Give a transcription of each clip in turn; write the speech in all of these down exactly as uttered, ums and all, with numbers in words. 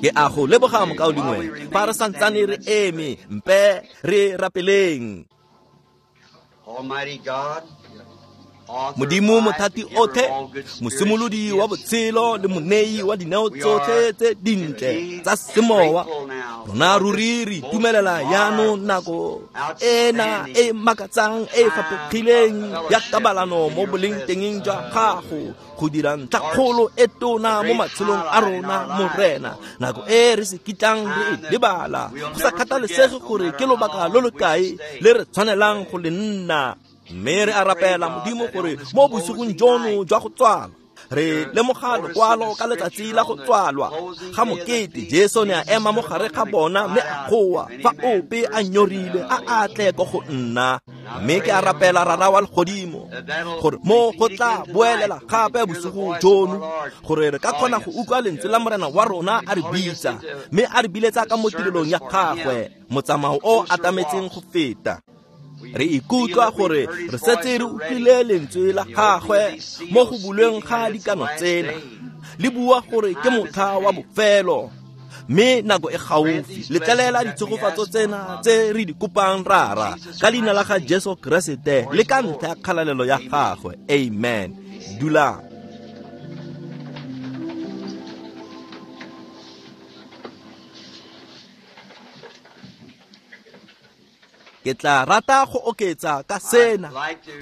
Ke a go leboga mokaulengwe. Fa re santsane re eme, mpe re rapeleng. Modimo mothati otlhe, mosimolodi wa botshelo le monei wa dineo tsotlhe tse dintle tsa semowa, rona ruri re itumelela jaanong nako ena e makatsang e e faphegileng ya kabalano mo boleng tengeng jwa gago go dira ntlhakgolo e tona mo matshelong a rona, Morena. Nako e re se kitlang re e lebala, go sa kgathalesege gore ke lobaka lo lo kae le re tshwanelang go le nna. Mme re a rapela Modimo gore mo bosigong jono jwa go tswalwa re lemoga lokwalo ka letsatsi la go tswalwa ga mokete. Jesu ne a ema mo gare ga bona mme a goa, fa ope a nyorilwe a a tle ko go nna. Mme ke a rapela Rara wa legodimo gore mo go tla boelela gape bosigo jono, gore re ka kgona go utlwa lentswe la Morena wa rona a re bitsa, mme a re biletsa ka mo tirelong ya gagwe, motsamao o atametseng go feta. Re ikutlwa gore re setse re utlwile lentswe la gagwe mo go bulweng ga dikano tsena, le bua gore ke motlha wa bofelo, mme nako e gaufi. Letlelela ditshegofatso tsena tse re di kopang Rara, ka leina la ga Jesu Keresete le ka ntlha ya kgalalelo ya gagwe. Amen. Dulang. Ke tla rata go oketsa ka sena,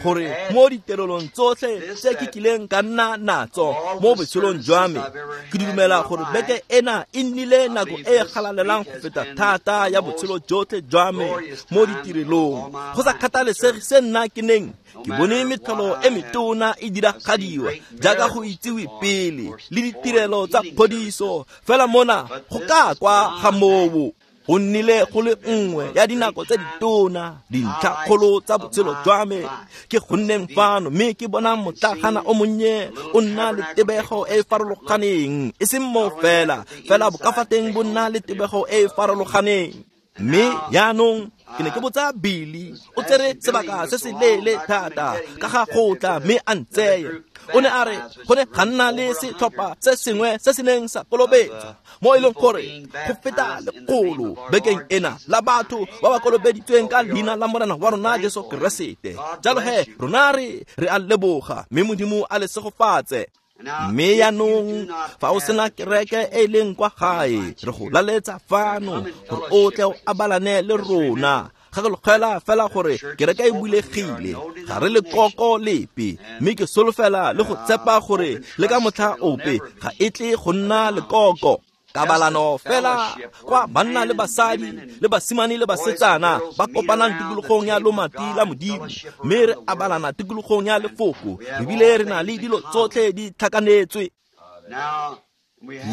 gore mo diterelong tsotlhe tse ke kileng ka nna natso mo botshelong jwa me, ke dumela gore beke ena e nnile nako e e galalelang go feta thata ya botshelo jotlhe jwa me mo ditirelong. Go sa kgathalesege se nna ke neng ke bone metlholo e metona e diragadiwa jaaka go itsiwe pele le ditirelo tsa phodiso, fela mona go ka kwa ga moo go nnile go le nngwe ya dinako tse ditona, dintlhakgolo tsa botshelo jwa me, ke go nneng fano mme ke bona motlagana o monnye o nna le tebego e e farologaneng, e seng moo fela, fela bokafateng bo nna le tebego e e farologaneng. Mme jaanong ke ne ke botsa Billy, o tsere sebaka se se leele thata ka ga go tla mme a ntseye. O ne a re go ne ga nna le setlhopha se sengwe se se neng sa kolobetswa, mo e leng gore go feta lekgolo bekeng ena la batho ba ba kolobeditsweng ka leina la Morena wa rona Jesu Keresete. Jalo he rona re re a leboga, mme Modimo a le segofatse. Mme jaanong fa o sena kereke e leng kwa gae, re go laletsa fano gore o tle o abalane le rona. Gakologela fela gore kereke e bulegile, ga re lekoko lepe, mme ke solofela le go tshepa gore le ka motlha ope ga e tle go nna lekoko. Kabalano fela kwa banna le basadi le basimane le basetsana ba kopanang tikologong ya lomati la Modimo, mme re abalana tikologong ya lefoko, ebile re na le dilo tsotlhe di tlhakanetswe.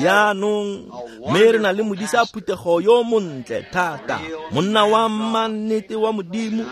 Jaanong mme re na le modisa phuthego yo montle thata, monna wa mannete wa Modimo,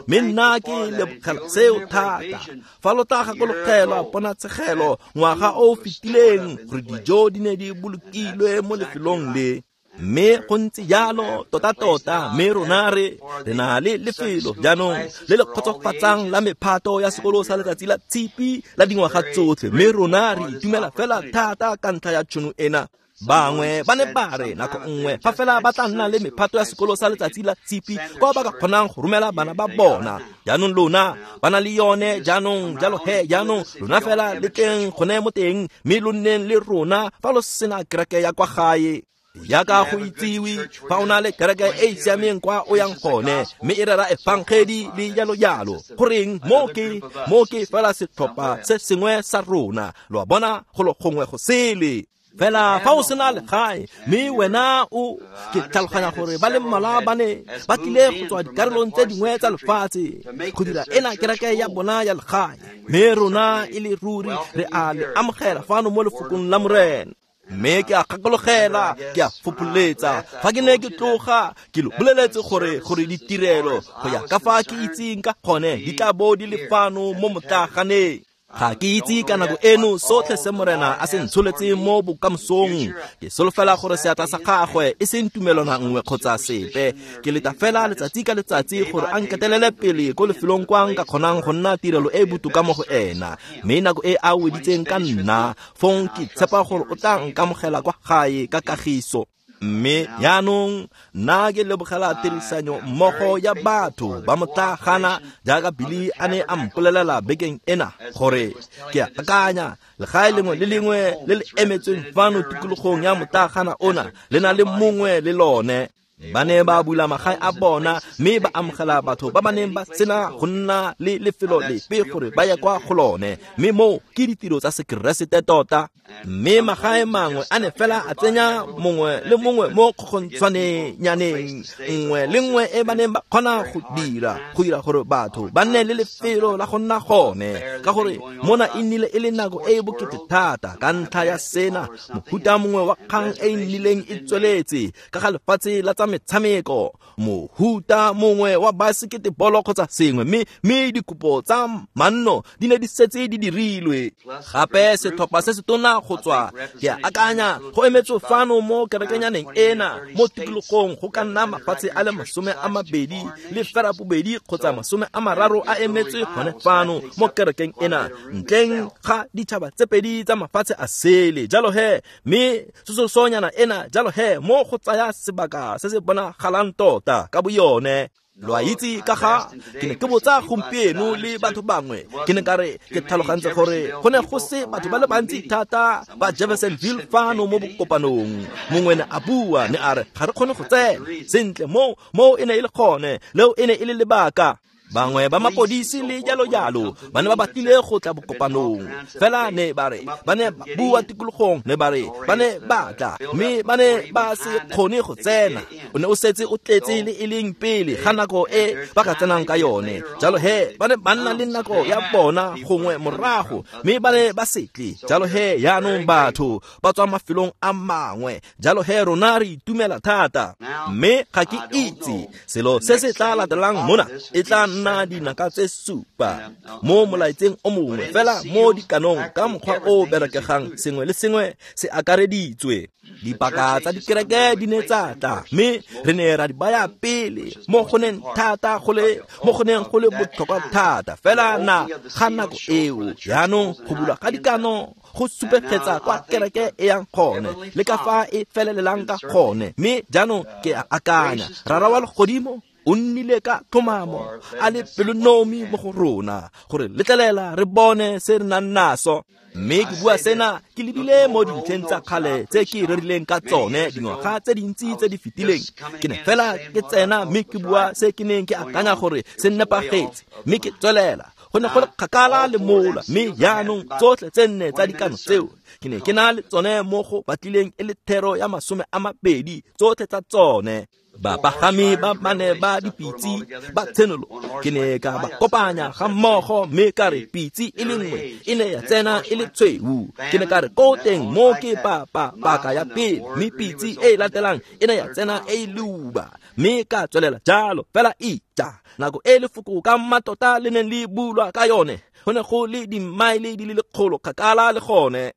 mme nna ke lebogela seo thata. Fa lo tla gakologelwa ponatshegelo ngwaga o o fetileng gore dijo di ne di bolokilwe mo lefelong le, mme go ntse jalo tota-tota. Mme rona re re na le lefelo jaanong le le kgotsofatsang la mephato ya sekolo sa letsatsi la tshipi la dingwaga tsotlhe, mme rona re itumela fela thata ka ntlha ya tšhono ena. Bangwe ba ne ba re nako nngwe fa fela ba tla nna le mephato ya sekolo sa letsatsi la tshipi kwa ba ka kgonang go romela bana ba bona. Jaanong lona ba na le yone jaanong, jalo he jaanong lona fela le tleng gone mo teng, mme lo nneng le rona fa lo sena kereke ya kwa gae. Jaaka go itsiwe, fa o na le kereke e e siameng kwa o yang gone, mme e rera efangedi le jalo-jalo, goreng mo ke mo ke fela setlhopha se sengwe sa rona, lo a bona, go lo gongwe go sele. Fela fa o sena legae, mme wena o ke tlhaloganya gore ba le mmalwa ba ne ba tlile go tswa dikarolong tse dingwe tsa lefatshe go dira ena kereke ya bona ya legae, mme rona e le ruri re a le amogela fano mo lefokong la Morena. Mme ke a gakologela, ke a fopholetsa fa ke ne ke tloga ke lo boleletse gore gore ditirelo go ya ka fa ke itseng ka gone di tla bo di le fano mo motlaganeng. Ga ke itse ka nako eno sotlhe se Morena a se ntsholetseng mo bokamosong. Ke solofela gore seatla sa gagwe e seng tumelwana nngwe kgotsa sepe. Ke leta fela letsatsi ka letsatsi gore a nketelele pele ko lefelong kwa nka kgonang go nna tirelo e e botoka mo go ena. Mme nako e a weditseng ka nna, fong ke tshepa gore o tla nkamogela kwa gae ka kagiso. Mme jaanong nna ke lebogela tirisanyo mmogo ya batho ba motlagana jaaka Billy a ne a mpolelela bekeng ena gore ke akanya legae lengwe le lengwe le le emetsweng fano tikologong ya motlagana ona le na le mongwe le lone. Ba ne ba bula magae a bona mme ba amogela batho ba ba neng ba sena go nna le lefelo lepe gore ba ye kwa go lone, mme moo ke ditiro tsa Sekeresete tota. Mme magae mangwe a ne fela a tsenya mongwe le mongwe mo kgogontshwanenyaneng nngwe le nngwe e ba neng ba kgona go dira go dira gore batho ba nne le lefelo la go nna gone, ka gore mona e nnile e le nako e e bokete thata ka ntlha ya sena mohuta mongwe wa kgang e e nnileng e tsweletse ka ga lefatshe la tsa metshameko, mohuta mongwe wa baseketebolo kgotsa sengwe, mme mme dikopo tsa manno di ne di setse di dirilwe. Gape setlhopha se se tona go tswa ke akanya go emetswe fano mo kerekenyaneng ena mo tikologong go ka nna mafatshe a le masome a mabedi le ferabobedi kgotsa masome a mararo a emetswe gone fano mo kerekeng ena, ntleng ga ditšhaba tse pedi tsa mafatshe a sele. Jalo he mme tsosolosonyana ena jalo he mo go tsaya sebaka se se bonagalang tota ka boyone. Lo a itse ka ga ke ne ke botsa gompieno le batho bangwe, ke ne ka re ke tlhalogantse gore go ne go se batho ba le bantsi thata ba Jeffersonville fano mo bokopanong. Mongwe ne a bua ne a re ga re kgone go tsena sentle, moo moo e ne e le gone, leo e ne e le lebaka. Bangwe ba mapodisi le jalo jalo ba ne ba batlile go tla bokopanong, fela ne ba re ba ne ba bua tikologong, ne ba re ba ne ba tla mme ba ne ba se kgone go tsena. O ne o setse o tletse le e leng pele ga nako e ba ka tsenang ka yone. Jalo he ba ne ba nna le nako ya bona gongwe morago, mme ba ne ba se tle. Jalo he jaanong batho ba tswa mafelong a mangwe, jalo he rona re itumela thata. Mme ga ke itse selo se se tla latelang mona e tla nna dinaka tse supa mo molaetseng o mongwe fela mo dikanong ka mokgwa o berekegang, sengwe le sengwe se akareditswe. Dipaka tsa dikereke di ne tsa tla mme re ne ra di baya pele mo go neng thata go le mo go neng go le botlhokwa thata fela na ga nako eo. Jaanong go bulwa ga dikano go supegetsa kwa kereke e yang gone le ka fa e felelelang ka gone. Mme jaanong ke a akanya Rara wa legodimo o nnile ka tlhomamo a le pelonomi mo go rona gore letlelela re bone se re nang naso. Mme ke bua sena ke lebile mo dintlheng tsa kgale tse ke rerileng ka tsone dingwaga tse dintsi tse di fetileng. Ke ne fela ke tsena mme ke bua se ke neng ke akanya gore se nepagetse, mme ke tswelela. Go ne go le kgakala le mola, mme jaanong tsotlhe tse nne tsa dikano tseo ke ne ke na le tsone mo go batlileng e le thero ya masome a mabedi tsotlhe tsa tsone. Bapagami ba bane ba dipitse ba tshenolo ke ne ka ba kopanya ga mmogo mme ka re pitse e le nngwe e ne ya tsena e le tshweu. Ke ne ka re ko teng mo ke pa pa paka ya pele, mme pitse e e latelang e ne ya tsena e leuba, mme ka tswelela jalo fela ija nako e lefoko ka mmatota le neng le bulwa ka yone go ne go le dimaele di le lekgolo kgakala le gone.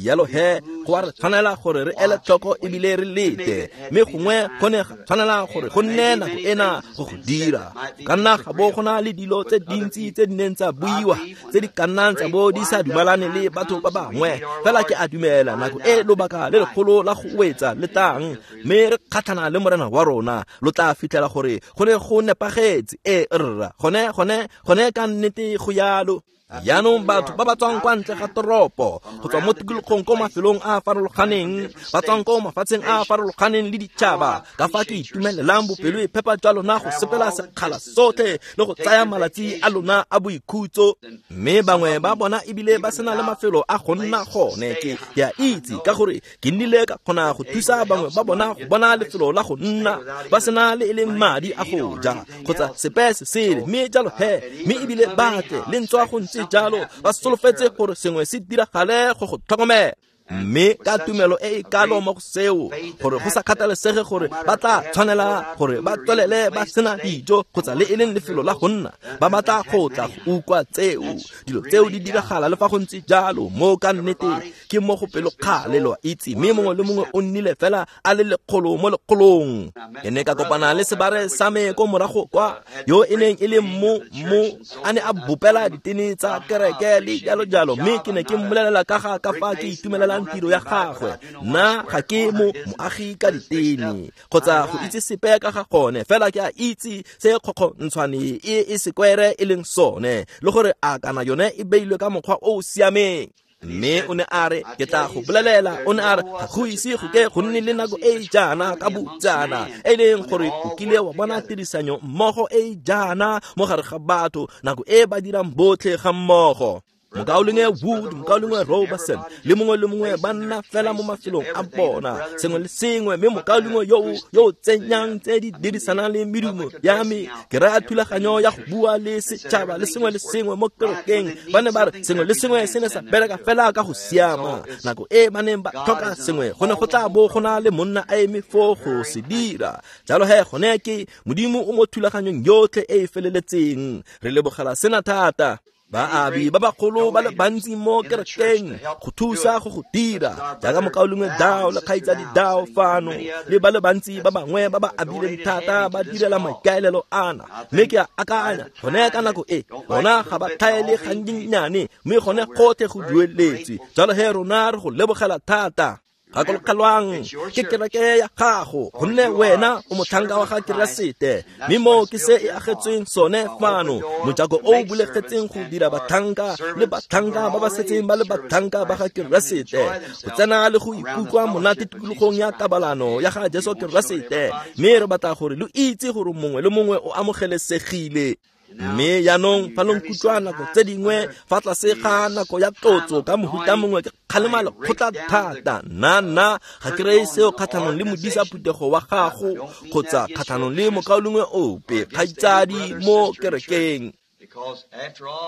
Jalo he go a re tshwanela gore re ele tlhoko ebile re lete, mme gongwe go ne ga tshwanela gore go nne nako ena go go dira. Ka nna ga bo go na le dilo tse dintsi tse di neng tsa buiwa tse di ka nnang tsa bo di sa dumalane le batho ba bangwe, fela ke a dumela nako e lobaka le legolo la go wetsa le tlang mme re kgatlhana le Morena wa rona, lo tla fitlhela gore go ne go nepagetse. E rra gone gone gone ka nnete go yalo. Jaanong batho ba ba tswang kwa ntle ga toropo go tswa mo tikologong ko mafelong a a farologaneng, ba tswang ko mafatsheng a a farologaneng le ditšhaba, ka fa ke itumelelang bopelo e phepa jwa lona go sepela sekgala sotlhe le go tsaya malatsi a lona a boikhutso. Mme bangwe ba bona ebile ba sena le mafelo a go nna gone. Ke ke a itse ka gore ke nnile ka kgona go thusa bangwe ba bona go bona lefelo la go nna ba sena le e leng madi a go ja kgotsa sepe se sele, mme jalo he mme ebile ba tle le ntswa go ntse jalo ba solofetse gore sengwe se diragale go go tlhokomela. Mme ka tumelo e e kalo mo go seo, gore go sa kgathalesege gore ba tla tshwanela gore ba tswelele ba sena dijo kgotsa le e leng lefelo la go nna, ba batla go tla go utlwa tseo. Dilo tseo di diragala le fa go ntse jalo, mo ka nnete ke mo go pelokgale, lo a itse, mme mongwe le mongwe o nnile fela a le lekgolo mo lekgolong. Ke ne ka kopana le sebare sa me ko morago kwa, yo e neng e le mo mo a ne a bopela ditene tsa kereke le jalo jalo, mme ke ne ke mmolelela ka ga ka fa ke itumelelang tiro ya gagwe. Nna ga ke mo moagi ka ditene kgotsa go itse sepe ka ga gone, fela ke a itse se kgokgontshwane e e sekwere e leng sone, le gore a kana yone e beilwe ka mokgwa o o siameng. Mme o ne a re, ke tla go bolelela, o ne a re, ga go ise go ke go nne le nako e e jaana ka bojaana, e leng gore o kile wa bona tirisanyo mmogo e e jaana mo gare ga batho, nako e ba dirang botlhe ga mmogo. Mokaulengwe Wood, mokaulengwe Robertson, le mongwe le mongwe ba nna fela mo mafelong a bona, sengwe le sengwe, mme mokaulengwe yo yo tsenyang tse di dirisanang le medumo ya me, ke raya thulaganyo ya go bua le setšhaba le sengwe le sengwe mo kerekeng. Ba ne ba re sengwe le sengwe se ne sa bereka fela ka go siama. Nako e ba neng ba tlhoka sengwe, go ne go tla bo go na le monna a eme foo go se dira. Jalo he gone ke Modimo o mo thulaganyong yotlhe e e feleletseng. Re lebogela sena thata. Baabi ba bagolo ba le bantsi mo kerekeng go thusa go go dira, jaaka mokaulengwe Dao le kgaitsadi Dao fano, le ba le bantsi ba bangwe ba ba abileng thata ba direla maikaelelo ana. Mme ke a akanya gone ka nako e bona ga ba tlhaele gannyenyane, mme gone gotlhe go dueletswe. Jalo he rona re go lebogela thata. Gakologelwang ke kereke ya gago, gonne wena o motlhanka wa ga Keresete, mme mo ke se e agetsweng sone fano, mojako o o bulegetseng go dira batlhanka le batlhanka ba ba setseng ba le batlhanka ba ga Keresete, go tsena le go ikutlwa monate tikologong ya kabalano ya ga Jesu Keresete. Mme re batla gore lo itse gore mongwe le mongwe o amogelesegile. Mme jaanong fa lo nkutlwa nako tse dingwe fa tlase ga nako ya tlotso ka mohuta mongwe ke kgalema lekgotla thata, nna nna ga ke reye seo kgatlhanong le modisa phuthego wa gago kgotsa kgatlhanong le mokaulengwe ope kgaitsadi mo kerekeng.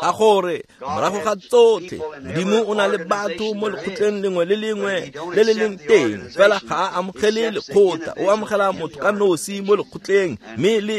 Ka gore morago ga tsotlhe Modimo o na le batho mo lekgotleng lengwe le lengwe le le leng teng, fela ga a amogele lekgotla, o amogela motho ka nosi mo lekgotleng, mme le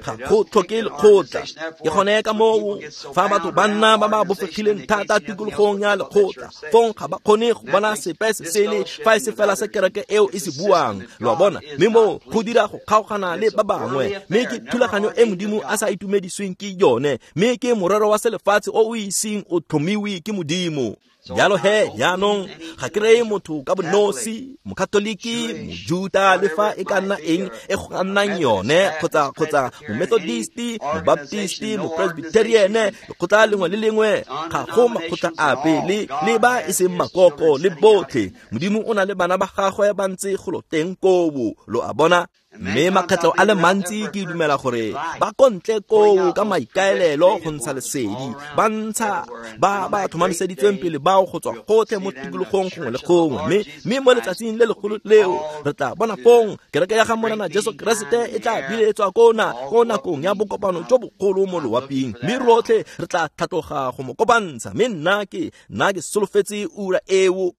ga go tlhoke lekgotla. Ke gone ka moo fa batho ba nna ba ba bofegileng thata tikologong ya lekgotla, fong ga ba kgone go bona sepe se sele fa e se fela se kereke eo e se buang, lo a bona, mme moo go dira go kgaogana le ba bangwe, mme ke thulaganyo e Modimo a sa itumedisweng ke yone, mme ke morero wa selefatshe o o iseng o tlhomiwe ke Modimo. Jalo he jaanong ga ke reye motho ka bonosi, mokatoliki, mojuta, le fa e ka nna eng e go ka nnang yone, kgotsa kgotsa momethodisti, mobaptisti, mopresbyteriene, lekgotla lengwe le lengwe, ga go makgotla ape le le ba e seng makoko le botlhe. Modimo o na le bana ba gagwe ba ntse golo teng koo, lo a bona. Mme makgetlho a le mantsi ke dumela gore ba kontle koo ka maikaelelo go ntsha lesedi, ba ntsha ba ba tlhomamiseditsweng pele bao go tswa gotlhe mo tikologong gongwe le gongwe. Mme mme mo letsatsing le legolo leo re tla bona fong kereke ya ga Morena Jesu Keresete e tla biletswa ko na ko nakong ya bokopano jo bogolo mo loaping, mme rotlhe re tla tlhatloga go mo kopantsha. Mme nna ke nna ke solofetse ura eo.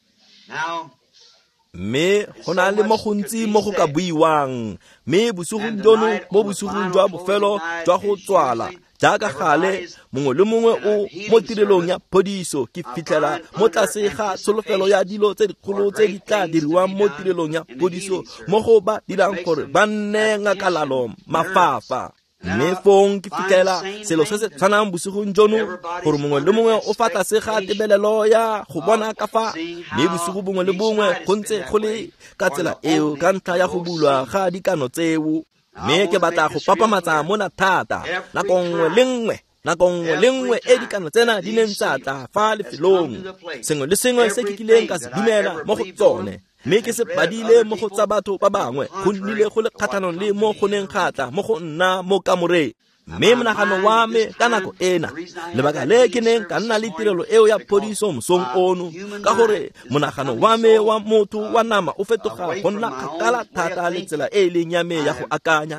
Mme go na le mo gontsi mo go ka buiwang, mme bosigong jono mo bosigong jwa bofelo jwa go tswala, jaaka gale mongwe le mongwe o mo tirelong ya phodiso, ke fitlhela mo tlase ga tsholofelo ya dilo tse dikgolo tse di tla diriwang mo tirelong ya phodiso, mo go ba dirang gore ba nne ngakalalo mafafa. Mme fong ke fitlhela selo se se tshwanang bosigong jono, gore mongwe le mongwe o fa tlase ga tebelelo ya go bona ka fa, mme bosigo bongwe le bongwe go ntse go le ka tsela eo ka ntlha ya go bulwa ga dikano tseo. Mme ke batla go papamatsa mona thata, nako nngwe le nngwe, nako nngwe le nngwe e dikano tsena di neng tsa tla fa lefelong, sengwe le sengwe se ke kileng ka se dumela mo go tsone, mme ke se badile mo go tsa batho ba bangwe, go nnile go le kgatlhanong le mo go neng ga tla mo go nna mo kamoreng. Mme monagano wa me ka nako ena, lebaka le ke neng ka nna le tirelo eo ya phodiso mosong ono, ka gore monagano wa me wa motho wa nama o fetoga go nna kgakala thata le tsela e e leng ya me ya go akanya.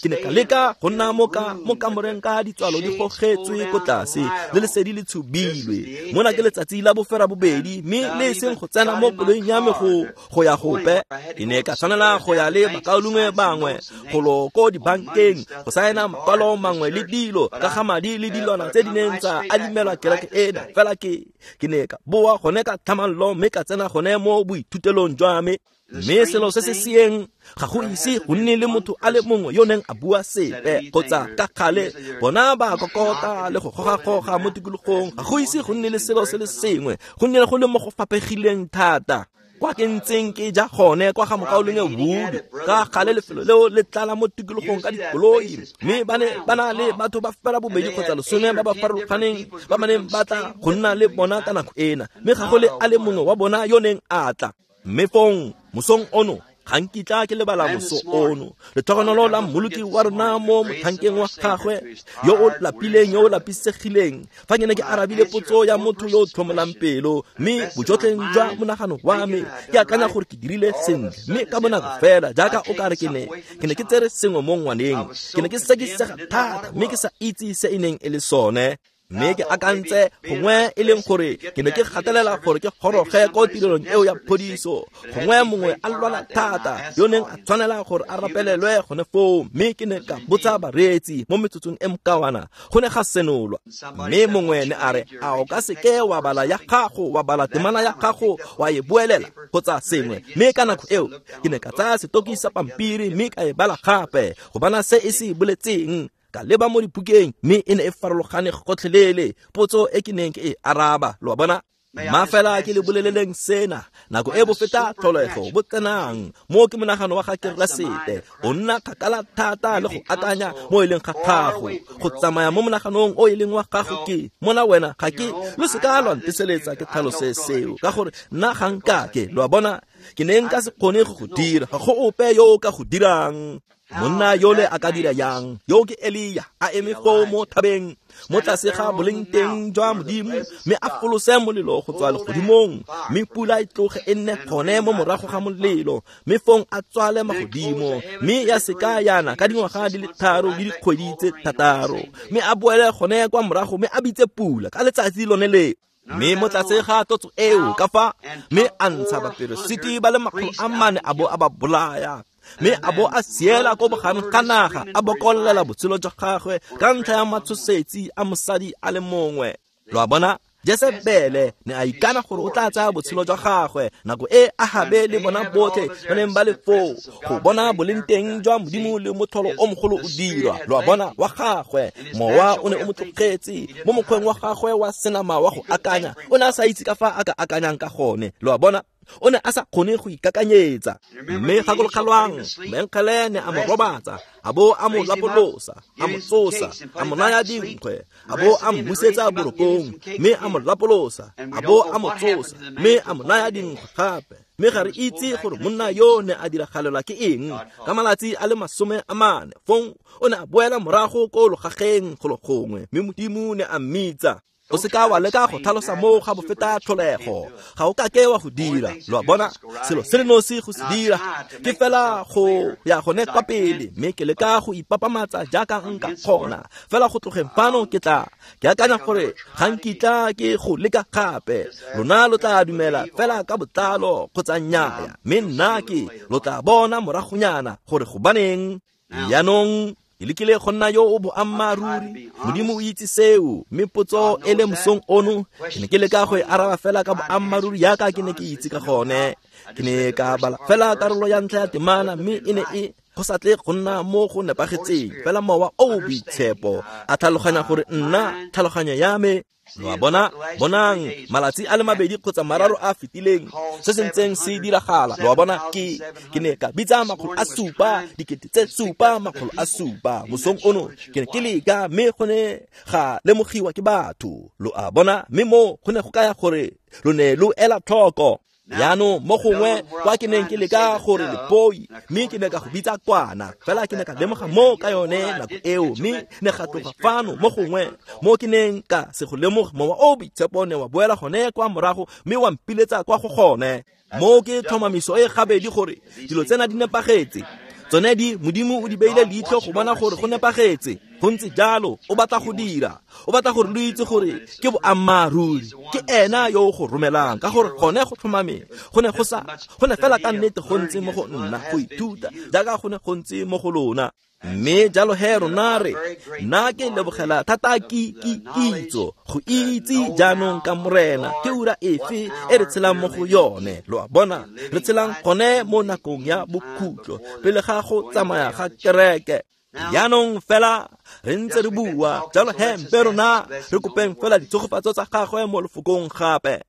Ke ne ka leka go nna mo ka mo kamoreng ka ditswalo di gogetswe ko tlase le lesedi le tshubilwe. Mona ke letsatsi la bofera bobedi, mme le e seng go tsena mo koloing ya me go go ya gope. Ke ne ka tshwanela go ya le bakaulengwe bangwe golo ko dibankeng go saena makwalo mangwe le dilo ka ga madi le dilwana tse di neng tsa adimelwa kereke ena. Fela ke ke ne ka boa gone ka tlhamallo mme ka tsena gone mo boithutelong jwa me. Mme selo se se seeng ga go ise go nne le motho a le mongwe yo neng a bua sepe kgotsa ka kgale bona ba kokota le go goga-goga mo tikologong. Ga go ise go nne le selo se le sengwe, go nne go le mo go fapegileng thata. Kwa ke ntseng ke ja gone kwa ga mokaulengwe Wood, ka gale lefelo leo le tlala mo tikologong ka dikoloi, mme ba ne ba na le batho ba fela bobedi kgotsa lesome ba ba farologaneng ba ba neng ba tla go nna le bona ka nako ena, mme ga go le a le mongwe wa bona yo neng a tla. Mme fong mosong ono ga nkitla ke lebala moso ono, letlhogonolo la mmoloki wa rona mo motlhankeng wa gagwe yo o lapileng, yo o lapisegileng, fa ke ne ke arabile potso ya motho yo o tlhomolang pelo, mme bojotleng jwa monagano wa me ke akanya gore ke dirile sentle. Mme ka bonako fela jaaka o kare ke ne ke ne ke tsere sengwe mo ngwaneng, ke ne ke sekisega thata mme ke sa itse se e neng e le sone. Mme ke akantse gongwe e leng gore ke ne ke gatelela gore ke goroge ko tirelong eo ya phodiso, gongwe mongwe a lwala thata yo neng a tshwanela gore a rapelelwe gone foo. Mme ke ne ka botsa bareetsi mo metsotsong e mokawana, go ne ga senolwa. Mme mongwe ne a re, a o ka seke wa bala ya gago, wa bala temana ya gago, wa e boelela kgotsa sengwe. Mme ka nako eo ke ne ka tsaya setoki sa pampiri mme ka e bala gape go bona se e se boletseng. Ka leba mo dibukeng, mme e ne e farologane gotlhelele potso e ke neng ke e araba. Lo a bona? Ma fela ke le boleleleng sena, nako e bo feta tlholego bo tsenang mo ke monagano wa ga Keresete, o nna kgakala thata le go akanya mo e leng ga gago, go tsamaya mo monaganong o e leng wa gago. Ke mona wena ga ke lo seka lwa nteseletsa ke tlhalose seo, ka gore nna ga nkake. Lo a bona? Ke ne nka se kgone go go dira, ga go ope yo o ka go dirang. Monna yole a ka dira yang? Yo ke Elia a eme foo mo thabeng mo tlase ga boleng teng jwa Modimo, mme a folose molelo go tswa legodimong, mme pula e tloge e nne gone mo morago ga molelo, mme fong a tswale magodimo, mme ya seka yana ka dingwaga di le tharo le dikgwedi tse thataro, mme a boele gone kwa morago mme a bitse pula ka letsatsi lone le. Mme mo tlase ga tlotso eo ka fa, mme a ntsha baperesiti ba le makgolo a mane a bo a ba bolaya, mme a bo a siela ko bogareng ga naga, a bokollela botshelo jwa gagwe ka ntlha ya matshosetsi a mosadi a le mongwe. Lo a bona? Jesebele ne a ikana gore o tla tsaya botshelo jwa gagwe nako e Ahabe le bona botlhe ba neng ba le foo go bona boleng teng jwa Modimo le motlholo o mogolo o dirwa. Lo a bona? Wa gagwe mowa o ne o mo tlogetse mo mokgweng wa gagwe wa senama wa go akanya, o ne a sa itse ka fa a ka akanyang ka gone. Lo a bona? O ne a sa kgone go ikakanyetsa. Mme gakologelwang, moengele ne a mo robatsa, a bo a mo lapolosa, a mo tsosa, a mo naya dinkgwe, a bo a mmusetsa borokong, mme a mo lapolosa, a bo a mo tsosa, mme a mo naya dinkgwe gape. Mme ga re itse gore monna yo ne a diragalelwa ke eng ka malatsi a le masome a mane. Fong o ne a boela morago ko logageng golo gongwe, mme Modimo ne a mmitsa. O seka wa leka go tlhalosa moo ga bofeta tlholego, ga o kake wa go dira. Lo a bona? Selo se le nosi go se dira ke fela go ya gone kwa pele, mme ke leka go ipapamatsa jaaka nka kgona. Fela go tlogeng fano ke tla ke akanya gore ga nkitla ke go leka gape. Lona lo tla dumela fela ka botlalo kgotsa nnyaya, mme nna ke lo tla bona moragonyana gore gobaneng. Jaanong ke lekile go nna yo o boammaaruri, Modimo o itse seo. Mme potso e le mosong ono ke ne ke leka go e araba fela ka boammaaruri jaaka ke ne ke itse ka gone. Ke ne ka bala fela karolo ya ntlha ya temana, mme e ne e go sa tle go nna mo go nepagetseng. Fela mowa o o boitshepo a tlhaloganya gore nna tlhaloganyo ya me. Lo a bona? Bonang, malatsi a le mabedi kgotsa mararo a fetileng se se ntseng se diragala. Lo a bona? Ke ke ne ka bitsa makgolo a supa, dikete tse supa, makgolo a supa mosong ono. Ke ne ke leka, mme go ne ga lemogiwa ke batho. Lo a bona? Mme mo go ne go kaya gore lo ne lo ela tlhoko. Jaanong mo gongwe kwa ke neng ke leka gore lepoi, mme ke ne ka go bitsa kwana, fela ke ne ka lemoga mo ka yone nako eo, mme ne ga tloga fano mo gongwe mo ke neng ka se go lemoga, Mowa o Boitshepo ne wa boela gone kwa morago mme wa mpiletsa kwa go gone. Mo ke tlhomamiso e gabedi gore dilo tsena di nepagetse. Tsone di Modimo o di beile leitlho go bona gore go nepagetse. Go ntse jalo, o batla go dira, o batla gore lo itse gore ke boammaaruri, ke ena yo o go romelang, ka gore gone go tlhomame go ne go sa go ne fela ka nnete go ntse mo go nna go ithuta jaaka go ne go ntse mo go lona. Mme jalo he rona re nna ke lebogela thata ki ki kitso go itse jaanong ka Morena ke ura efe e re tshelang mo go yone. Lo a bona, re tshelang gone mo nakong ya bokhutlo pele ga go tsamaya ga kereke. Jaanong fela re ntse re bua jalo he mpe rona re kopeng fela ditshegofatso tsa gagwe mo lefokong gape.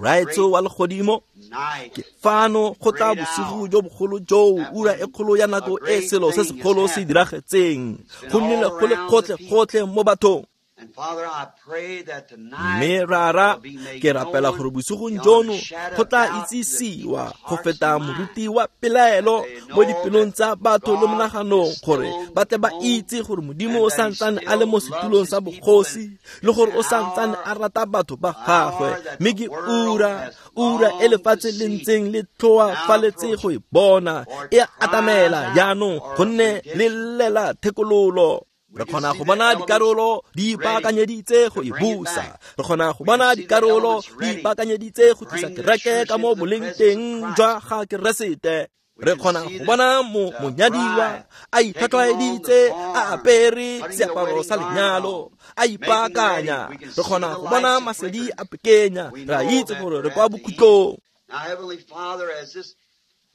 Raetso wa legodimo, ke fano go tla bosigo jo bogolo joo, ura e kgolo ya nako e selo se segolo se diragetseng, go nnile go le gotlhe-gotlhe mo bathong. Mme Rara, ke rapela gore bosigong jono go tla itsisiwa go feta moruti wa pelaelo mo dipelong tsa batho le monaganong, gore ba tle ba itse gore Modimo o santsane a le mo setulong sa bogosi, le gore o santsane a rata batho ba gagwe. Mme ke ura, ura e lefatshe le ntseng le tlhoafaletse go e bona, e atamela jaanong, gonne le llela thekololo. Re kgona go bona dikarolo di ipaakanyeditse go e busa, re kgona go bona dikarolo di ipaakanyeditse go tlisa kereke ka mo boleng teng jwa ga Keresete. Re kgona go bona mo monyadiwa a itlhwatlhwaeditse, a apere seaparo sa lenyalo, a ipaakanya. Re kgona go bona masedi a pekenya, re a itse gore re kwa bokhutlong.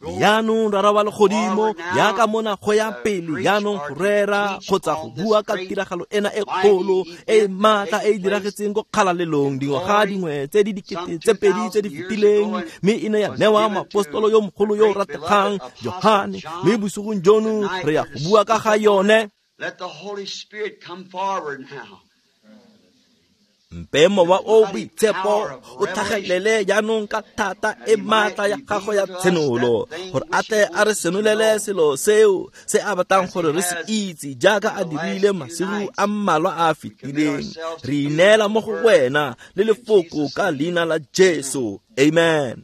Jaanong Rara wa legodimo, jaaka mona go ya pele jaanong go rera kgotsa go bua ka tiragalo ena e kgolo e maatla e e diragetseng ko kgalalelong dingwaga dingwe tse di dikete tse pedi tse di fetileng, mme e ne ya newa moapostolo yo mogolo yo o rategang Johane, mme bosigong jono re ya go bua ka ga yone. Mpe Mowa o Boitshepo o tlhagelele jaanong ka thata e maatla ya gagwe ya tshenolo, gore a tle a re senolele selo seo se a batlang gore re se itse, jaaka a dirile masigo a mmalwa a a fetileng. Re ineela mo go wena le lefoko ka leina la Jesu. Amen.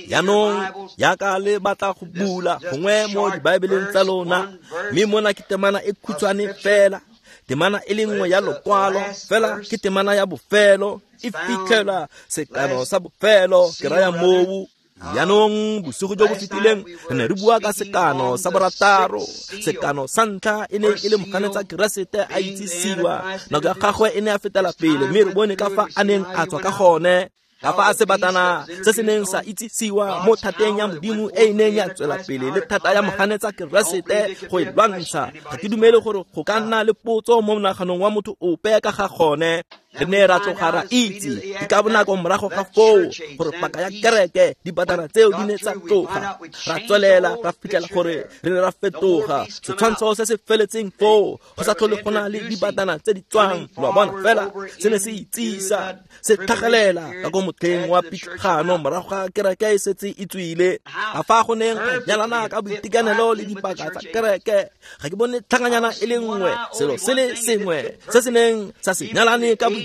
Jaanong jaaka le batla go bula gongwe mo dibaebeleng tsa lona, mme mona ke temana e khutshwane fela, temana e le nngwe ya lokwalo fela, ke temana ya bofelo, e fitlhela sekano sa bofelo, ke raya moo. Jaanong bosigo jo bo fetileng re ne re bua ka sekano sa borataro. Sekano sa ntlha e ne e le moganetsa Keresete a itsisiwa, nako ya gagwe e ne a fetela pele, mme re bone ka fa a neng a tswa ka gone, ka fa a sebatana se se neng sa itsisiwa mo thateng ya Modimo e e neng ya tswela pele le thata ya moganetsa Keresete go e lwantsha. Ga ke dumele gore go ka nna le potso mo monaganong wa motho ope ka ga gone. Re ne ra tloga ra itse ke ka bonako morago ga foo gore paka ya kereke dibatana tseo di ne tsa tloga. Ra tswelela ra fitlhela gore re ne ra fetoga setshwantsho se se feletseng foo, go sa tlhole go na le dibatana tse di tswang. Lo a bona, fela se ne se itsisa, se tlhagelela ka ko motlheng wa pitlagano morago ga kereke e setse e tswile. Ka fa go neng ga nyalana ka boitekanelo le dipaka tsa kereke, ga ke bone tlhanganyana e le nngwe, selo se le sengwe se se neng sa se nyalane ka boitekanelo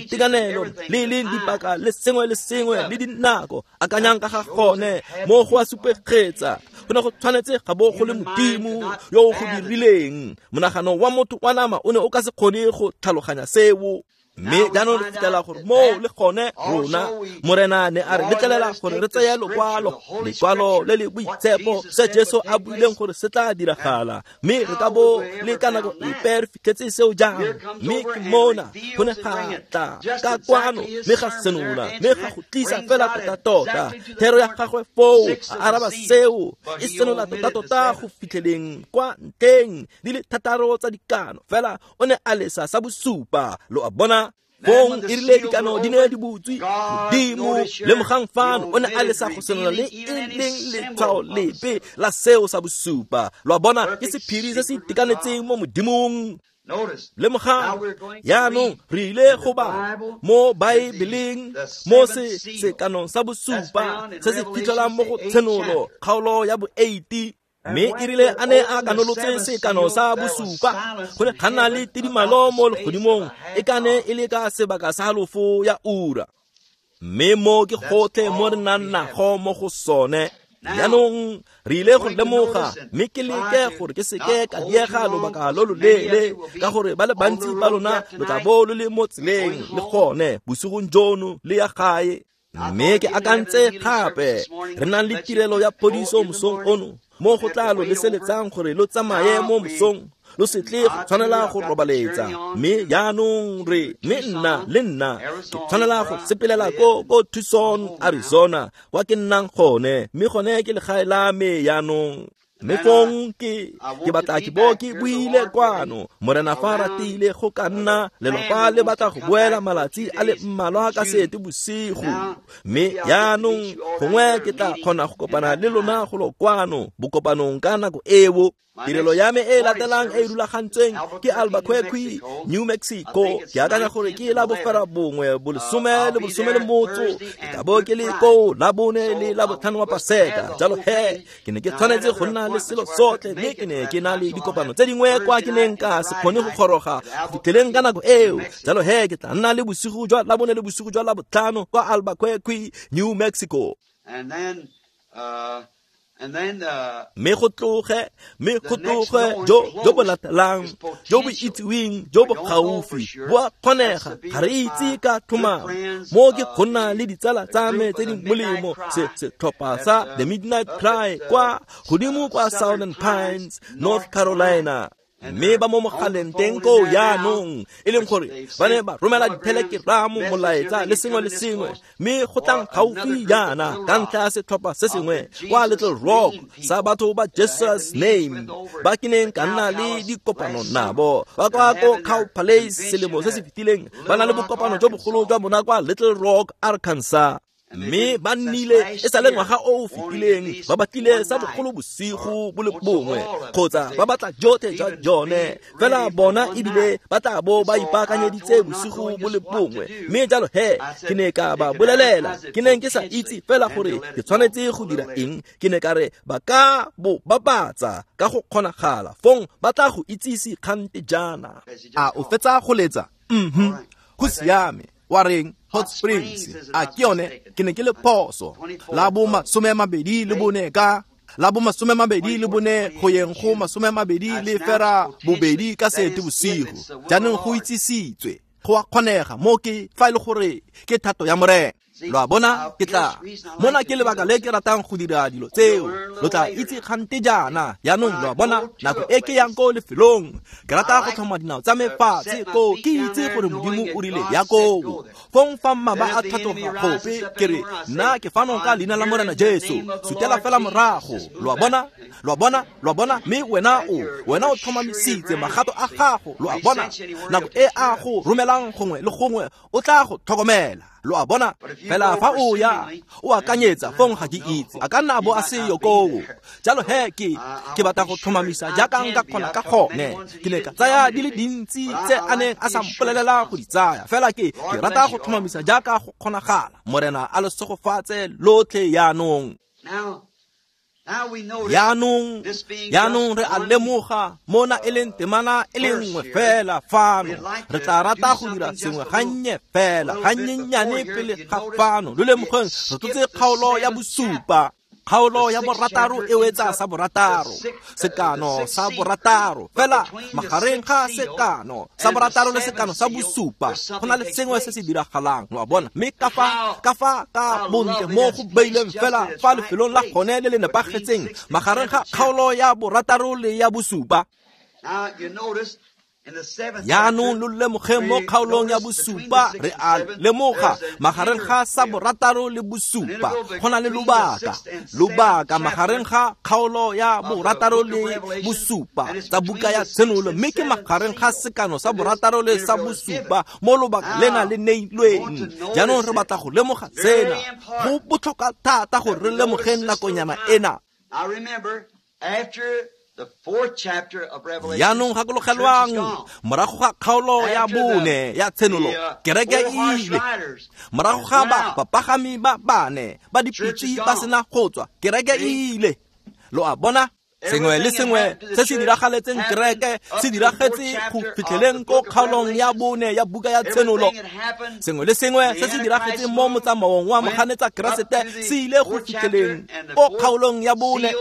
le le dipaka le sengwe le sengwe le dinako. Akanyang ka ga gone mo go a supegetsa, go ne go tshwanetse ga bo go le Modimo yo o go dirileng. Monagano wa motho wa nama o ne o ka se kgone go tlhaloganya seo. Mme jaanong re fitlhela gore moo le gone rona Morena ne a re letlelela gore re tseye lokwalo, lekwalo le le boitshepo, se Jesu a buileng gore se tla diragala, mme re ka bo le ka nako epe re fitlhetse seo jang. Mme ke mona go ne ga tla ka kwano, mme ga senola, mme ga go tlisa fela tota-tota thero ya gagwe foo, a araba seo, e senola tota-tota go fitlheleng kwa ntleng di le thataro tsa dikano, fela o ne a lesa sa bosupa. Lo a bona, fong e rile dikano di ne di butswe, Modimo lemogang fano o ne a lesa go senola le e leng letshwao lepe la seo sa bosupa. Lo a bona, ke sephiri se se itekanetseng mo Modimong. Lemogang, jaanong re ile go bala mo Baebeleng mo se sekanong sa bosupa se se fitlhelang mo go Tshenolo kgaolo ya bo eighty. Mme e rile a ne a kanolotse sekano sa bosupa, go ne ga nna le tidimalo mo legodimong e ka ne e le ka sebaka sa halofo ya ura. Mme mo ke gotlhe mo re nang nago mo go sone. Jaanong re ile go lemoga, mme ke leke gore ke seke ka diega lobaka lo loleele, ka gore ba le bantsi ba lona lo tla bo lo le mo tseleng le gone bosigong jono le ya gae. Mme ke akantse gape re nang le tirelo ya phodiso mosong ono, mo go tla lo leseletsang gore lo tsamaye mo mosong, lo se tle go tshwanela go robaletsa. Mme jaanong re mme nna le nna ke tshwanela go sepelela ko ko Tucson, Arizona, kwa ke nnang gone, mme gone ke legae la me jaanong. Mme fong ke ke batla ke bo ke buile kwano, Morena fa ratile go ka nna lelapa le batla go boela malatsi a le mmalwa ka sete bosigo. Mme jaanong gongwe ke tla kgona go kopana le lona golo kwano bokopanong ka nako eo. Tirelo ya me e latelang e rulagantsweng ke Albuquerque, New Mexico. Ke akanya gore ke la bofera bongwe bolesome le bolesome le motso. Ke tla bo ke le koo la bone le la botlhano wa Paseka. Jalo he, ke ne ke tshwanetse go nna le selo sotlhe, mme ke ne ke na le dikopano tse dingwe kwa ke neng ka se kgone go goroga go fitlheleng ka nako eo. Jalo he, ke tla nna le bosigo jwa la bone le bosigo jwa la botlhano kwa Albuquerque, New Mexico. And then, uh, And then, uh, mme go tloge mme go tloge jo jo bo latelang jo bo itsiweng jo bo gaufi bo a kgonega, ga re itse ka tlhomamo. Mo ke go nna le ditsala tsa me tse di molemo, se setlhopha sa The Midnight Cry kwa godimo kwa Southern Pines, North Carolina. Mme ba mo mogaleng teng koo jaanong, e leng gore ba ne ba romela dithelekeramo, molaetsa le sengwe le sengwe, mme go tlang gaufi jaana ka ntlha ya setlhopha se sengwe kwa Little Rock sa batho ba Jesus Name ba ke neng ka nna le dikopano nabo ba kwa ko Cow Palace selemo se se fetileng. Ba na le bokopano jo bogolo jwa bona kwa Little Rock, Arkansas. Mme ba nnile e sa le ngwaga o o fetileng ba batlile sa bogolo bosigo bo le bongwe kgotsa ba batla jotlhe jwa jone, fela bona ebile ba tla bo ba ipaakanyeditse bosigo bo le bongwe. Mme jalo he, ke ne ka ba bolelela, ke neng ke sa itse fela gore ke tshwanetse go dira eng. Ke ne ka re ba ka bo bapatsa ka go kgonagala, fong ba tla go itsise kgante jaana. A o fetsa go letsa? Mhm, go siame. Wa reng? Hot Springs. A ke yone? Ke ne ke le phoso. La bo masome a mabedi le bone ka la bo masome a mabedi le bone go yeng go masome a mabedi le fera bobedi ka sete bosigo. Jaanong go itsisitswe, go a kgonega mo ke fa e le gore ke thato ya Morena. Lo a bona, ke tla mona ke lebaka le ke ratang go dira dilo tseo. Lo tla itse kgante jaana. Jaanong lo a bona, nako e ke yang ko lefelong, ke rata go tlhoma dinao tsa me fatshe koo, ke itse gore Modimo o rile ya koo. Fong fa mmaba a tlhatloga gope, ke re nna ke fano ka leina la Morena Jesu, sutela fela morago. Lo a bona, lo a bona, lo a bona. Mme wena o wena o tlhomamisitse magato a gago. Lo a bona, nako e a go romelang gongwe le gongwe o tla go tlhokomela. Lo a bona, fela fa o ya o akanyetsa, fong ga ke itse, a ka nna bo a seyo koo. Jalo he, ke ke batla go tlhomamisa jaaka nka kgona ka gone. Ke ne ka tsaya di le dintsi tse a neng a sa mpolelela go di tsaya, fela ke ke rata go tlhomamisa jaaka go kgonagala. Morena a le segofatse lotlhe jaanong. Jaanong jaanong re a lemoga mona e leng temana e le nngwe fela fano. Re tla rata go dira sengwe gannye fela, gannyenyane pele ga fano. Lo lemogeng, re tlotse kgaolo ya bosupa. Kgaolo ya borataro e wetsa sa borataro, sekano sa borataro. Fela magareng ga sekano sa borataro le sekano sa bosupa go na le sengwe se se diragalang. Lo a bona? Mme ka fa ka fa ka bontle mo go beileng fela fa lefelong la gone le le nepagetseng magareng ga kgaolo ya borataro le ya bosupa. Jaanong lo lemogeng mo kgaolong ya bosupa, re a lemoga magareng ga sa borataro le bosupa go na le lobaka, lobaka magareng ga kgaolo ya borataro le bosupa tsa buka ya Tshenolo, mme ke magareng ga sekano sa borataro le sa bosupa mo lobaka lena le neilweng. Jaanong re batla go lemoga sena, go botlhokwa thata gore re lemogeng nakonyana ena. Jaanong gakologelwang morago ga kgaolo ya bone ya tshenolo kereke e ile. Morago ga ba bapagami ba bane ba dipitse ba sena go tswa kereke e ile. Lo a bona? Sengwe le sengwe se se diragaletseng kereke se diragetse go fitlheleng ko kgaolong ya bone ya buka ya tshenolo. Sengwe le sengwe se se diragetseng mo motsamaong wa moganetsa Keresete se ile go fitlheleng ko kgaolong ya bone.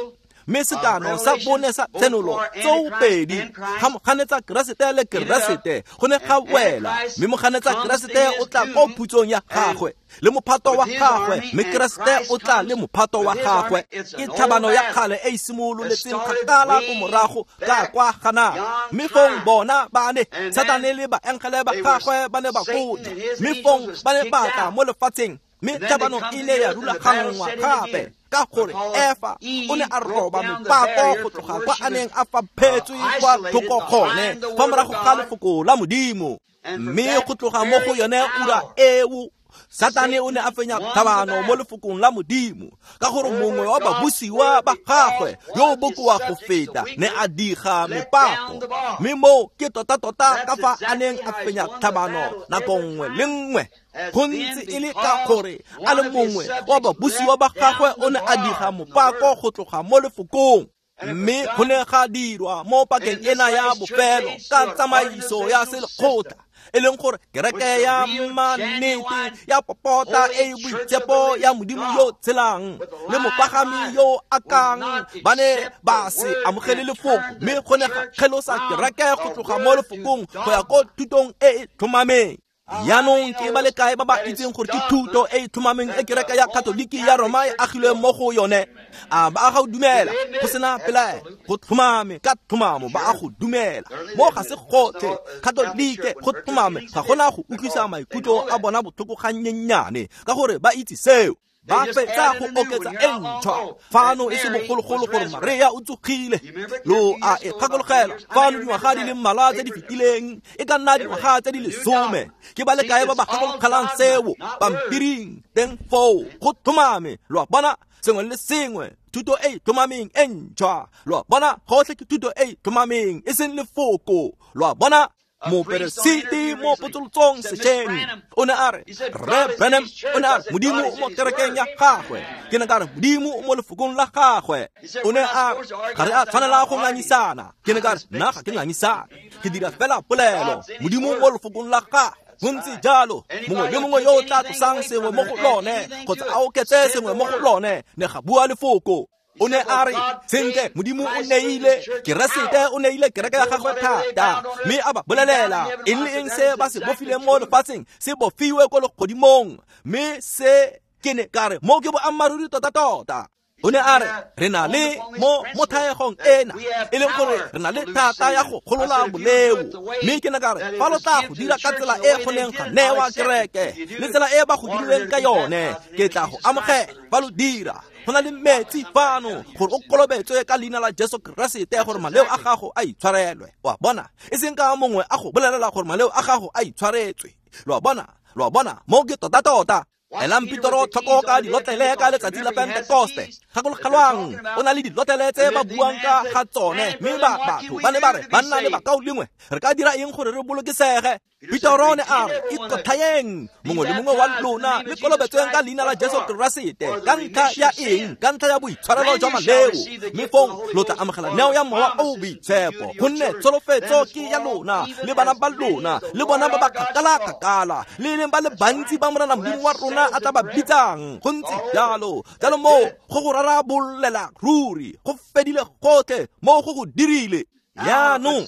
Mme sekano sa bone sa tshenolo tsoopedi ga moganetsa Keresete le Keresete go ne ga wela, mme moganetsa Keresete o tla ko phutsong ya gagwe le mophato wa gagwe, mme Keresete o tla le mophato wa gagwe. Ke tlhabano ya kgale e e simololetseng kgakala ko morago ka kwa Gana. Mme fong bona ba ne Satane le baengele ba gagwe ba ne ba kotla, mme fong ba ne ba tla mo lefatsheng, mme tlhabano e ile ya rulaganngwa gape ka gore Efa o ne a roba mepako go tloga kwa a neng a faphetswe kwa thoko gone fa morago ga lefoko la Modimo. Mme go tloga mo go yone ura eo Satane o ne a fenya tlhabano mo lefokong la Modimo, ka gore mongwe wa babusiwa ba gagwe yo o bokoa go feta ne a diga mepako. Mme moo ke tota-tota ka fa a neng a fenya tlhabano nako nngwe le nngwe, go ntse e le ka gore a le mongwe wa babusiwa ba gagwe o ne a diga mopako go tloga mo lefokong. Mme go ne ga dirwa mo pakeng ena ya bofelo ka tsamaiso ya selekgotla, e leng gore kereke ya mannete ya popota e e boitshepo ya Modimo yo tshelang le mopagami yo akang ba ne ba se amogele lefoko, mme go ne ga kgelosa kereke go tloga mo lefokong go ya ko thutong e e tlhomameng. Jaanong ke ba le kae ba ba itseng gore ke thuto e e tlhomameng e kereke ya Katoliki ya Roma e agilweng mo go yone? A ba a go dumela go sena pelaelo? Go tlhomame ka tlhomamo ba a go dumela. Mo ga se gotlhe Katolike go tlhomame ga gona go utlwisa maikutlo a bona botlhoko gannyenyane, ka gore ba itse seo. Ba fetsa go oketsa e ntšhwa fano e se bogologolo gore Maria o tsogile. Lo a e gakologelwa fano dingwaga di le mmalwa tse di fetileng, e ka nna dingwaga tse di lesome. Ke ba le kae ba ba gakologelang seo pampiring teng foo? Go tlhomame, lo a bona, sengwe le sengwe thuto e e tlhomameng e ntšhwa. Lo a bona, gotlhe ke thuto e e tlhomameng e seng lefoko. Lo a bona? Moperesiti mo potsolotsong sešweng o ne a re, Rre Branham o ne a re Modimo o mo kerekeng ya gagwe. Ke ne ka re Modimo o mo lefokong la gagwe. O ne a re ga re a tshwanela go ngangisana. Ke ne ka re nna ga ke ngangisane, ke dira fela polelo. Modimo mo lefokong la gagwe. Go ntse jalo, mongwe le mongwe yo o tla tlosang sengwe mo go lone kgotsa a oketse sengwe mo go lone, ne ga bua lefoko. O ne a re sentle Modimo o neile Keresete, o neile kereke ya gagwe thata, mme a ba bolelela eng le eng se ba se bofileng mo lefatsheng se bofiwe ko legodimong. Mme se ke ne ka re mo ke boammaaruri tota-tota. O ne a re re na le mo mo thaegong ena e leng gore re na le thata ya go golola boleo. Mme ke ne ka re fa lo tla go dira ka tsela e go neng ga newa kereke le tsela e ba go dirileng ka yone, ke tla go amogela fa lo dira. Go na le metsi fano gore o kolobetswe ka leina la Jesu Keresete gore maleo a gago a itshwarelwe. Wa bona? E seng ka mongwe a go bolelela gore maleo a gago a itshwaretswe. Lo a bona? Lo a bona? Mo ke tota-tota. Elang Petero tlhoko ka dilotlele ka letsatsi la Pentekoste. Gakologelwang, o na le dilotlele tse ba buang ka ga tsone, mme ba batho ba ne ba re banna le bakaulengwe re ka dira eng gore re bolokesege? Petero ne a re ikotlhayeng mongwe le mongwe wa lona le kolobetsweng ka leina la Jesu Keresete ka ntlha ya eng? Ka ntlha ya boitshwarelo jwa maleo, mme fong lo tla amogela neo ya Mowa o o Boitshepo, gonne tsholofetso ke ya lona le bana ba lona le bona ba ba kgakala-kgakala le leng ba le bantsi ba Morena Modimo wa rona a tla ba bitsang. Go ntse jalo. Jalo moo go go rarabolela ruri, go fedile gotlhe, moo go go dirile. Jaanong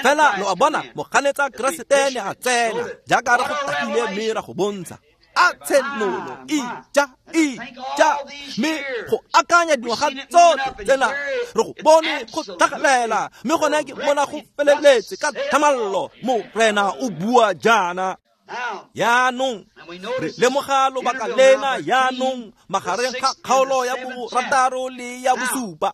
fela lo a bona, moganetsa Keresete ne a tsena jaaka re go takile mme ra go bontsha a tshenolo ija ija, mme go akanya dingwaga tsotlhe tsena re go bone go tlhagelela, mme gone ke bona go feleletse ka tlhamallo. Morena o bua jaana. Jaanong re lemoga lobaka lena jaanong magareng ga kgaolo ya borataro le ya bosupa.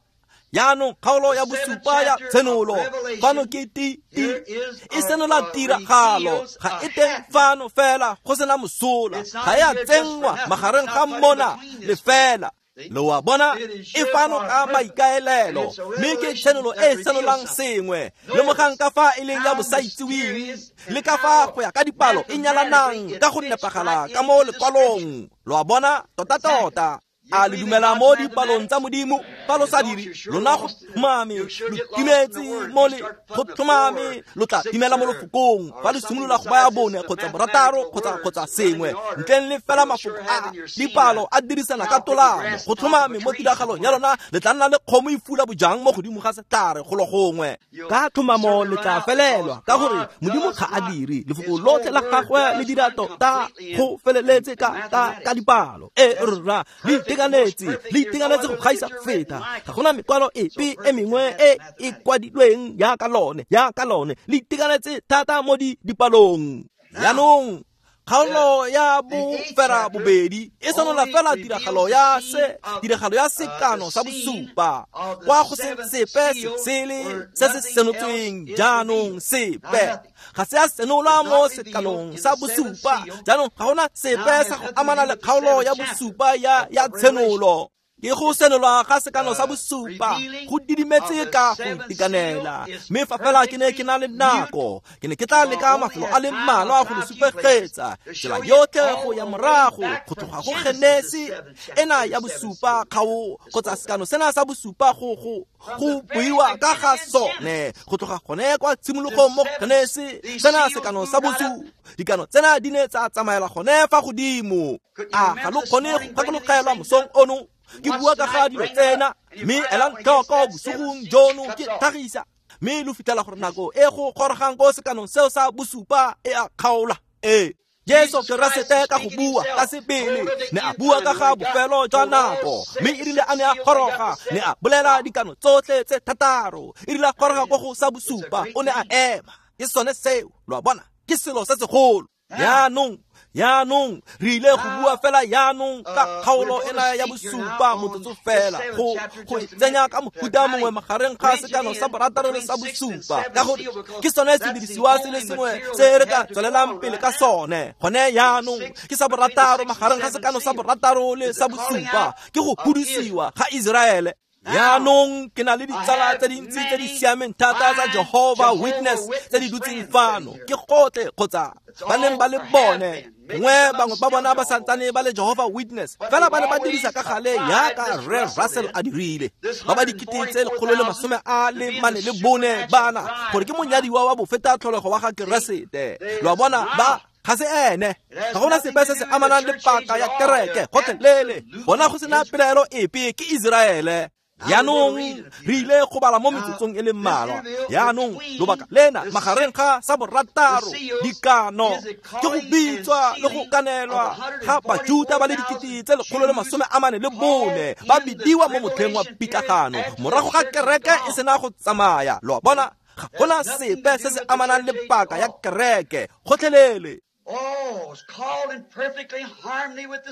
Jaanong kgaolo ya bosupa ya tshenolo fano ke ti ti e senola tiragalo, ga e teng fano fela go sena mosola, ga e a tsenngwa magareng ga mona le fela. Lo a bona e fano ka maikaelelo, mme ke tshenolo e senolang sengwe. Lemogang ka fa e leng ya bosaitsiweng le ka fa go ya ka dipalo e nyalanang ka go nepagala ka mo lekwalong. Lo a bona tota-tota. A le dumela mo dipalong tsa Modimo? Fa lo sa dire, lona go tlhomame lo timetse mo le go tlhomame lo tla timela mo lefokong. Fa le simolola go baya bone kgotsa borataro kgotsa kgotsa sengwe ntleng le fela mafoko a dipalo a dirisana ka tolamo, go tlhomame mo tiragalong ya lona le tla nna le kgomo e fula bojang mo godimo ga setlhare golo gongwe. Ka tlhomamo le tla felelwa, ka gore Modimo ga a dire lefoko lotlhe la gagwe le dira tota go feleletse ka ka ka dipalo. E rra le itekanetse, le itekanetse go gaisa feta. Ga gona mekwalo epe e mengwe e e kwadilweng jaaka lone, jaaka lone. Le itekanetse thata mo di dipalong. Jaanong kgaolo ya bofera bobedi e senola fela tiragalo ya se tiragalo ya sekano sa bosupa, kwa go se sepe se sele se se senotsweng jaanong sepe ga se a senola mo sekanong sa bosupa. Jaanong ga gona sepe sa go amana le kgaolo ya bosupa ya ya tshenolo. Ke go senolwa ga sekano sa bosupa go didimetse ka go itekanela. Mme fa fela ke ne ke na le nako, ke ne ke tla leka mafelo a le mmalwa go le supegetsa tsela yotlhe go ya morago go tloga go Genesi ena ya bosupa kgao kgotsa sekano sena sa bosupa go go go buiwa ka ga sone go tloga gone kwa tshimologong mo Genesi sena sekano sa bosupa. Dikano tsena di ne tsa tsamaela gone fa godimo. A ga lo kgone go gakologelwa mosong ono ke bua ka ga dilo tsena, mme elang tlhoko bosigong jono ke tlhagisa, mme lo fitlhela gore nako e go gorogang ko sekanong seo sa bosupa e a kgaola. Ee, Jesu Keresete ka go bua ka sebele ne a bua ka ga bofelo jwa nako, mme e rile a ne a goroga ne a bolela dikano tsotlhe tse thataro. E rile a goroga ko go sa bosupa o ne a ema. Ke sone seo, lo a bona, ke selo se segolo. Jaanong Jaanong re ile go bua fela jaanong ka kgaolo ena ya bosupa motsotso fela, go go e tsenya ka mohuta mongwe magareng ga sekano sa borataro le sa bosupa, ka gore ke sone sedirisiwa se le sengwe se re ka tswelelang pele ka sone. Gone jaanong ke sa borataro magareng ga sekano sa borataro le sa bosupa, ke go hudusiwa ga Iseraele. Jaanong ke na le ditsala tse dintsi tse di siameng thata tsa Jehovah Witness tse di dutseng fano, ke gotlhe kgotsa ba neng ba le bone. Gongwe bangwe ba bona ba santsane ba le Jehovah Witness, fela ba ne ba dirisa ka gale jaaka Rre Russell a dirile. Ba ba dikete tse lekgolo le masome a le mane le bone bana gore ke monyadiwa wa bofeta tlholego wa ga Keresete. Lo a bona, ba ga se ene, ga gona sepe se se amanang le paka ya kereke gotlhelele. Bona go sena pelaelo epe, ke Iseraele. Jaanong re ile go bala mo metsotsong e le mmalwa. Jaanong lobaka lena magareng ga sa borataro dikano ke go bitswa le go kanelwa ga Bajuta ba le dikete tse lekgolo le masome a mane le bone ba bidiwa mo motlheng wa pitlagano morago ga kereke e sena go tsamaya. Lo a bona, ga gona sepe se se amanang le paka ya kereke gotlhelele.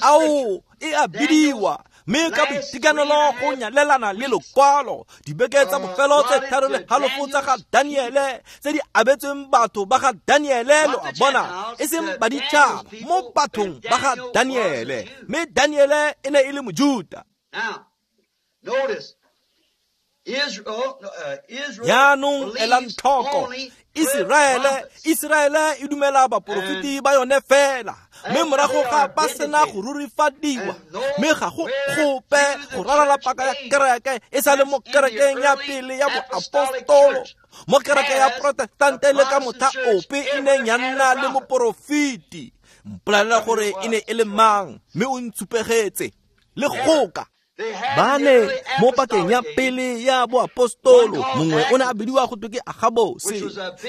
Ao e a bidiwa mme ka boitekanelo go nyalelana le lokwalo. Dibeke tsa bofelo tse tharo le halofo tsa ga Daniele tse di abetsweng batho ba ga Daniele, lo a bona, e seng baditšhaba, mo bathong ba ga Daniele. Mme Daniele e ne e le Mojuta. Jaanong elang tlhoko, Iseraele Iseraele e dumela baporofeti ba yone fela, mme morago ga ba sena go rurifadiwa, mme ga go gope go rarala paka ya kereke e sa le mo kerekeng ya pele ya boapostolo, mo kereke ya protestante le ka motlha ope e neng ya nna le moporofeti. Mpolelela gore e ne e le mang, mme o ntshupegetse le goka. Ba ne mo pakeng ya pele ya boapostolo, mongwe o ne a bidiwa go twe ke Agabose,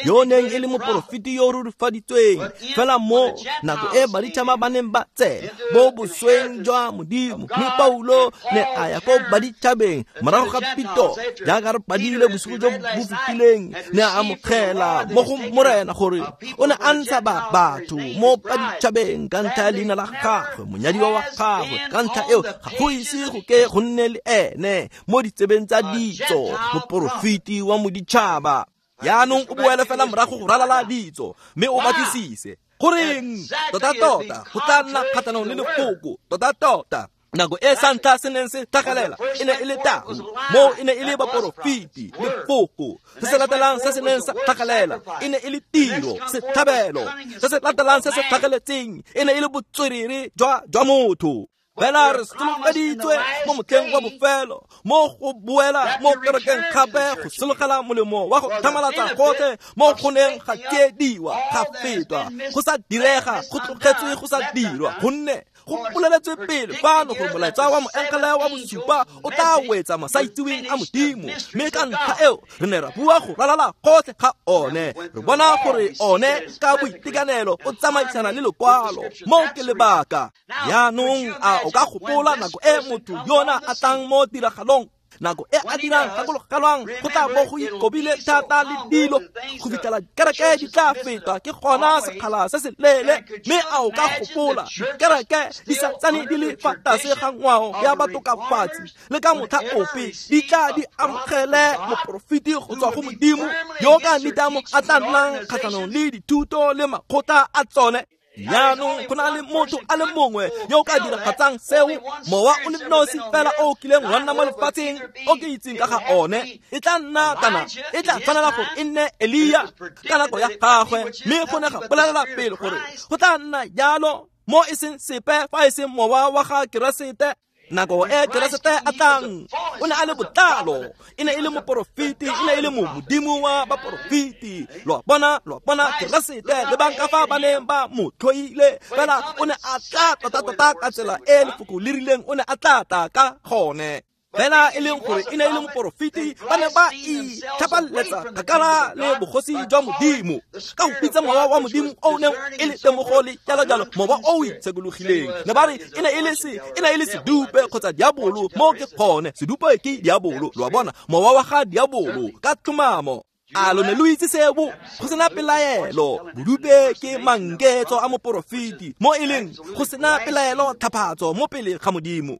yo neng e le moporofeti yo o rurifaditsweng. Fela mo nako e baditšhaba ba neng ba tsena mo bosweng jwa Modimo, mme Paulo ne a ya ko baditšhabeng morago ga Pito, jaaka re padile bosigo jo bo fetileng, ne a amogela mo go Morena gore o ne a ntsha ba batho mo baditšhabeng ka ntlha ya leina la gagwe, monyadiwa wa gagwe. Ka ntlha eo ga go ise go ke go nne le ene mo ditsebeng tsa ditso, moporofeti wa moditšhaba. Jaanong o boele fela morago go ralala ditso, mme o batlisise goreng tota-tota go tla nna kgatlhanong le lefoko tota-tota. Nako e sa ntlha se neng se tlhagelela e ne e le tau, moo e ne e le baporofeti, lefoko. Se se latelang se se neng sa tlhagelela e ne e le tiro, setlhabelo. Se se latelang se se tlhageletseng e ne e le botswerere jwa jwa motho. Fela re solofeditswe mo motlheng wa bofelo, mo go boela mo kerekeng gape go sologela molemo wa go tlhamalatsa gotlhe mo go neng ga tsiediwa, ga fetwa, go sa direga, go tlogetswe go sa dirwa, gonne go boleletswe pele fano gore molaetsa wa moengele wa bosupa o tla wetsa masaitseweng a Modimo. Mme ka ntlha eo re ne ra bua go ralala gotlhe ga one, re bona gore one ka boitekanelo o tsamaisana le lokwalo. Mo ke lebaka. Jaanong a o ka gopola nako e motho yona a tlang mo tiragalong, nako e a dirang gakologelwang go tla bo go ikobile thata le dilo go fitlhela dikereke di tla fetwa ke gona sekgala se se leele. Mme a o ka gopola dikereke di sa tsane di le fa tlase ga ngwao ya batokafatsi le ka motlha ope di tla di amogele moporofeti go tswa go Modimo yo ka nitamo a tla nnang kgatlhanong le dithuto le makgotla a tsone. Jaanong go na le motho a le mongwe yo o ka diragatsang seo, mowa o le nosi fela o kileng wa nna mo lefatsheng o ke itseng ka ga one. E tla nna kana e tla tshwanela gore e nne Elia ka nako ya gagwe, mme go ne ga bolelela pele gore go tla nna jalo mo e seng sepe fa e seng mowa wa ga Keresete. Nako e Keresete a tlang o ne a le botlalo, e ne e le moporofeti, e ne e le modimo wa baporofeti. Lo bona, lo bona Keresete le bang ka fa ba neng ba mo tlhoile, fela o ne a tla tota-tota ka tsela e lefoko le rileng o ne a tla tla ka gone. Fela e leng gore e ne e le moporofeti, ba ne ba itlhapaletsa kgakala le bogosi jwa Modimo ka go bitsa mowa wa Modimo o neng e le temogo le jalo-jalo, mowa o o itshekologileng. Ne ba re e ne e le se, e ne e le sedupe kgotsa diabolo. Mo ke gone, sedupe ke diabolo, lo a bona, mowa wa ga diabolo ka tlhomamo. A lo ne lo itse seo? Go sena pelaelo, bodupe ke manketso a moporofeti, mo e leng go sena pelaelo tlhaphatso mo pele ga Modimo.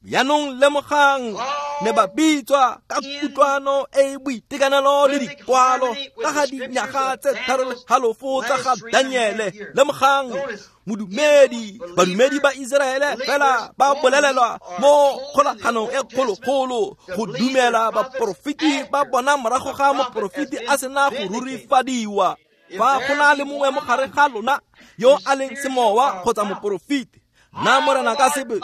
Jaanong lemogang, ne ba bitswa ka kutlwano e e boitekanelo le dikwalo ka ga dinyaga tse tharo le halofo tsa ga Daniele. Lemogang, modumedi, badumedi ba Iseraele fela ba bolelelwa mo kgolaganong e kgologolo go dumela baporofeti ba bona morago ga moporofeti a sena go rurifadiwa. Fa go na le mongwe mo gare ga lona yo a leng semowa kgotsa moporofeti, nna Morena ka sebe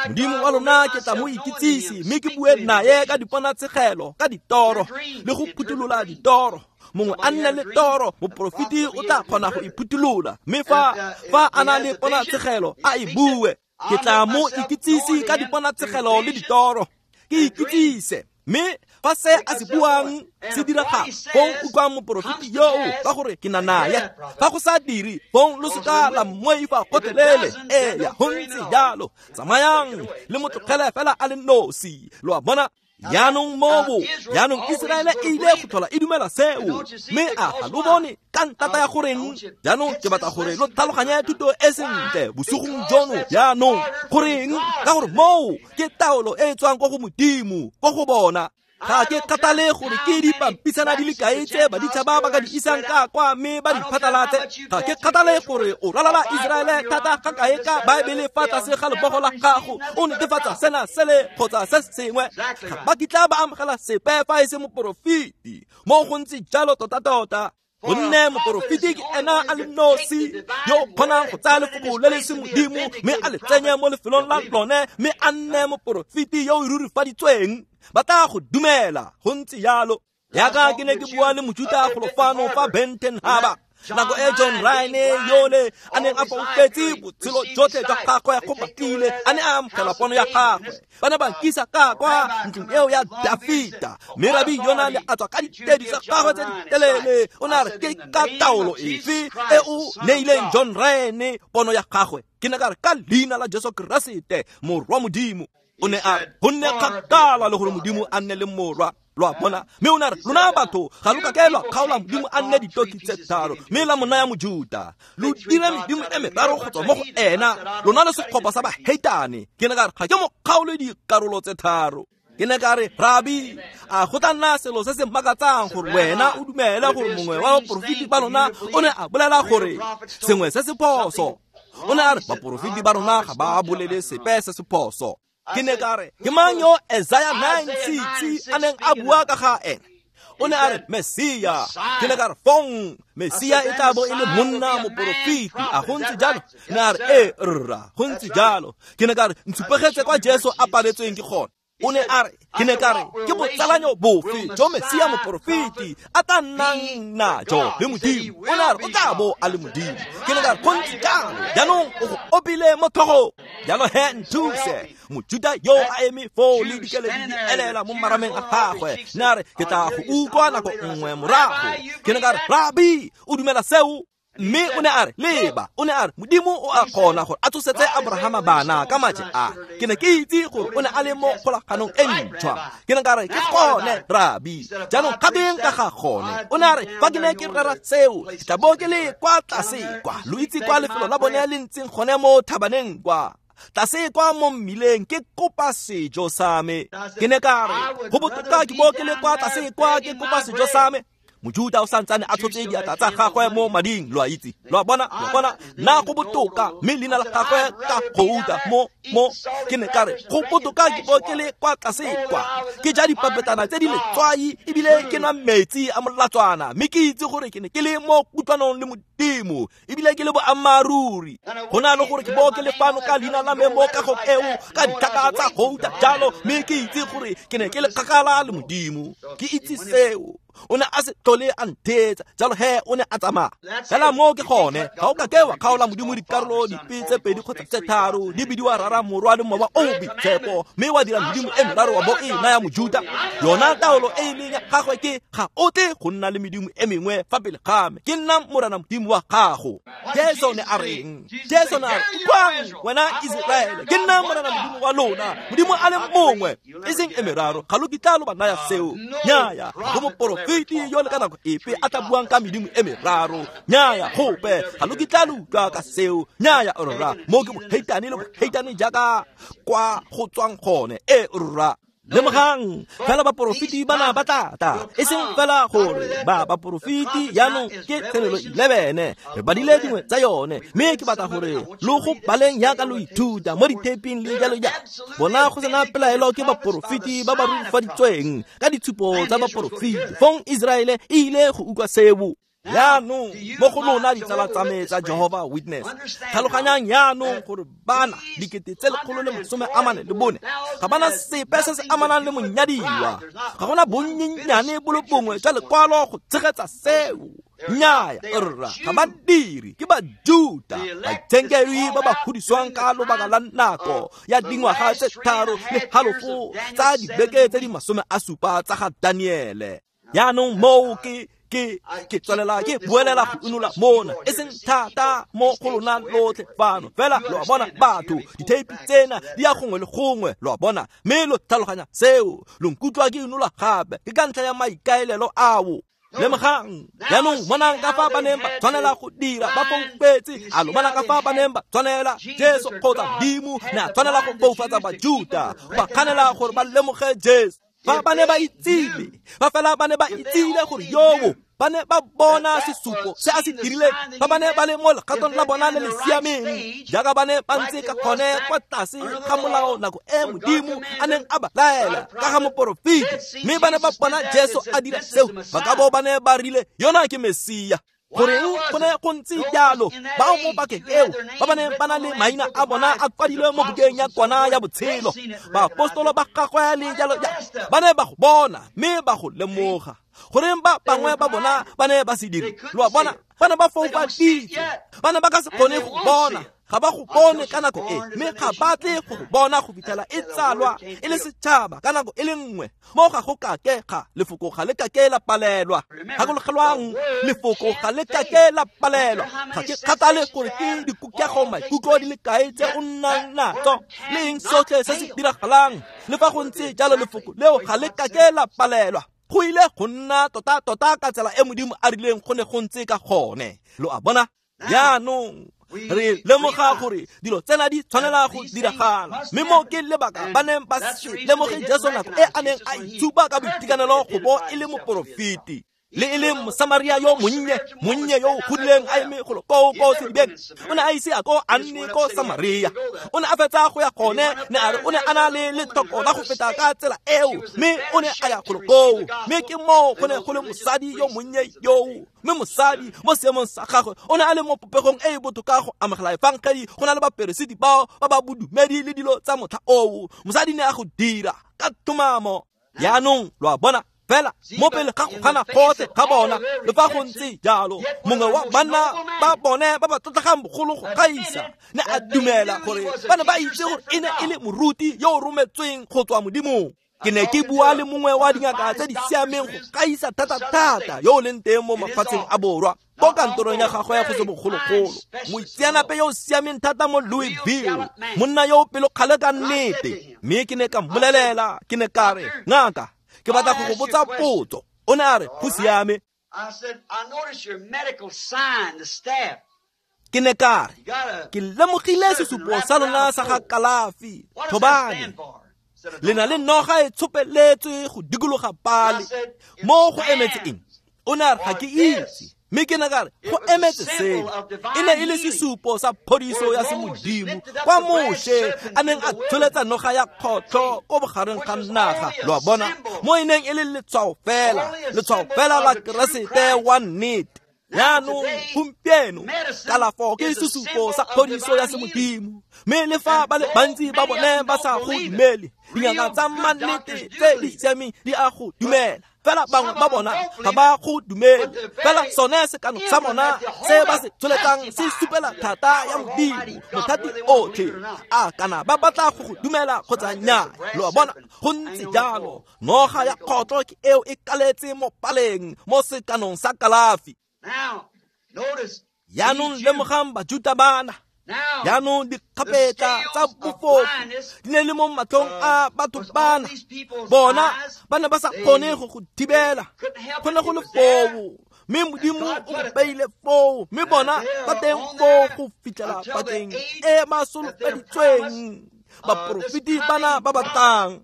Modimo wa lona ke tla mo ikitsise, mme ke bue naye ka diponatshegelo, ka ditoro le go phuthulola ditoro. Mongwe a nne le toro, moporofeti o tla kgona go iphuthulola, mme fa fa a na le ponatshegelo a e bue. Ke tla mo ikitsise ka diponatshegelo le ditoro, ke ikitsise. Mme fa se a se buang se diragala, fong utlwang moporofeti yoo ka gore ke na naye. Fa go sa dire, fong lo seka la mmoifa gotlhelele. Eya, go ntse jalo. Tsamayang le mo tlogele fela a le nosi. Lo a bona? Jaanong mobo, jaanong Iseraele e ile go tlhola e dumela seo, mme a ga lo bone ka ntata ya goreng? Jaanong ke batla gore lo tlhaloganye thuto e sentle bosigong jono. Jaanong goreng? Ka gore moo ke taolo e e tswang ko go Modimo, ko go bona. Ga ke kgathale gore ke dipampisana di le kae tse baditšhaba ba ka di isang ka kwa mme ba di phatlalatse. Ga ke kgathale gore o ralala Iseraele thata ga kae ka Baebele fa tlase ga lebogo la gago, o netefatsa sena sele kgotsa se sengwe. Ga ba kitla ba amogela sepe fa e se moporofeti. Mo go ntse jalo tota-tota. Gonne moporofeti ke ena a le nosi yo o kgonang go tsaya lefoko le le se Modimo mme a le tsenye mo lefelong la lone, mme a nne moporofeti yo o rurifaditsweng. Ba tla go dumela. Go ntse jalo. Jaaka ke ne ke bua le Mojuta golo fano fa Benton Harbor, nako e John Ryan yole a neng a foufetse botshelo jotlhe jwa gagwe go batlile a ne a amogela pono ya gagwe. Ba ne ba nkisa ka kwa ntlong eo ya Dafita, mme rabi yona le a tswa ka ditedu tsa gagwe tse di telele. O ne a re, ke ka taolo efe e o neileng John Ryan pono ya gagwe? Ke ne ka re, ka leina la Jesu Keresete morwa Modimo. O ne a re, go nne kgakala le gore Modimo a nne le morwa. Lo a bona? Mme o ne a re, lona batho ga lo ka ke lwa kgaola Modimo a nne ditoki tse tharo, mme la mo naya Mojuta. Lo dire medimo e meraro go tswa mo go ena, lona le setlhopha sa baheitane. Ke ne ka re, ga ke mo kgaole dikarolo tse tharo. Ke ne ka re, Rabi, a go tla nna selo se se makatsang gore wena o dumele gore mongwe wa baporofeti ba lona o ne a bolela gore sengwe se se phoso. O ne a re baporofeti ba rona ga ba bolele sepe se se phoso. Ke ne ka re ke mang yo Isaiah nine six a neng a bua ka ga ene? O ne a re Mesia. Ke ne ka re fong Mesia e tla bo e le monna moporofeti, a go ntse jalo? Ne a re ee rra, go ntse jalo. Ke ne ka re ntshupegetse kwa Jesu a paletsweng ke gone. O ne a re ke ne ka re ke botsalanyo bofe jo Mesia moporofeti a tla nnang najo le Modimo? O ne a re o tla bo a le Modimo. Ke ne ka re go ntse jalo, jaanong o go opile mo tlhogong. Jalo he nthuse. Mojuta yo a eme foo le dikeledi di elela mo marameng a gagwe. Ne a re ke tla go utlwa nako nngwe morago. Ke ne ka re Rabi, o dumela seo? Mme o ne a re leba, o ne a re Modimo o a kgona gore a tsosetse Abrahama bana ka maje a. Ke ne ke itse gore o ne a le mo kgolaganong e ntšhwa. Ke ne ka re ke gone Rabi, jaanong kgabeng ka ga gone. O ne a re fa ke ne ke rera seo, ke tla bo ke le kwa tlase kwa, lo itse kwa lefelo la bone le ntseng gone mo thabaneng kwa, tlase kwa mo mmileng ke kopa sejo sa me. Ke ne ka re go botoka ke bo ke le kwa tlase kwa ke kopa sejo sa me. Mojuta o santsane a tshotse diatla tsa gagwe mo mading, lo a itse, lo a bona, lo a bona, nna go botoka, mme leina la gagwe ka gouta mo mo. Ke ne ka re go botoka ke bo ke le kwa tlase kwa, ke ja dipapetana tse di letswai ebile ke nwa metsi a molatswana, mme ke itse gore ke ne ke le mo kutlwanong le Modimo ebile ke le boammaaruri. Go na le gore ke bo ke le fano ka leina la me mo kagong eo ka ditlhaka tsa gouta jalo, mme ke itse gore ke ne ke le kgakala le Modimo. Ke itse seo. O ne a se tlhole a ntheetsa, jalo he o ne a tsamaya. Fela moo ke gone, ga o ka ke wa kgaola Modimo dikarolo dipe tse pedi kgotsa tse tharo, di bidiwa Rara, Morwa le Mowa o o Boitshepo, mme wa dira Modimo e meraro wa bo e naya Mojuta. Yona taolo e e leng ya gagwe ke ga o tle go nna le medimo e mengwe fa pele ga me, ke nna Morena Modimo wa gago. Jesu ne a reng? Jesu ne a re utlwang wena Iseraele, ke nna Morena Modimo wa lona, Modimo a le mongwe, e seng e meraro. Ga lo kitla lo ba naya seo. Nnyaya, go moporofeti yo le ka nako epe a tla buang ka medimo e meraro. Nnyaya, gope ga lo kitla lo utlwa ka seo. Nnyaya rra, mo ke boheitane le boheitane jaaka kwa go tswang gone. E rra, lemogang fela baporofeti bana ba tla tla, e seng fela gore ba baporofeti jaanong ke Tshenolo eleven, re badile dingwe tsa yone, mme ke batla gore lo go baleng jaaka lo ithuta mo ditheping le jalo jalo. Bona go sena pelaelo ke baporofeti ba ba rurifaditsweng ka ditshupo tsa baporofeti. Fong Iseraele e ile go utlwa seo. Jaanong mo go lona ditsala tsa me tsa Jehovah Witness, tlhaloganyang jaanong gore bana dikete tse lekgolo le masome a mane le bone ga bana sepe se se amanang le monyadiwa. Ga gona bonnyennyane bo le bongwe jwa lekwalo go tshegetsa seo. Nnyaya rra, ga ba dire, ke Bajuta, baitshenkedwi ba ba godisiwang ka lobaka la nako ya dingwaga tse tharo le halofo tsa dibeke tse di masome a supa tsa ga Daniele. Jaanong moo ke ke ke tswelela ke buelela go unola mona, e seng thata mo go lona lotlhe fano, fela lo a bona batho, ditheipi tsena di ya gongwe le gongwe, lo a bona, mme lo tlhaloganya seo. Lo nkutlwa ke unola gape, ke ka ntlha ya maikaelelo ao. Lemogang jaanong, bonang ka fa ba neng ba tshwanela go dira, ba foufetse. A lo bona ka fa ba neng ba tshwanela? Jesu kgotsa Modimo ne a tshwanela go foufatsa Bajuta, ba kganela gore ba lemoge Jesu. Fa ba ne ba itsile, fa fela ba ne ba itsile gore yoo ba ne ba bona sesupo se a se dirileng, fa ba ne ba le mo legatong la bona le le siameng, jaaka ba ne ba ntse ka gone kwa tlase ga molao nako e Modimo a neng a ba laela ka ga moporofeti, mme ba ne ba bona Jesu a dira seo, ba ka bo ba ne ba rile yona ke Mesia. Goreng go ne go ntse jalo? Bao mo pakeng eo ba ba neng ba na le maina a bona a kwadilwe mo bukeng ya kwana ya botshelo, baapostolo ba gagwe le jalo jalo, ba ne ba go bona mme ba go lemoga. Goreng ba bangwe ba bona ba ne ba se dire? Lo a bona, ba ne ba foufaditswe, ba ne ba ka se kgone go bona. Ga ba go bone ka nako e, mme ga ba tle go go bona go fitlhela e tsalwa e le setšhaba ka nako e le nngwe. Mo ga go kake ga lefoko ga le kake la palelwa. Gakologelwang, lefoko ga le kake la palelwa. Ga ke kgathale gore ke dikokego maikutlo di le kae tse o nnang natso, le eng sotlhe se se diragalang, le fa go ntse jalo lefoko leo ga le kake la palelwa. Go ile go nna tota-tota ka tsela e Modimo a rileng go ne go ntse ka gone. Lo a bona? Jaanong re lemoga gore dilo tsena di tshwanela go diragala, mme mo ke lebaka ba neng ba se lemoge Jesu nako e a neng a itshupa ka boitekanelo go bo e le moporofeti. Le e le Mosamaria yo monnye, monnye yo o godileng a eme golo koo ko sedibeng, o ne a ise a ko a nne ko Samaria. O ne a fetsa go ya gone, ne a re o ne a na le lethoko la go feta ka tsela eo, mme o ne a ya golo koo. Mme ke moo go ne go le mosadi yo monnye yoo. Mme mosadi mo seemong sa gagwe o ne a le mo popegong e e botoka go amogela efangedi go na le baperesiti bao ba ba bodumedi le dilo tsa motlha oo. Mosadi ne a go dira ka tumamo. Jaanong lo a bona fela mo pele ga go gana gotlhe ga bona, le fa go ntse jalo mongwe wa banna ba bone ba ba tlotlegang bogolo go gaisa ne a dumela gore ba ne ba itse gore e ne e le moruti yo o rometsweng go tswa Modimong. Ke ne ke bua le mongwe wa dingaka tse di siameng go gaisa thata-thata yo o leng teng mo mafatsheng a borwa ko kantorong ya gagwe ya go se bogologolo, moitseanape yo o siameng thata mo Louisville, monna yo o pelokgale ka nnete. Mme ke ne ka mmolelela, ke ne ka re, ngaka, ke batla go go botsa potso. O ne a re, go siame. Ke ne ka re, ke lemogile sesupo sa lona sa ga kalafi, thobane. Le na le noga e tshopeletswe go dikologa pale. Mo go emetse eng? O ne a re, ga ke itse. Mme ke ne ka re, go emetse seo. E ne e le sesupo sa phodiso ya semodimo kwa Moshe a neng a tsholetsa noga ya kgotlho ko bogareng ga naga, lo a bona, mo e neng e le letshwao fela, letshwao fela la Keresete wa nnete. Jaanong gompieno kalafo ke sesupo sa phodiso ya semodimo, mme le fa ba le bantsi ba bone ba sa go dumele, dingaka tsa mannete tse di siameng di a go dumela. Fela bangwe ba bona ga ba go dumele, fela sone sekano sa bona se ba se tsholetsang se supela thata ya Modimo mothati otlhe. A kana ba batla go go dumela kgotsa nnyaa, lo a bona, go ntse jalo. Noga ya kgotlo ke eo e kaletse mo paleng mo sekanong sa kalafi. Jaanong lemogang Bajuta bana. Jaanong dikgapetla tsa bofofu di ne le mo matlhong a batho bana. Bona ba ne ba sa kgone go go thibela, go ne go le foo, mme Modimo o go beile foo, mme bona ba teng foo go fitlhela pakeng e ba solofeditsweng. Baporofeti bana ba ba tlang,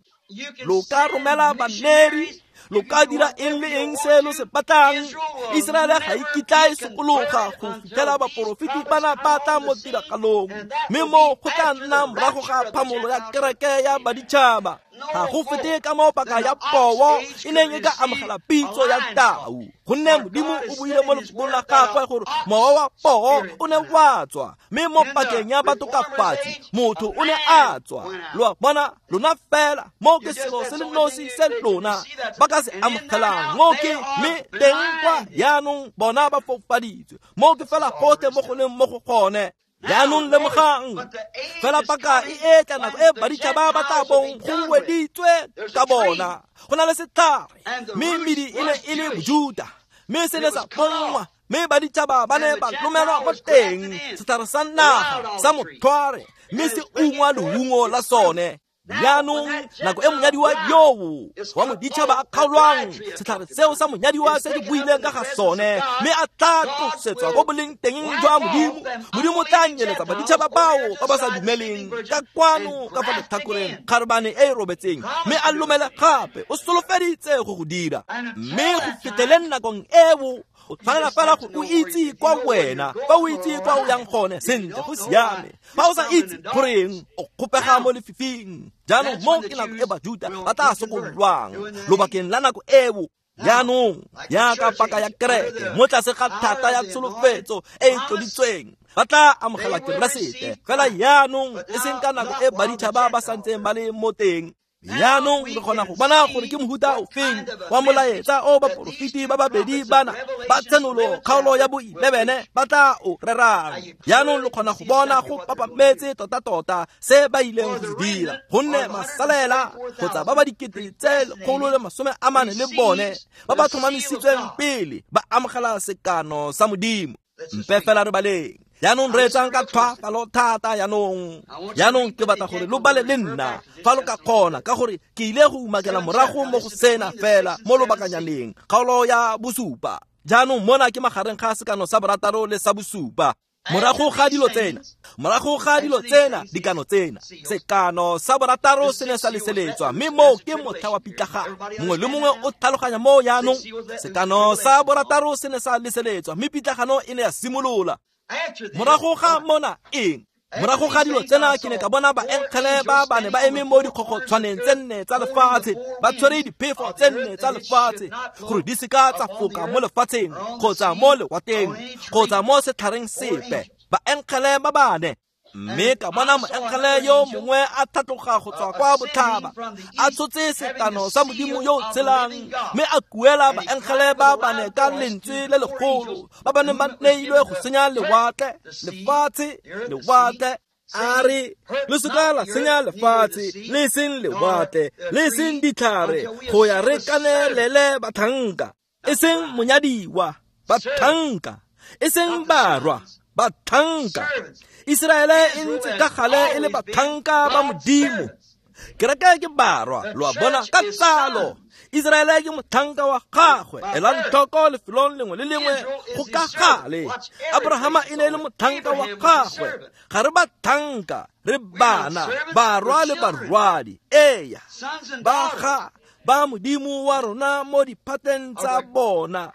lo ka romela baneri, lo ka dira eng le eng se lo se batlang. Iseraele ga e kitla e sokologa go fitlhela baporofeti bana ba tla mo tiragalong, mme mo go tla nna morago ga phamolo ya kereke ya baditšhaba. Ga go fete ka mo paka ya poo e neng e ka amogela pitso ya tau, gonne Modimo o buile mo lefokong la gagwe gore mowa wa poo o ne wa tswa, mme mo pakeng ya batokafatsi motho o ne a tswa. Lo a bona, lona fela mo ke selo se le nosi se lona ba ka se amogelang mo ke, mme teng kwa jaanong bona ba foufaditswe. Mo ke fela gotlhe mo go leng mo go gone. Jaanong lemogang fela paka e etla nako e baditšhaba ba tla bong go weditswe ka bona. Go na le setlhare, mme medi e ne e le Bojuta, mme se ne sa pongwa, mme baditšhaba ba ne ba lomelwa mo teng, setlhare sa naga sa motlhware, mme se ungwa leungo la sone. Jaanong nako e monyadiwa yoo wa moditšhaba a kgaolwang, setlhare seo sa monyadiwa se di buileng ka ga sone, mme a tla tlosetswa ko boleng teng jwa Modimo. Modimo tla nyeletsa baditšhaba bao ba ba sa dumeleng ka kwano ka fa letlhakoreng kgarebane e e robetseng, mme a lomele gape. O solofeditse go go dira, mme go fitlheleng nakong eo o tshwanela fela gore o itse kwa wena, fa o itse kwa o yang gone sentle, go siame. Fa o sa itse goreng, o kgopega mo lefifing. Jaanong mo ke nako e Bajuta ba tla sokololwang lobakeng la nako eo. Jaanong jaaka paka ya kereke mo tlase ga thata ya tsholofetso e e tloditsweng, ba tla amogela Keresete fela jaanong, e seng ka nako e baditšhaba ba santseng ba le mo teng. Jaanong re kgona go bona gore ke mohuta ofeng wa molaetsa o baporofeti ba babedi bana ba Tshenolo kgaolo ya bo eleven ba tla o rerang. Jaanong lo kgona go bona go papametse tota-tota se ba ileng go se dira, gonne masalela kgotsa ba ba dikete tse lekgolo le masome a mane le bone ba ba tlhomamisitsweng pele ba amogela sekano sa Modimo. Mpe fela re baleng. Jaanong re etsang ka tlhwaafalo thata jaanong. Jaanong ke batla gore lo bale le nna fa lo ka kgona, ka gore ke ile go umakela morago mo go sena fela mo lobakanyaneng, kgaolo ya bosupa. Jaanong mona ke magareng ga sekano sa borataro le sa bosupa. Morago ga dilo tsena, morago ga dilo tsena, dikano tsena, sekano sa borataro se ne sa leseletswa, mme moo ke motlha wa pitlagano. Mongwe le mongwe o tlhaloganya moo jaanong. Sekano sa borataro se ne sa leseletswa, mme pitlagano e ne ya simolola. Morago ga mona eng? Morago ga dilo tsena ke ne ka bona baengele ba bane ba eme mo dikgogotshwaneng tse nne tsa lefatshe, ba tshwere diphefo tse nne tsa lefatshe, gore di seka tsa foka mo lefatsheng kgotsa mo lewateng kgotsa mo setlhareng sepe. Baengele ba bane. Mme ka bona moengele yo mongwe a tlhatloga go tswa kwa botlhaba, a tshotse sekano sa Modimo yo o tshelang, mme a kuela baengele ba bane ka lentswe le legolo, ba ba neng ba neilwe go senya lewatle, lefatshe, lewatle. A re, le seka la senya lefatshe, le seng lewatle, le seng ditlhare, go ya re kanelele batlhanka, e seng monyadiwa, batlhanka, e seng barwa, batlhanka. Iseraele e ntse ka gale e le batlhanka ba Modimo. Kereke ke barwa, lo a bona, ka tsalo. Iseraele ke motlhanka wa gagwe. Elang tlhoko lefelong lengwe le lengwe go ka gale. Abrahama e ne e le motlhanka wa gagwe. Ga re batlhanka, re bana, barwa le barwadi. Eya, ba ga ba Modimo wa rona mo diphateng tsa bona.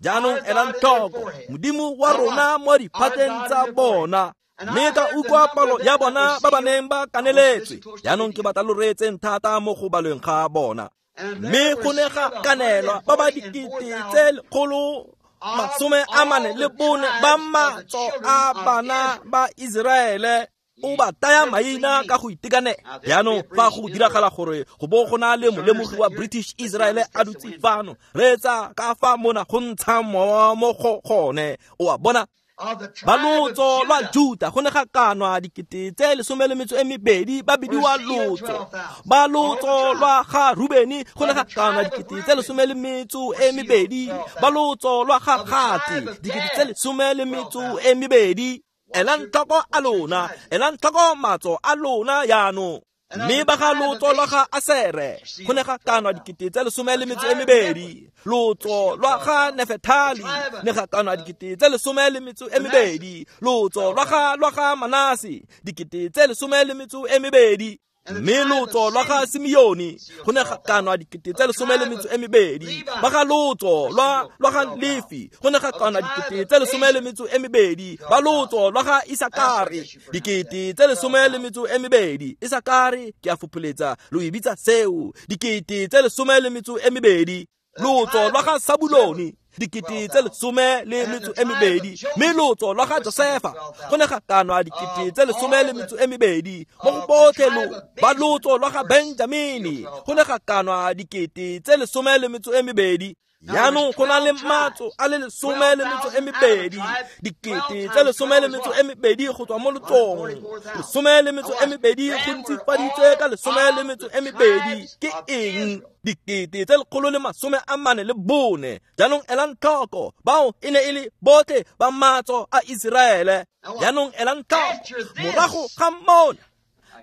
Jaanong elang tlhoko, Modimo wa rona mo diphateng tsa bona. Mme ka utlwa palo ya bona ba ba neng ba kaneletswe. Jaanong ke batla lo reetseng thata mo go balweng ga bona. Mme go ne ga kanelwa ba ba dikete tse lekgolo masome a mane le bone ba matso a bana ba Iseraele. O ba taya maina ka go itekanela. Jaanong fa go diragala gore go bo go na le molemogi wa British Israel a dutse fano, reetsa ka fa mona go ntsha mowa mo go gone. O a bona? Ba lotso lwa Juta go ne ga kanwa dikete tse lesome le metso e mebedi ba bidiwa lotso. Ba lotso lwa ga Rubeni go ne ga kanwa dikete tse lesome le metso e mebedi. Ba lotso lwa ga Gate dikete tse lesome le metso e mebedi. Elang tlhoko a lona, elang tlhoko matso a lona jaanong. Mme ba ga lotso lwa ga Asere go ne ga kanwa dikete tse lesome le metso e mebedi. Lotso lwa ga Nefetali ne ga kanwa dikete tse lesome le metso e mebedi. Lotso lwa ga lwa ga Manase dikete tse lesome le metso e mebedi. Mme lotso lwa ga Simeone go ne ga kanwa dikete tse lesome le metso e mebedi. Ba ga lotso lwa lwa ga Lefi go ne ga kanwa dikete tse lesome le metso e mebedi. Ba lotso lwa ga Isakare dikete tse lesome le metso e mebedi. Isakare ke a fopholetsa lo e bitsa seo, dikete tse lesome le metso e mebedi. Lotso lwa ga Sabulone dikete tse lesome le metso e mebedi. Mme lotso lwa ga Josefa go ne ga kanwa dikete tse lesome le metso e mebedi. Mo go botlhe lo ba lotso lwa ga Benjamini go ne ga kanwa dikete tse lesome le metso e mebedi. Jaanong go na le matso a le lesome le metso e mebedi, dikete tse lesome le metso e mebedi go tswa mo lotsong. Lesome le metso e mebedi go ntsifaditswe ka lesome le metso e mebedi. Ke eng? Dikete tse lekgolo le masome a mane le bone. Jaanong elang tlhoko, bao e ne e le botlhe ba matso a Iseraele. Jaanong elang tlhoko, morago ga mona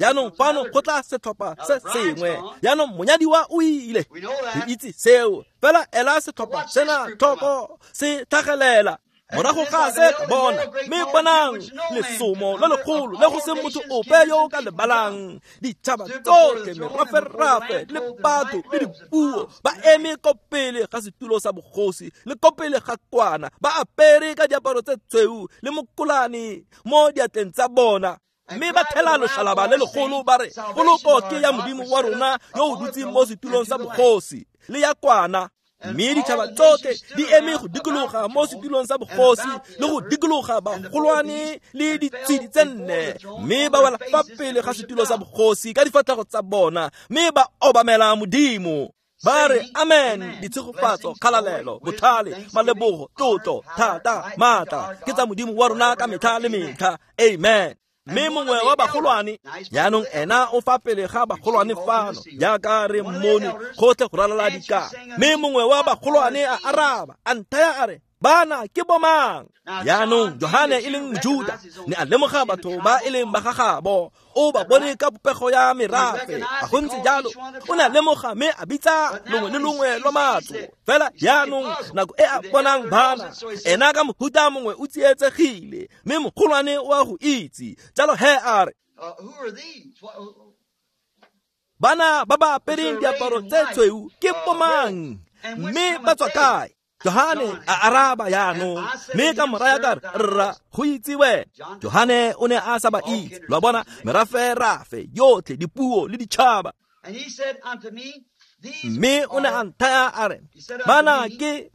jaanong fano go tla setlhopha se sengwe. Jaanong monyadiwa o ile, re itse seo. Fela ela setlhopha sena tlhoko se tlhagelela. Morago ga se ka bona, mme bonang lesomo le legolo le go se motho ope yo o ka lebalang. Ditšhaba tsotlhe, meraferafe le batho le dipuo ba eme ko pele ga setulo sa bogosi le ko pele ga kwana, ba apere ka diaparo tse tshweu le mokolane mo diatleng tsa bona. Mme ba thela loshalaba le legolo ba re, poloko ke ya Modimo wa rona yo o dutseng mo setulong sa bogosi le ya kwana. Mme ditšhaba tsotlhe di eme go dikologa mo setulong sa bogosi le go dikologa bagolwane le ditshedi tse nne. Mme ba wela fa pele ga setulo sa bogosi ka difatlhego tsa bona, mme ba obamela Modimo. Ba re amen. Ditshegofatso, kgalalelo, botlhale, malebogo, tlotlo, thata, maatla ke tsa Modimo wa rona ka metlha le metlha. Amen. Mme mongwe wa bagolwane jaanong ena o fa pele ga bagolwane fano jaaka re mmone gotlhe go ralala dikana. Mme mongwe wa bagolwane a araba a nthaya a re, Bana ke bomang? Jaanong Johane e leng Mojuda ne a lemoga batho ba e leng ba gagabo, o ba bone ka popego ya merafe. A go ntse jalo, o ne a lemoga mme a bitsa longwe le longwe lwa matlo. Fela jaanong nako e a bonang bana, ena ka mohuta mongwe o tsietsegile, mme mogolwane o a go itse. Jalo he a re, bana ba ba apereng diaparo tse tshweu ke bomang, mme ba tswa kae? Johane a araba jaanong, mme ka moraya ka re, rra, go itse wena. Johane o ne a sa ba itse. Lo a bona, merafe-rafe yotlhe, dipuo le ditšhaba. Mme o ne a nthaya a re, bana ke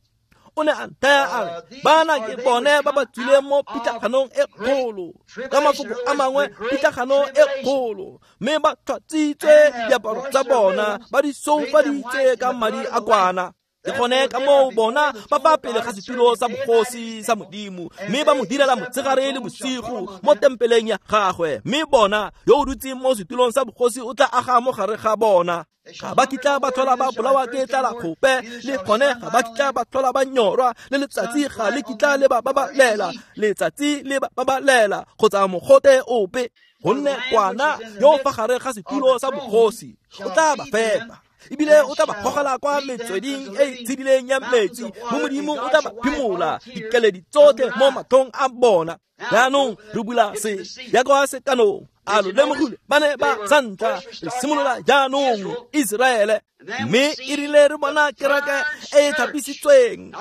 o ne a nthaya a re, bana ke bone ba ba tswileng mo pitlaganong e kgolo. Ka mafoko a mangwe, pitlagano e kgolo, mme ba tlhatswitse diaparo tsa bona, ba di soufaditse ka madi a kwana. Ke gone ka moo bona ba fa pele ga setulo sa bogosi sa Modimo, mme ba mo direla motshegare le bosigo mo tempeleng ya gagwe. Mme bona yo o dutseng mo setulong sa bogosi o tla aga mo gare ga bona. Ga ba kitla ba tlhola ba bolawa ke tlala gope, le gone ga ba kitla ba tlhola ba nyorwa, le letsatsi ga le kitla le ba babalela, letsatsi le ba babalela kgotsa mogote ope. Gonne kwana yo fa gare ga setulo sa bogosi o tla ba fepa, ebile o tla ba gogela kwa metsweding e e tshedileng ya metsi, mo Modimo o tla ba phimola dikeledi tsotlhe mo matlhong a bona. Jaanong re bula se ya kwa sekanong. A lo lemogile, ba ne ba sa ntlha re simolola jaanong Iseraele, mme e rile re bona kereke e e thapisitsweng,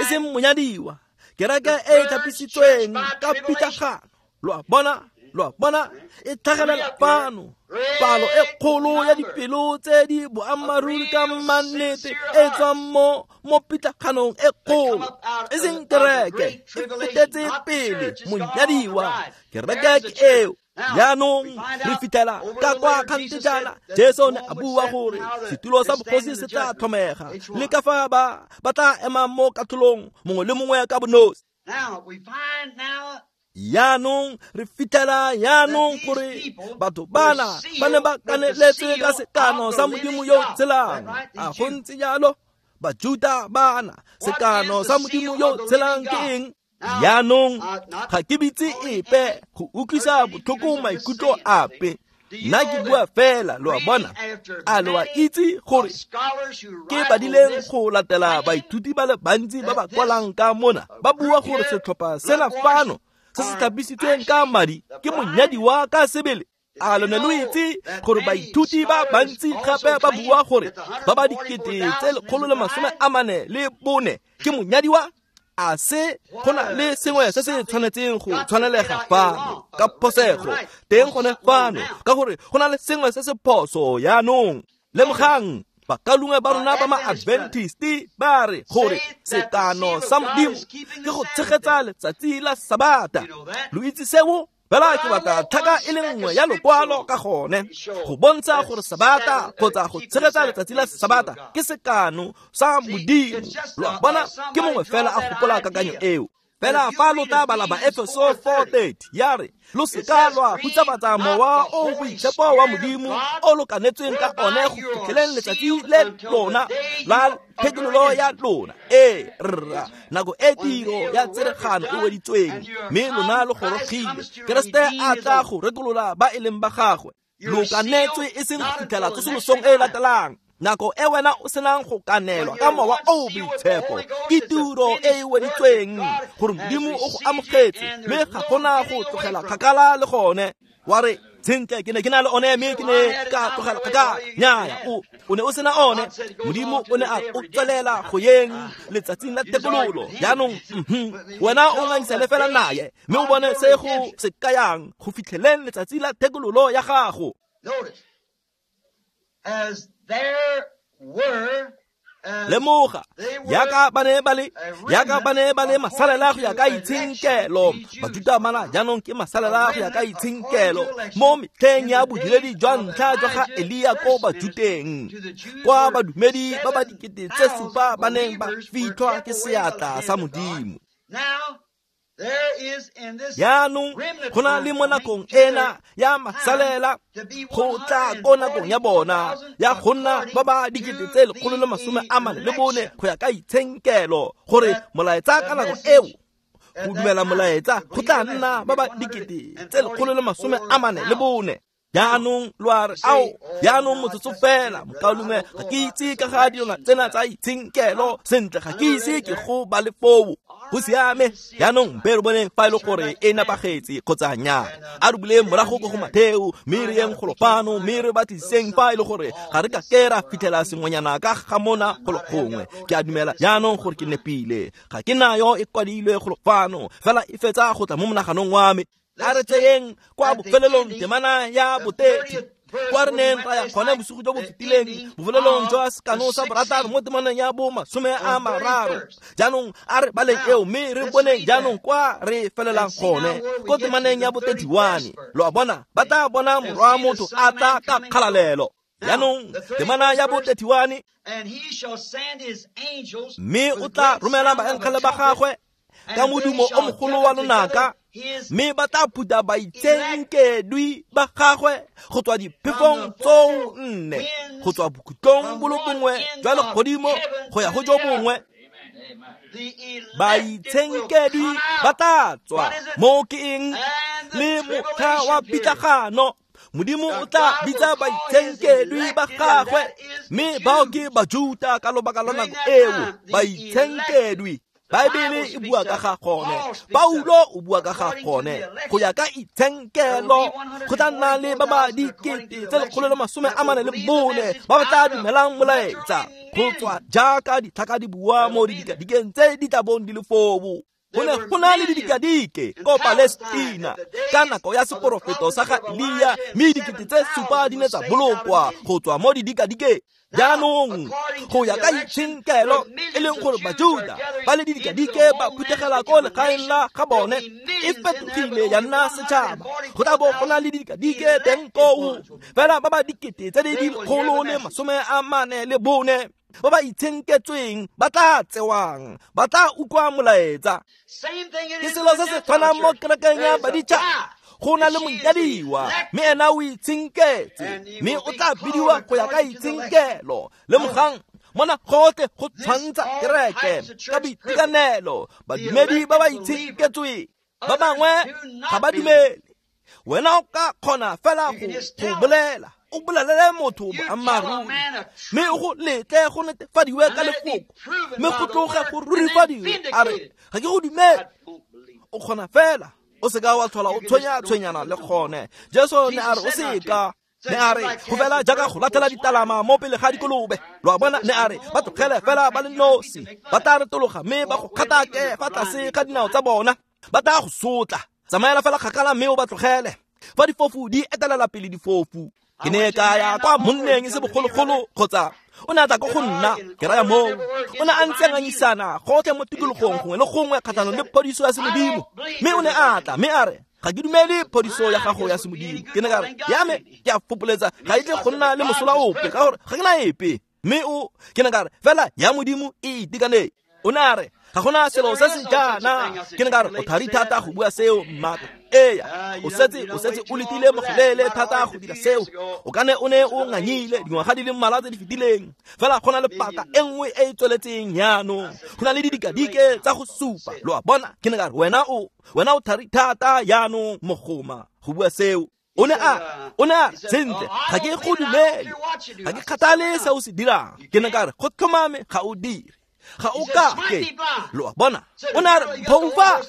e seng monyadiwa, kereke e e thapisitsweng ka pitlagano. Lo a bona, lo a bona, e tlhagelela fano palo e kgolo ya dipelo tse di boammaaruri ka mannete e tswang mo mo pitlaganong e kgolo, e seng kereke, e fetetse pele monyadiwa. Kereke ke eo. Jaanong re fitlhela ka kwa kgante jaana, Jesu ne a bua gore setulo sa bogosi se tla tlhomega, le ka fa ba ba tla emang mo katlholong mongwe le mongwe ka bonosi. Jaanong re fitlhela jaanong gore batho bana ba ne ba kaneletse ka sekano sa Modimo yo o tshelang. A go ntse jalo? Bajuda bana, sekano sa Modimo yo o tshelang ke eng? Jaanong ga ke bitse epe go utlwisa botlhoko maikutlo ape. Nna ke bua fela, lo a bona. A lo a itse gore ke badileng go latela baithuti ba le bantsi ba ba kwalang ka mona, ba bua gore setlhopha sena fano se se tlhapisitsweng ka madi ke monyadiwa ka sebele. A lo ne lo itse gore baithuti ba bantsi gape ba bua gore ba ba dikete tse lekgolo le masome a mane le bone ke monyadiwa? A se go na le sengwe se se tshwanetseng go tshwanelega fano ka phosego teng gone fano, ka gore go na le sengwe se se phoso jaanong. Lemogang, bakalungwe ba rona ba ma-Adventist ba re gore sekano sa Modimo ke go tshegetsa letsatsi la Sabata. Lo itse seo? Fela ke batla tlhaka e le nngwe ya lokwalo ka gone go bontsha gore Sabata kgotsa go tshegetsa letsatsi la Sabata ke sekano sa Modimo. Lo a bona, ke mongwe fela a gopola kakanyo eo. Fela fa lo tla bala Baefeso four thirty ya re, lo seka lwa hutsafatsa mowa o boitshepo wa Modimo o lo kanetsweng ka one go fitlheleng letsatsi le lona la phetololo ya lona. Ee rra, nako e tiro ya tseregano e weditsweng, mme lona lo gorogile. Keresete a tla go rekolola ba e leng ba gagwe. Lo kanetswe e seng go fitlhela tsosolosong e e latelang. Nako e wena o senang go kanelwa ka mowa o boitshepo ke tiro e e weditsweng gore Modimo o go amogetse, mme ga gona go tlogela kgakala le gone. Wa re, sentle ke ne ke na le one mme ke ne ka tlogela kgakala. Nnyaya, o o ne o sena one. Modimo o ne a o tswelela go yeng letsatsing la thekololo. Jaanong wena o ngangisane fela naye, mme o bone se go se kayang go fitlheleng letsatsi la thekololo ya gago. Lemoga, yaka ba ne ba le, yaka ba ne ba le masalela go ya ka itshenkelo. Bajuda bana jaanong ke masalela go ya ka itshenkelo mo metlheng ya bodiredi jwa ntlha jwa ga Elia ko Bajuteng, kwa badumedi ba ba dikete tse supa ba neng ba fitlhwa ke seatla sa Modimo. Jaanong go na le mo nakong ena ya masalela go tla ko nakong ya bona ya go nna ba ba dikete tse lekgolo le masome a mane le bone go ya ka itshenkelo gore molaetsa ka nako eo go dumela molaetsa go tla nna ba ba dikete tse lekgolo le masome a mane le bone. Jaanong lo a re ao jaanong motsotso fela mokaulengwe ga ke itse ka ga dilwana tsena tsa itshenkelo sentle ga ke ise ke go ba le foo. Go siame jaanong mpe re boneng fa e le gore e nepagetse kgotsa nnyaa. A re buleng morago ko go Matheo mme re yeng golo fano mme re batlisiseng fa e le gore ga re ka ke ra fitlhela sengwenyana ka ga mona golo gongwe. Ke a dumela jaanong gore ke nepile, ga ke nayo e kwadilwe golo fano fela e fetsa go tla mo monaganong wa me. A re tseyeng kwa bofelelong temana ya botethi kwa re neng ra ya gone bosigo jo bo fetileng bofelelong jwa sekano sa borataro mo temaneng ya bo masome a mararo. Jaanong a re baleng eo mme re boneng jaanong kwa re felelang gone ko temaneng ya bo thirty-one. Lo a bona ba tla bona morwa motho a tla ka kgalalelo. Jaanong temana ya bo thirty-one, mme o tla romela baengele ba gagwe ka modumo o mogolo wa lonaka mme ba tla phutha baitshenkedwi ba gagwe go tswa diphefong tsoo nne, go tswa bokhutlong bo le bongwe jwa legodimo go ya go jo bongwe. Baitshenkedwi ba tla tswa mo ke eng le motlha wa pitlagano. Modimo o tla bitsa baitshenkedwi ba gagwe mme bao ke Bajuta ka lobaka la nako eo. Baitshenkedwi Baebele e bua ka ga gone, Paulo o bua ka ga gone go ya ka itshenkelo go tla nna le ba ba dikete tse lekgolo le masome a mane le bone ba ba tla dumelang molaetsa go tswa jaaka ditlhaka di bua mo didikadikeng tse di tla bong di le foo. Go ne go na le didikadike ko Palestina ka nako ya seporofeto sa ga Elia mme dikete tse supa di ne tsa bolokwa go tswa mo didikadikeng. Jaanong go ya ka itshenkelo e leng gore Bajuda ba le didikadike ba phuthegela ko legaeng la ga bone e fetogile ya nna setšhaba. Go tla bo go na le didikadike teng koo fela ba ba dikete tse di dikgolo le masome a mane le bone ba ba itshenketsweng ba tla tsewang ba tla utlwa molaetsa. Ke selo se se tshwanang mo kerekeng ya baditšhaba. Go na le monyadiwa mme ena o itshenketse mme o tla bidiwa go ya ka itshenkelo. Lemogang mona gotlhe go tshwantsha kereke ka boitekanelo. Badumedi ba ba itshenketsweng ba bangwe ga ba dumele. Wena o ka kgona fela go bolela o bolelele motho boammaaruri mme o go letle go netefadiwe ka lefoko mme go tloge go rurifadiwe a re ga ke go dumele. O kgona fela o seka wa tlhola o tshwenya tshwenyana le gone. Jesu ne a re o seka ne a re go fela jaaka go latlhela ditalama mo pele ga dikolobe. Lo a bona ne a re ba tlogele fela ba le nosi ba tla retologa mme ba go kgatake fa tlase ga dinao tsa bona ba tla go sotla. Tsamaela fela kgakala mme o ba tlogele. Fa difofu di etelela pele difofu. Ke ne ka ya kwa monneng e se bogologolo kgotsa o ne a tla ko go nna ke raya moo o ne a ntse a ngangisana gotlhe mo tikologong gongwe le gongwe kgatlhanong le phodiso ya semodimo mme o ne a tla mme a re ga ke dumele phodiso ya gago ya semodimo. Ke ne ka re ya me ke a fopoletsa ga e tle go nna le mosola ope ka gore ga ke na epe mme o ke ne ka re fela ya modimo e itekanetse. O ne a re ga gona selo se se jaana. Ke ne ka re o thari thata go bua seo mmaka. Eya o setse o setse o letile mogolele thata go dira seo. O ka ne o ne o nganyile dingwaga di le mmalwa tse di fetileng fela go na le paka e nngwe e e tsweletseng jaanong. Go na le didikadike tsa go supa. Lo a bona ke ne ka re wena o wena o thari thata jaanong mogoma go bua seo. O ne a o ne a sentle ga ke go dumele ga ke kgathale se o se dirang. Ke ne ka re go tlhomame ga o dire ga o ka ke. Lo a bona o ne a re phoufa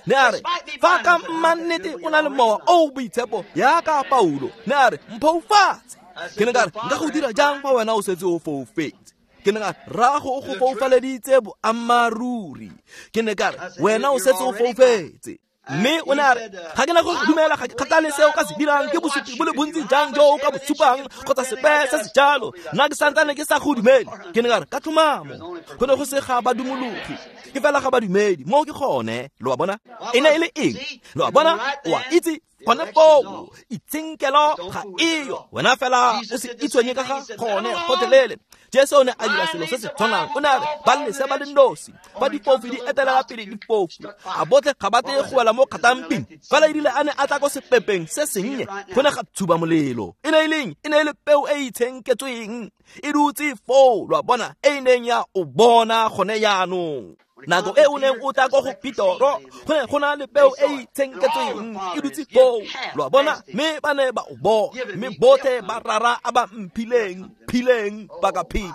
ne a re fa ka mannete o na le mowa o boitshepo yaka Paulo ne a re mphoufatse. Ke ne ka re nka go dira jang fa wena o setse o foufetse? Ke ne ka re rrago o go foufaleditse boammaaruri. Ke ne ka re wena o setse o foufetse. Mme o ne a re ga ke na go dumela ga ke kgathale se o ka se dirang ke bosupi bo le bontsi jang jo o ka bo supang kgotsa sepe se se jalo nna ke santsane ke sa go dumele. Ke ne ka re ka tlhomamo go ne go se ga badumologi ke fela ga badumedi mo ke gone. Lo a bona e ne e le eng? Lo a bona o a itse Gone foo itshenkelo ga eyo, wena fela o se itshwenye ka ga gone gotlhelele. Jesu o ne a dira selo se se tshwanang. O ne a re ba lese ba le nosi, fa difofu di etelela pele difofu, a botlhe ga ba tle go wela mo kgatamping. Fela erile a ne a tla ko sepepeng se sennye, go ne ga tshuba molelo. E ne e leng? E ne e le peo e e itshenketsweng e dutse foo, lo a bona, e e neng ya o bona gone jaanong. Nako e o neng o tla ko go Petoro, go ne go na le peo e e itshenketsweng e dutse foo, lo a bona, mme ba ne ba o bona. Mme botlhe ba rara a ba mphileng, phileng ba ka pheti,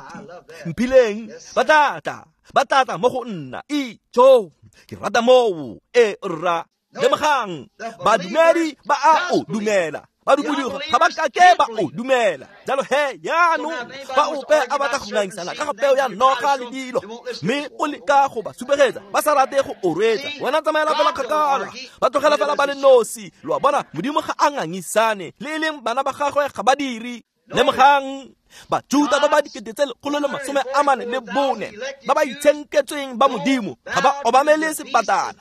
mphileng ba tla tla, ba tla tla mo go nna. Ijo, ke rata moo. E rra, lemogang, badumedi ba a o dumela, badumedi ga ba kake ba o dumela. Jalo he jaanong fa ope a batla go ngangisana ka ga peo ya noga le dilo, mme o leka go ba supegetsa ba sa rate go o reetsa, wena tsamaela fela kgakala, ba tlogela fela ba le nosi. Lo a bona, Modimo ga a ngangisane, le e leng bana ba gagwe ga ba dire. Lemogang, Bajuda ba ba dikete tse lekgolo le masome a mane le bone ba ba itshenketsweng ba Modimo ga ba obamele sebatana,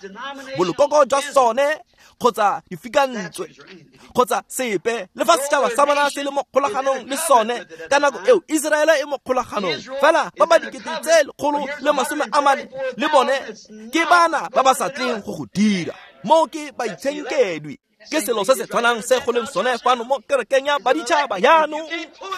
bolokoko jwa sone kgotsa difikantswe kgotsa sepe, le fa setšhaba sa bona se le mo kgolaganong le sone. Ka nako eo Iseraele e mo kgolaganong, fela ba ba dikete tse lekgolo le masome a mane le bone ke bana ba ba sa tleng go go dira. Moo ke baitshenkedwi. Ke selo se se tshwanang se go leng sone fano mo kerekeng ya baditšhaba jaanong.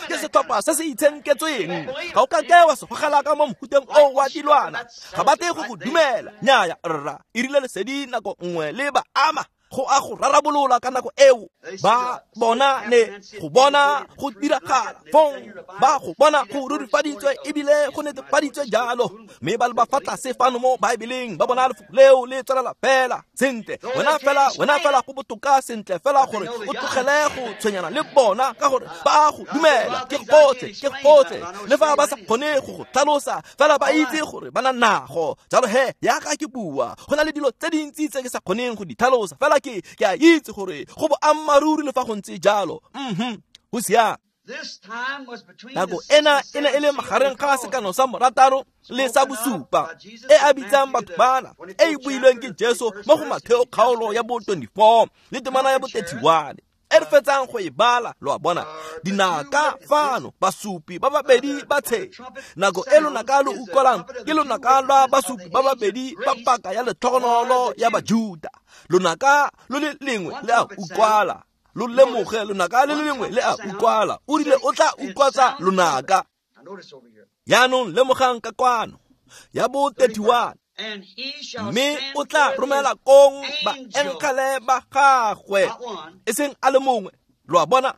Ke setlhopha se se itshenketsweng. Ga o kake wa se gogela ka mo mohuteng o wa dilwana, ga ba tle go go dumela. Nnyaya rra, e rile lesedi nako nngwe le ba ama, go a go rarabolola ka nako eo. Ba bona ne go bona go diragala fong, ba go bona go rurifaditswe ebile go netefaditswe jalo, mme ba le ba fa tlase fano mo Baebeleng ba bona lefoko leo le tswelela fela sentle. Wena fela, wena fela go botoka sentle fela gore o tlogele go tshwenyana le bona, ka gore ba go dumela. Ke gotlhe, ke gotlhe, le fa ba sa kgone go go tlhalosa, fela ba itse gore ba na nago. Jalo he, yaka ke bua, go na le dilo tse dintsi tse ke sa kgoneng go di tlhalosa, fela ke ke a itse gore go boammaaruri le fa go ntse jalo. Mhm, go siame. Nako ena e ne e le magareng ga sekano sa morataro le sa bosupa e a bitsang batho bana, e e builweng ke Jesu mo go Matheo kgaolo ya bo twenty-four le temana ya bo thirty-one e re fetsang go e bala. Lo a bona, dinaka fano, basupi ba babedi ba tshe. Nako e lonaka lo utlwalang ke lonaka lwa basupi ba babedi ba paka ya letlhogonolo ya Bajuda. Lonaka lo le lengwe le a utlwala, lo lemoge, lonaka le le lengwe le a utlwala. O rile o tla utlwatsa lonaka. Jaanong lemogang ka kwano ya bo thirty-one, mme o tla romela kong baengele ba gagwe, e seng a le mongwe. Lo a bona,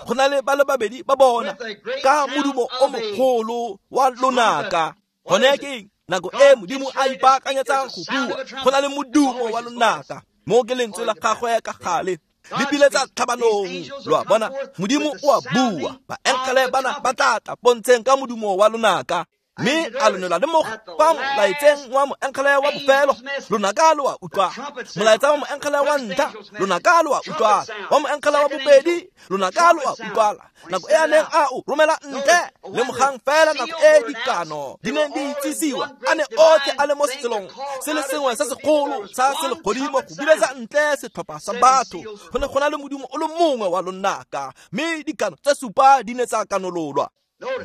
go na le ba le babedi ba bona ka modumo o mogolo wa lonaka. Gone ke eng? Nako e Modimo a ipaakanyetsang go bua, go na le modumo wa lonaka. Mo ke lentswe la gagwe ka gale le biletsa tlhabanong. Lo a bona, Modimo o a bua, baengele bana ba tla tla pontsheng ka modumo wa lonaka. Mme a lo ne la lemoga fa molaetseng wa moengele wa bofelo, lonaka lo a utlwa. Molaetsa wa moengele wa ntlha, lonaka lo a utlwala. Wa moengele wa bobedi, lonaka lo a utlwala. Nako e a neng a o romela ntle, lemogang fela nako e dikano di neng di itsisiwa, a ne otlhe a le mo selong se le sengwe se segolo sa selegodimo go biletsa ntle setlhopha sa batho. Go ne go na le modumo o le mongwe wa lonaka, mme dikano tse supa di ne tsa kanololwa.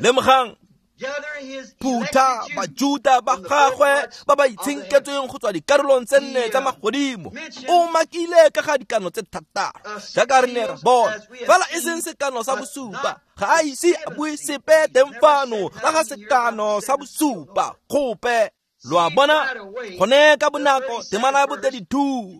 Lemogang, phutha Bajuda ba gagwe ba ba itshenketsweng go tswa dikarolong tse nne tsa magodimo. O makile ka ga dikano tse thataro jaaka re ne ra bona, fela e seng sekano sa bosupa. Ga a ise a bue sepe teng fano ka ga sekano sa bosupa gope. Lo a bona, gone ka bonako temana ya bo thirty-two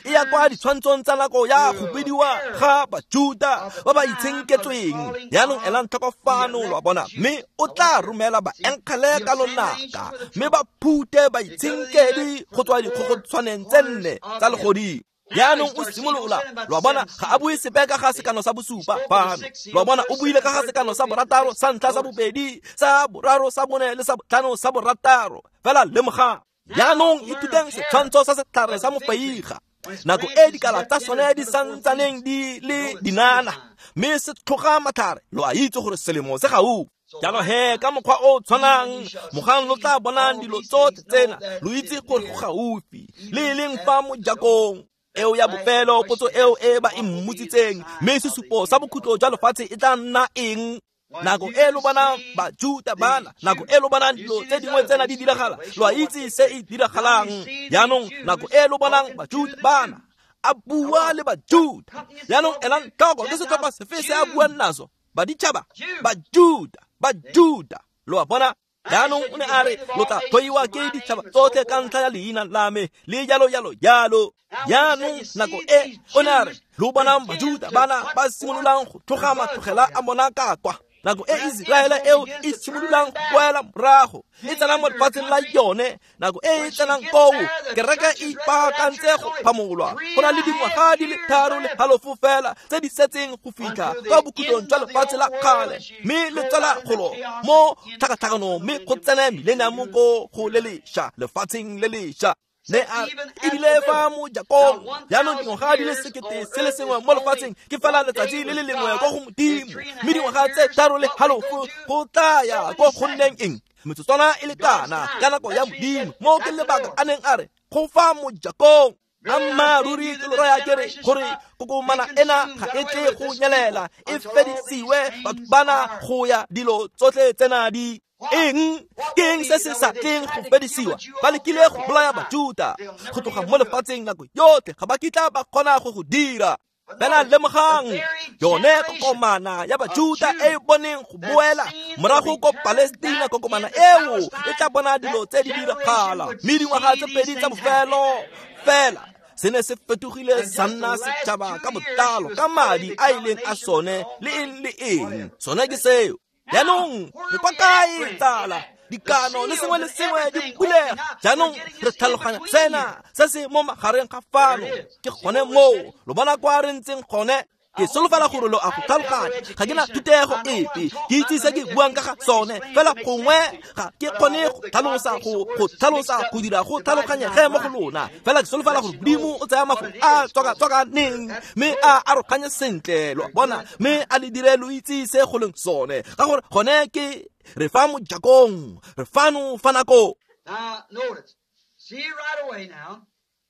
e ya kwa ditshwantshong tsa nako ya go bidiwa ga Bajuda ba ba itshenketsweng. Jaanong elang tlhoko fano, lo a bona, mme o tla romela baengele ka lonaka, mme ba phute baitshenkedi go tswa dikgogotshwaneng tse nne tsa legodimo. Jaanong o simolola, lo a bona, ga a bue sepe ka ga sekano sa bosupa fano. Lo a bona, o buile ka ga sekano sa borataro, sa ntlha, sa bobedi, sa boraro, sa bone le sa botlhano, sa borataro. Fela lemogang, jaanong ithuteng setshwantsho sa setlhare sa mofeiga. Nako e dikala tsa sone di santsaneng di le dinana, mme se tlhoga matlhare, lo a itse gore selemo se gaufi. Jalo he, ka mokgwa o tshwanang, mogang lo tla bonang dilo tsotlhe tsena, lo itse gore go gaufi, le e leng fa mojakong. Eo ya bofelo potso eo e ba e mmotsitseng, mme sesupo sa bokhutlo jwa lefatshe e tla nna eng? Nako e lo bonang Bajuta bana, nako e lo bonang dilo tse dingwe tsena di diragala, lo a itse se e diragalang. Jaanong nako e lo bonang Bajuta bana, a bua le Bajuta. Jaanong elang tlhoko ke setlhopha sefe se a buang naso? Baditšhaba, Bajuta, Bajuta. Lo a bona? Jaanong o ne a re lo tla tlhoiwa ke ditšhaba tsotlhe ka ntlha ya leina la me, le jalo jalo jalo. Jaanong nako e o ne a re lo bonang Bajuta bana ba simololang go tloga matlogela a bona ka kwa. Nako e Iseraele eo e simololang go boela morago, e tsena mo lefatsheng la yone. Nako e e tsenang koo, kereke e ipaakantse go phamolwa. Go na le dingwaga di le tharo le halofo fela tse di setseng go fitlha kwa bokhutlong jwa lefatshe la kgale, mme le tswela golo mo tlhakatlhakanong, mme go tsene millennium ko go le lešwa, lefatsheng le lešwa. Ne a ebile fa mojakong. Jaanong dingwaga di le sekete se le sengwe mo lefatsheng ke fela letsatsi le le lengwe ko go Modimo, mme dingwaga tse tharo le halofo go tla ya ko go nneng eng? Metsotswana e le kana ka nako ya Modimo. Mo ke lebaka a neng a re go fa mojakong. Ammaaruri ke lo raya ke re gore kokomana ena ga e tle go nyelela, e fedisiwe batho bana go ya dilo tsotlhe tsena di eng? Ke eng se se sa tleng go fedisiwa? Ba lekile go bolaya Bajuta go tloga mo lefatsheng nako yotlhe, ga ba kitla ba kgona go go dira. Fela lemogang yone kokomana ya Bajuta e e boneng go boela morago ko Palestina, kokomana eo e tla bona dilo tse di diragala. Mme dingwaga tse pedi tsa bofelo fela se ne se fetogile sa nna setšhaba ka botlalo ka madi a ileng a sone le eng le eng. Sone ke seo. Jaanong re kwa kae tsala? Dikano le sengwe le sengwe di bulega. Jaanong re tlhaloganya sena se se mo magareng ga fano. Ke gone moo lo bona kwa re ntseng gone. Ke solofela gore lo a go tlhaloganya. Ga ke na thutego epe, ke itse se ke buang ka ga sone, fela gongwe ga ke kgone go tlhalosa go go tlhalosa go dira go tlhaloganyege mo go lona. Fela ke solofela gore Modimo o tsaya mafoko a tswaka-tswakaneng mme a aroganye sentle, lo a bona, mme a le dire lo itse se go leng sone. Ka gore gone ke re fa mojakong, re fano fa nako. Now notice, see right away now,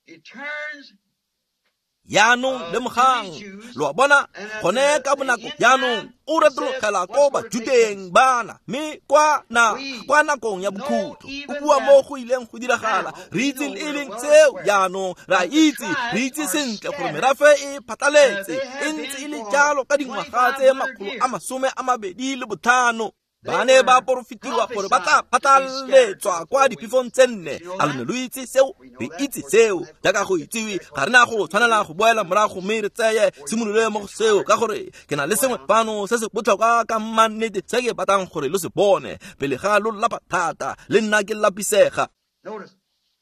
it turns. Jaanong lemogang, lo a bona, gone ka bonako jaanong o retologela ko Bajuteng bana, mme kwa na kwa nakong ya bokhutlo o bua mo go ileng go diragala. Re itse le e leng seo jaanong, re a itse, re itse sentle gore merafe e phatlaletse, e ntse e le jalo ka dingwaga tse makgolo a masome a mabedi le botlhano. Ba ne ba porofetiwa gore ba tla phatlaletswa kwa diphefong tse nne. A lo ne lo itse seo? Re itse seo. Jaaka go itsiwe, ga re na go tshwanela go boela morago mme re tseye simolole mo go seo, ka gore ke na le sengwe fano se se botlhokwa ka mannete se ke batlang gore lo se bone pele ga lo lapa thata, le nna ke lapisega. Notice,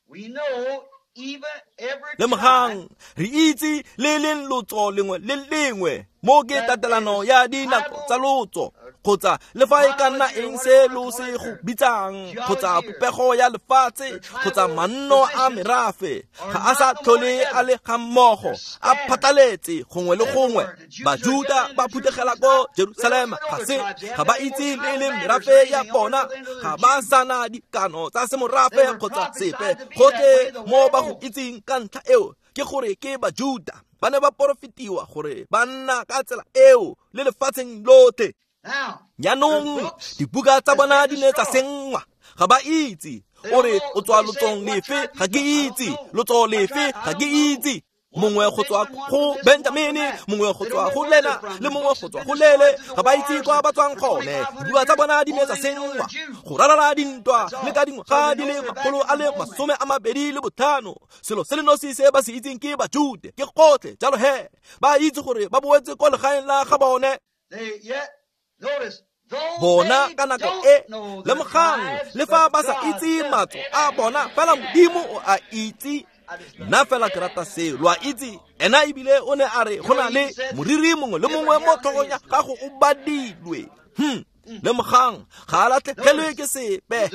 we know even every Lemogang, re itse le leng lotso lengwe le lengwe mo ke tatelano ya dinako tsa lotso, kgotsa le fa e ka nna eng se lo se go bitsang, kgotsa popego ya lefatshe, kgotsa manno a merafe, ga a sa tlhole a le ga mmogo, a phatlaletse gongwe le gongwe. Bajuta ba phuthegela ko Jerusalema, ga se ga ba itse le leng merafe ya bona, ga ba sana dikano tsa semorafe kgotsa sepe. Gotlhe mo ba go itseng ka ntlha eo ke gore ke Bajuta. Ba ne ba porofetiwa gore ba nna ka tsela eo le lefatsheng lotlhe. Jaanong dibuka tsa bona di ne tsa senngwa, ga ba itse. O re o tswa lotsong lefe? Ga ke itse. Lotso lefe? Ga ke itse. Mongwe go tswa go Benjamine, mongwe go tswa go Lena, le mongwe go tswa go Lele. Ga ba itse kwa ba tswang gone. Dibuka tsa bona di ne tsa senngwa go ralala dintwa le ka dingwaga di le makgolo a le masome a mabedi le botlhano. Selo se le nosi se ba se itseng ke Bajude, ke gotlhe. Jalo he, ba itse gore ba boetse ko legaeng la ga bone. Bona ka nako e, lemogang, le fa ba sa itse matso a bona, fela Modimo o a itse. Nna fela ke rata seo, lo a itse. Ena ebile o ne a re go na le moriri mongwe le mongwe mo tlhogong ya gago o badilwe. Hmm. Lemogang, ga a latlhegelwe ke sepe.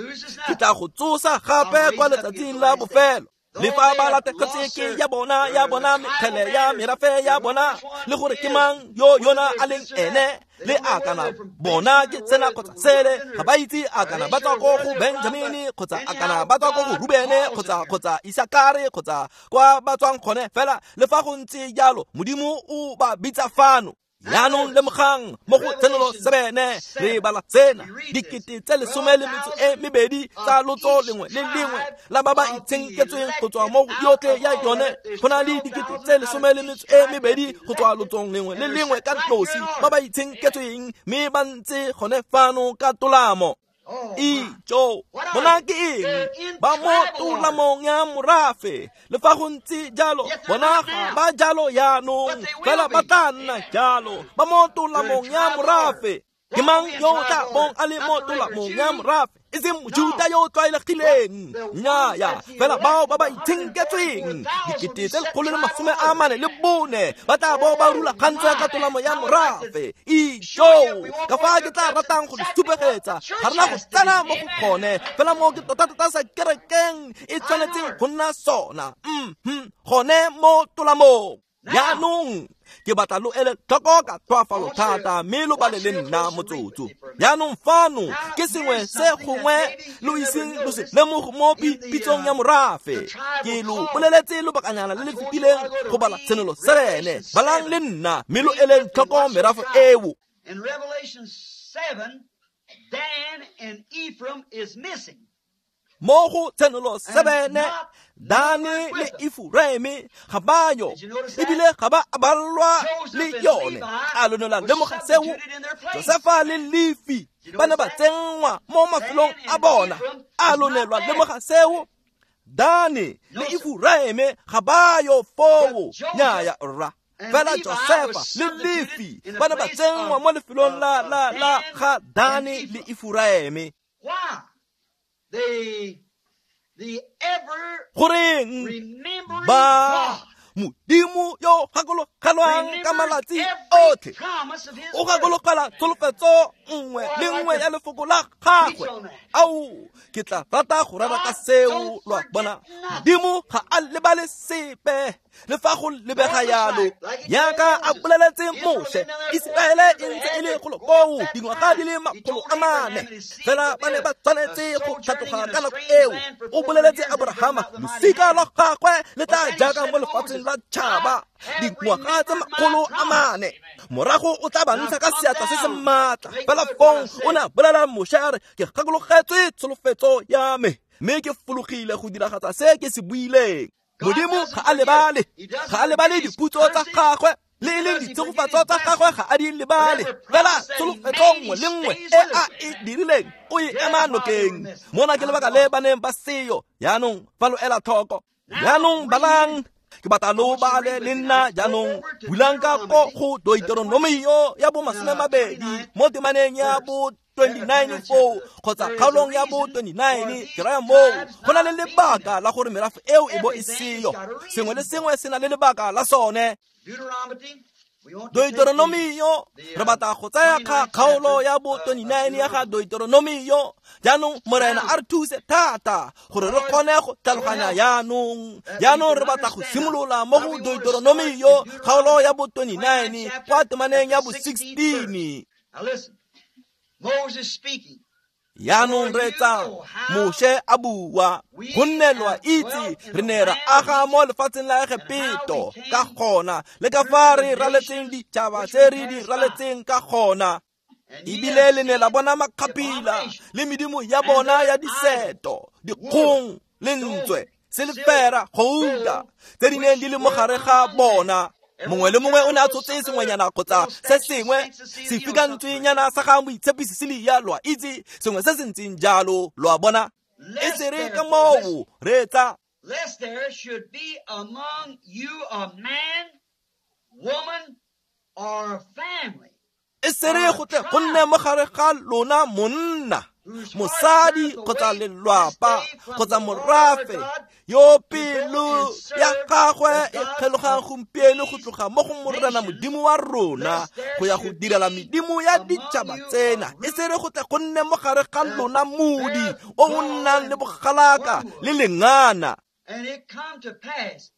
Ke tla go tsosa gape kwa letsatsing la bofelo. Le fa ba latlhegetse ke ya bona, ya bona mekgele ya merafe ya bona, le gore ke mang yo yona a leng ene, Le a kana bona ke tsena kgotsa sele, ga ba itse a kana ba tswa ko go Benjamini kgotsa a kana ba tswa ko go Rubene kgotsa kgotsa Isakare kgotsa kwa ba tswang gone. Fela le fa go ntse jalo, Modimo o ba bitsa fano. Jaanong lemogang mo go Tshenolo sebene re bala tsena dikete tse lesome le metso e mebedi tsa lotso lengwe le lengwe la ba ba itshenketsweng go tswa mo yotlhe ya yone. Go na le dikete tse lesome le metso e mebedi go tswa lotsong lengwe le lengwe ka nosi ba ba itshenketsweng, mme ba ntse gone fano ka tolamo. Ijo, bona ke eng? Ba mo tolamong ya morafe. Le fa go ntse jalo, bona ga ba jalo jaanong, fela ba tla nna jalo. Ba mo tolamong ya morafe. Ke mang yo o tla bong a le mo tolamong ya morafe? E seng Mojuta yo o tlwaelegileng. Nnyaa, fela bao ba ba itshenketsweng dikete tse lekgolo le masome a mane le bone ba tla bo ba rulagantswe ka tolamo ya morafe. Ijo, ka fa ke tla ratang go le supegetsa, ga rena go tsena mo go gone, fela mo ke tota-tota sa kerekeng e tshwanetseng go nna sona. Mhm, gone mo tolamong. Jaanong ke batla lo ele tlhoko ka tlhoafalo thata, mme lo bale le nna motsotso. Jaanong fano ke sengwe se gongwe lo iseng lo se lemoge mo pitsong ya morafe. Ke lo boleletse lobakanyana le le fetileng go bala Tshenolo sebene. Balang le nna, mme lo ele tlhoko merafe eo. In Revelation seven, Dan and Ephraim is missing. Mo go Tshenolo sebene, Dane le Efuraime ga ba yo, ebile ga ba balwa le yone. A lo ne la lemoga seo? Josefa le Lefi ba ne ba tsenngwa mo mafelong a bona. A lo ne lwa lemoga seo? Dane le Efuraime ga ba yo foo. Nnyaya rra. Fela Josefa le Lefi ba ne ba tsenngwa mo lefelong la la la ga Dane le Efuraime. Why? The, the ever Goreng remembering ba God Modimo yo gakologelwang ka remembers malatsi every otlhe, promise of his o word. gakologela tsholofetso nngwe le nngwe ya lefoko la gagwe. Ao, ke tla rata go rera ka seo. Lo a bona, Modimo ga a lebale sepe le fa go lebega yalo. Jaaka a boleletse Moshe, Iseraele e ntse e le golo koo dingwaga di le makgolo a mane, fela ba ne ba tshwanetse go tlhatloga ka nako eo. O boleletse Abrahama, losika lwa gagwe le tla jaaka mo lefatsheng la tšhaba dingwaga tse makgolo a mane, morago o tla ba ntsha ka seatla se se maatla. Fela fong o ne a bolela Moshe a re, ke gakologetswe tsholofetso ya me, mme ke fologile go diragatsa se ke se buileng. Modimo ga a lebale, ga a lebale diputso tsa gagwe, le e leng ditshegofatso tsa gagwe ga a di lebale. Fela tsholofetso nngwe le nngwe e a e dirileng o e ema nokeng. Mona ke lebaka le ba neng ba seyo. Jaanong fa lo ela tlhoko, jaanong balang, ke batla lo bale le nna jaanong. Bulang ka ko go Deuteronomio ya bo masome mabedi mo temaneng ya bo twenty-nine foo kgotsa kgaolong ya bo twenty-nine. Ke raya moo go na le lebaka la gore merafe eo e bo e seyo. Sengwe le sengwe se na le lebaka la sone. Deuteronomy, we want to take the, Deuteronomio, re batla go tsaya kga kgaolo ya bo twenty-nine ya ga Deuteronomio. Jaanong Morena a re thuse thata gore re kgone go tlhaloganya jaanong. Jaanong re batla go simolola mo go Deuteronomio kgaolo ya bo twenty-nine kwa temaneng ya bo sixteen. Now listen, Moses speaking. Jaanong re tsa Moshe a bua, gonne lo a itse re ne ra aga mo lefatsheng la Egepeto ka gona, le ka fa re raletseng ditšhaba tse re di raletseng ka gona. And ye Ebile have le ne la seen bona the makgapila abomination le medimo ya bona ya diseto, dikgong, lentswe, silefera, gouta tse di neng di le mo gare ga bona. Mongwe le mongwe o ne a tshotse sengwenyana kgotsa se sengwe sefikantswenyana sa ga moitshepi Cecilia, lo a itse, sengwe se se ntseng jalo, lo a bona. E lest se re there, ka moo reetsa, lest there should be among you a man, woman, or family e se re go tle go nne mo gare ga lona monna, whose heart mosadi turneth kgotsa away this lelwapa day from kgotsa the Lord our morafe God yo to go pelo and ya serve gagwe the e gods kgelogang of gompieno go these tloga mo go Morena nations, Modimo wa rona lest there go ya go should direla be medimo ya among ditšhaba you a tsena. E root se re go tle go nne mo gare ga that lona modi beareth o o gall nnang le and bogalaka le wormwood. lengana. And it come to pass,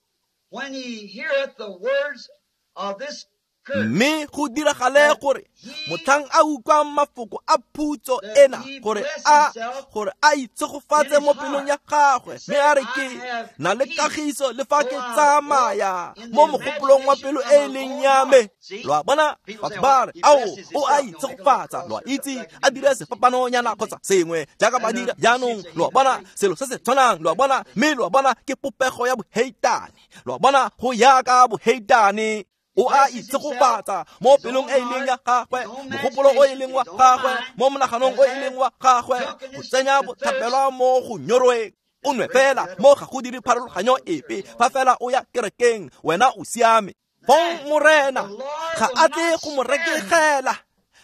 when ye heareth the words of this Mme go diragale gore motlhang a utlwang mafoko a phutso ena gore a gore a itshegofatse mo pelong ya gagwe mme a re ke na le kagiso le fa ke tsamaya mo mogopolong wa pelo e e leng ya me. Lo a bona, batho ba re ao o a itshegofatsa, lo a itse a dire sefapanonyana kgotsa sengwe jaaka ba dira jaanong. Lo a bona selo se se tshwanang, lo a bona, mme lo a bona ke popego ya boheitane. Lo a bona go yaka boheitane. O a itshegofatsa mo pelong e e leng ya gagwe, mogopolo o e leng wa gagwe, mo monaganong o e leng wa gagwe, go tsenya bothapelwa mo go nyorweng. O nwe fela mo ga go dire pharologanyo epe, fa fela o ya kerekeng wena o siame. Fong Morena ga a tle go mo rekegela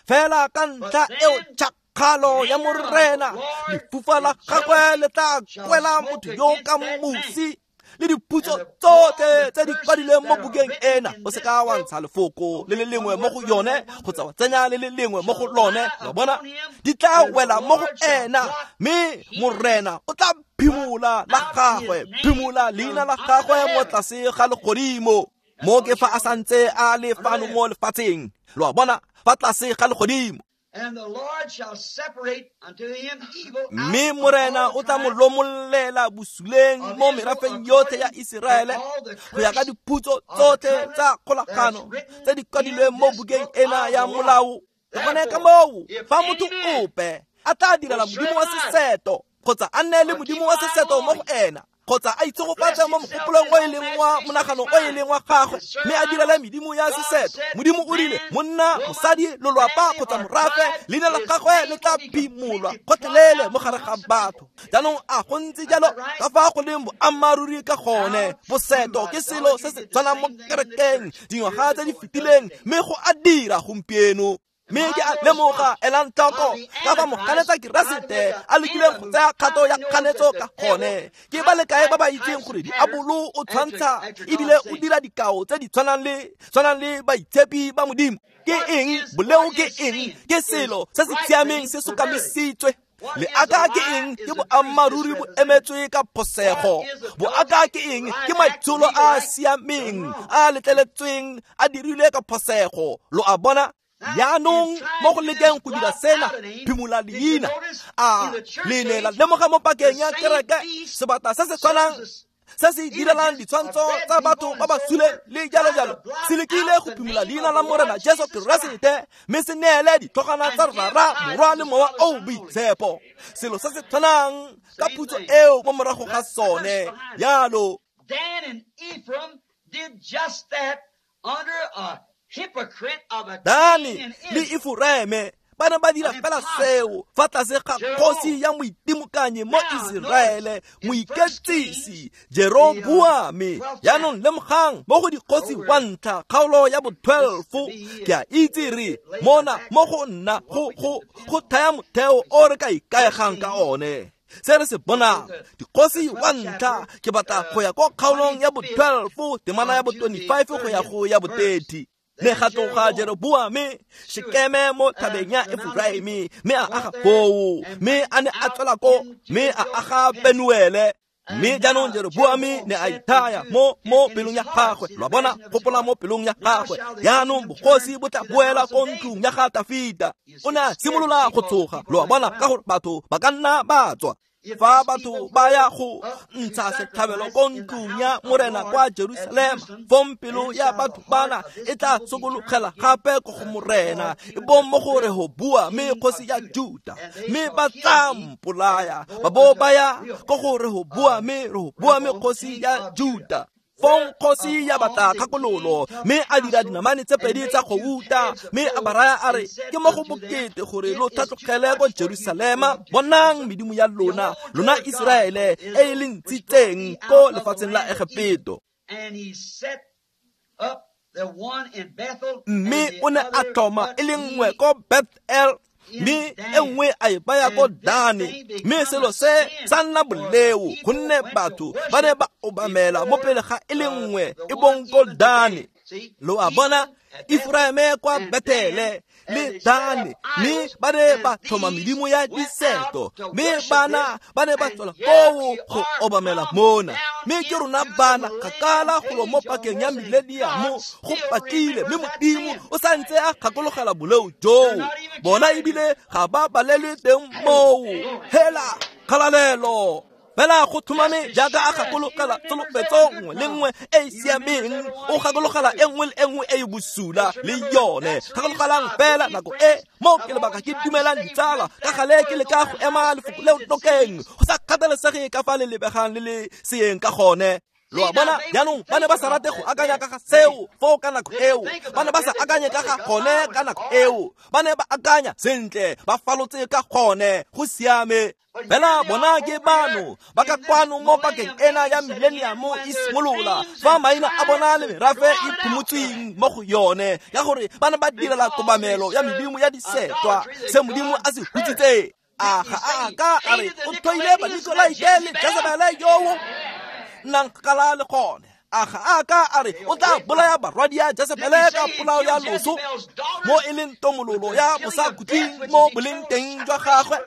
fela ka ntlha eo tšhakgalo ya Morena, lefufa la gagwe le tla kwela motho yo ka mosi le diphutso tsotlhe tse di kwadilweng mo bukeng ena. O se ka wa ntsha lefoko le le lengwe mo go yone kgotsa wa tsenya le le lengwe mo go lone. Lo bona, di tla wela mo go ena, mme Morena o tla phimola la gagwe, phimola leina la gagwe mo tlase ga legodimo. Mo ke fa a santse a le fano mo lefatsheng. Lo a bona, fa tlase ga legodimo. Mme Morena o tla mo lomollela bosuleng mo merafeng yotlhe ya Iseraele go ya ka diphutso tsotlhe tsa kgolagano tse di kwadilweng mo bukeng ena ya molao. Ke gone ka moo fa motho ope a tla direla modimo wa seseto kgotsa a nne le modimo wa seseto mo go ena, kgotsa a itshegofatse mo mogopolong o e leng wa monagano o e leng wa gagwe, mme a direle medimo ya seseto. Modimo o rile monna, mosadi, lolwapa kgotsa morafe, leina la gagwe le tla phimolwa gotlhelele mo gare ga batho. Jaanong a go ntse jalo ka fa go leng boammaaruri ka gone. Boseto ke selo se se tshwanang mo kerekeng dingwaga tse di fetileng, mme go a dira gompieno. Mme ke a lemoga, elang tlhoko ka fa moganetsa Keresete a lekileng go tsaya kgato ya kganetso ka gone. Ke ba le kae ba ba itseng gore diabolo o tshwantsha ebile o dira dikao tse di tshwanang le tshwanang le baitshepi ba Modimo? Ke eng boleo? Ke eng? Ke selo se se siameng se sokamisitswe. Leaka ke eng? Ke boammaaruri bo emetswe ka phosego. Boaka ke eng? Ke maitsholo a a siameng a letleletsweng a dirilwe ka phosego. Lo a bona? Jaanong mo go lekeng go dira sena, phimola leina. A le ne la lemoga mo pakeng ya kereke sebata se se tshwanang se se direlang ditshwantsho tsa batho ba ba suleng le jalo jalo se lekile go phimola leina la Morena Jesu Keresete, mme se neele ditlhogwana tsa Rara, Morwa le Mowa o Boitshepo. Selo se se tshwanang ka phutso eo mo morago ga sone. Jalo Dan and Ephraim did just that under a Dani le Efuraime ba ne ba dira fela seo fa tlase ga kgosi ya moitimokanyi mo Iseraele, moiketsisi Jeroboame. Jaanong lemogang mo go dikgosi wa ntlha kgaolo ya bo twelve, ke a itse re mona mo go nna go go go thaya motheo o re ka ikaegang ka one. Se re se bonang dikgosi wa ntlha, ke batla go ya ko kgaolong ya bo twelve temana ya bo twenty-five go ya go ya bo thirty. Ne ga tloga Jeroboame Shekeme mo thabeng ya Efuraime, mme a aga foo, mme a ne a tswela ko, mme a aga Penuele. Mme jaanong Jeroboame ne a ithaya mo mo pelong ya gagwe. Lo a bona, gopola mo pelong ya gagwe. Jaanong bogosi bo tla boela ko ntlong ya ga Tafita. O ne a simolola go tsoga. Lo a bona, ka gore batho ba ka nna ba tswa. Fa batho ba ya go ntsha setlhabelo ko ntlong ya Morena kwa Jerusalema, fong pelo ya batho bana e tla sokologela gape ko go Morena, e bong mo go Rehoboame kgosi ya Juta, mme ba tla mpolaya. Ba bo ba ya ko go Rehoboame, Rehoboame kgosi ya Juta. Fong kgosi ya batla kgakololo, mme a dira dinamane tse pedi tsa gouta, mme a ba raya a re ke mo go bokete gore lo tlhatlogele ko Jerusalema. Bonang medimo ya lona, lona Iseraele e e le ntshitseng ko lefatsheng la Egepeto. Mme o ne a tlhoma e le nngwe ko Bethel, mme e nngwe a e baya ko Dane. Mme selo se sa nna boleo, gonne batho ba ne ba obamela mo pele ga e le nngwe e bong ko Dane. Lo a bona, Efuraime kwa Bethele le Dane, mme ba ne ba tlhoma medimo ya diseto, mme bana ba ne ba tswela koo go obamela mona. Mme ke rona bana kgakala golo mo pakeng ya mileniamo go pakile, mme Modimo o sa ntse a gakologela boleo joo. Bona ebile ga ba balelwe teng moo. Hela kgalalelo. Fela go tlhomame jaaka a gakologela tsholofetso nngwe le nngwe e e siameng, o gakologela e nngwe le e nngwe e e bosula le yone. Gakologelang fela nako e mo ke lebaka ke dumelang ditsala ka gale ke leka go ema lefoko leo nokeng, go sa kgathalesege ka fa le lebegang le le seeng ka gone. Lo a bona jaanong ba ne ba sa rate go akanya ka ga seo foo ka nako eo, ba ne ba sa akanye ka ga gone ka nako eo, ba ne ba akanya sentle, ba falotse ka gone, go siame. Fela bona ke bano ba ka kwano mo pakeng ena ya mileniamo e simolola, fa maina a bona le merafe e phumotsweng mo go yone, ya gore ba ne ba direla kobamelo ya medimo ya disetwa, se Modimo a se hutsitse. A ga a ka a re o tlhoile Banikolaite le Jezebele yoo nnang kgakala le gone. A ga a ka a re o tla bolaya barwadia Jezebele ka polao ya loso, mo e leng tomololo ya bosakhutleng mo boleng teng jwa gagwe.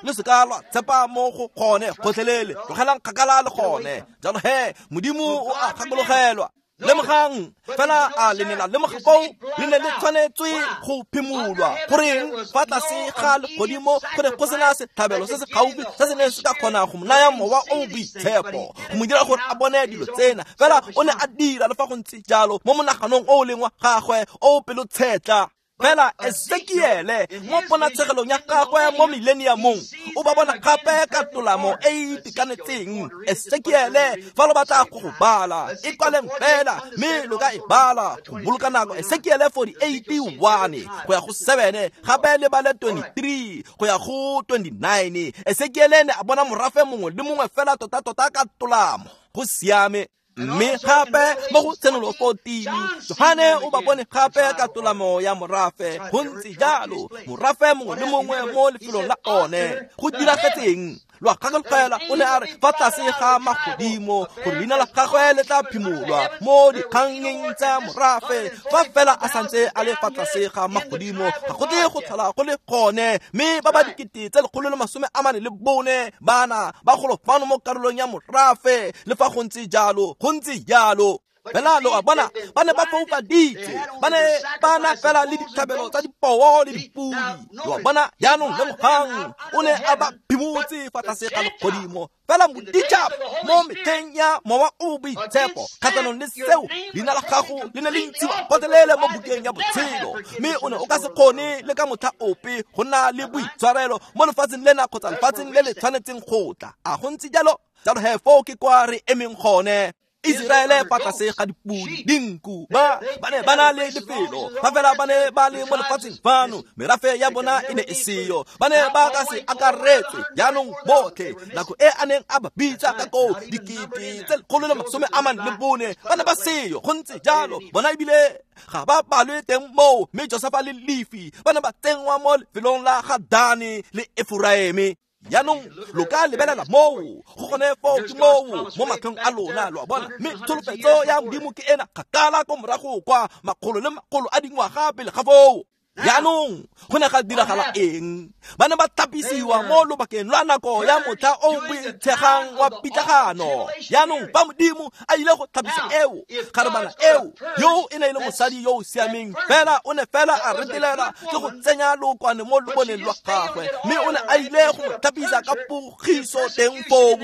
Le se ka lwa tshepa mo go gone gotlhelele, tlogelang kgakala le gone. Jalo he Modimo o a gakologelwa. Lemogang fela a le ne la lemoga koo le ne le tshwanetswe go phimolwa. Goreng fa tlase ga legodimo go ne go sena setlhabelo se se gaufi se se neng se ka kgona go mo naya mowa o o boitshepo, go mo dira gore a bone dilo tsena. Fela o ne a dira le fa go ntse jalo mo monaganong o o leng wa gagwe o o pelotshetla. Fela Ezekiele mo ponatshegelong ya gagwe mo mileniamong o ba bona gape ka tolamo e e itekanetseng. Ezekiele fa lo batla go go bala, e kwaleng fela mme lo ka e bala go boloka nako. Ezekiele forty-eight one go ya go seven, gape le bale twenty-three go ya go twenty-nine. Ezekiele ne a bona morafe mongwe le mongwe fela tota-tota ka tolamo, go siame. Mme gape mo go Tshenolo fourteen, Johane o ba bone gape ka tolamo ya morafe. Go ntse jalo, morafe mongwe le mongwe mo lefelong la one. Go diragetseng? Lo a gakologela, o ne a re fa tlase ga magodimo gore leina la gagwe le tla phimolwa mo dikgangeng tsa morafe. Fa fela a santse a le fa tlase ga magodimo, ga go tle go tlhola go le gone. Mme ba ba dikete tse lekgolo le masome a mane le bone bana ba golo fano mo karolong ya morafe. Le fa go ntse jalo, go ntse jalo. Fela lo a bona ba ne ba foufaditswe, ba ne ba na fela le ditlhabelo tsa dipoo le dipodi. Lo a bona jaanong lemogang o ne a ba phimotse fa tlase ga legodimo. Fela moditšhaba mo metlheng ya mowa o boitshepo kgatlhanong le seo, leina la gago le ne le ntshiwa gotlhelele mo bukeng ya botshelo, mme o ne o ka se kgone le ka motlha ope go nna le boitshwarelo mo lefatsheng lena kgotsa lefatsheng le le tshwanetseng go tla. A go ntse jalo? Jalo he foo ke kwa re emeng gone. Iseraele fa tlase ga dipodi, dinku, ba ba ne ba na le lefelo, fa fela ba ne ba le mo lefatsheng fano, merafe ya bona e ne e seyo, ba ne ba ka se akaretswe jaanong botlhe. Nako e a neng a ba bitsa ka koo, dikete tse lekgolo le masome a mane le bone ba ne ba seyo. Go ntse jalo, bona ebile ga ba balwe teng moo. Mme Josefa le Lefi ba ne ba tsenngwa mo lefelong la ga Dane le Efuraime. Jaanong lo ka lebelela moo, go gone foo ke moo mo matlhong a lona, lo a bona. Mme tsholofetso ya Modimo ke ena kgakala ko morago kwa makgolo le makgolo a dingwaga pele ga foo. Jaanong go ne ga diragala eng? Ba ne ba thapisiwa mo lobakeng lwa nako ya motlha o boitshegang wa pitlagano. Jaanong fa Modimo a ile go thapisa eo kgarebana eo, yo e ne e le mosadi yo o siameng, fela o ne fela a retelelwa ke go tsenya lookwane mo loboneng lwa gagwe, mme o ne a ile go mo thapisa ka pogiso teng foo.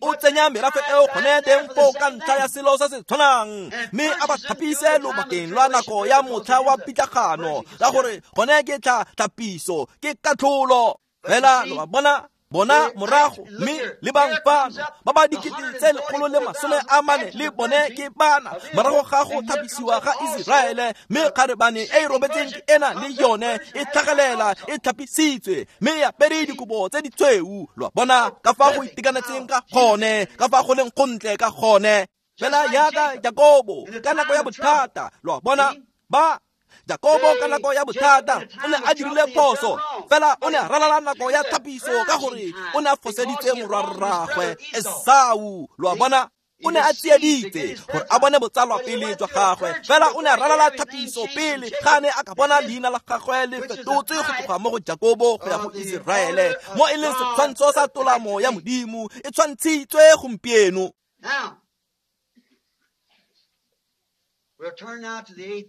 O tsenya merafe eo gone teng foo ka ntlha ya selo se se tshwanang, mme a ba thapise lobakeng lwa nako ya motlha wa pitlagano, ka gore gone ke tla thapiso, ke katlholo. Fela lo a bona, bona morago mme le bang fano ba ba dikete tse lekgolo le masome a mane le bone ke bana morago ga go thapisiwa ga Iseraele. Mme kgarebane e e robetseng ke ena le yone e tlhagelela e thapisitswe, mme e apere dikobo tse ditshweu. Lo a bona ka fa go itekanetseng ka gone, ka fa go leng gontle ka gone. Fela jaaka Jakobo ka nako ya bothata, lo a bona ba Jakobo ka nako ya bothata o ne a dirile phoso, fela o ne a ralala nako ya thapiso ka gore o ne a foseditse morwarraagwe Esau. Lo a bona? O ne a tsieditse gore a bone botsalwa pele jwa gagwe, fela o ne a ralala thapiso pele ga ne a ka bona leina la gagwe le fetotswe go tloga mo go Jakobo go ya go Iseraele, mo e leng setshwantsho sa tolamo ya Modimo e tshwantshitswe gompieno.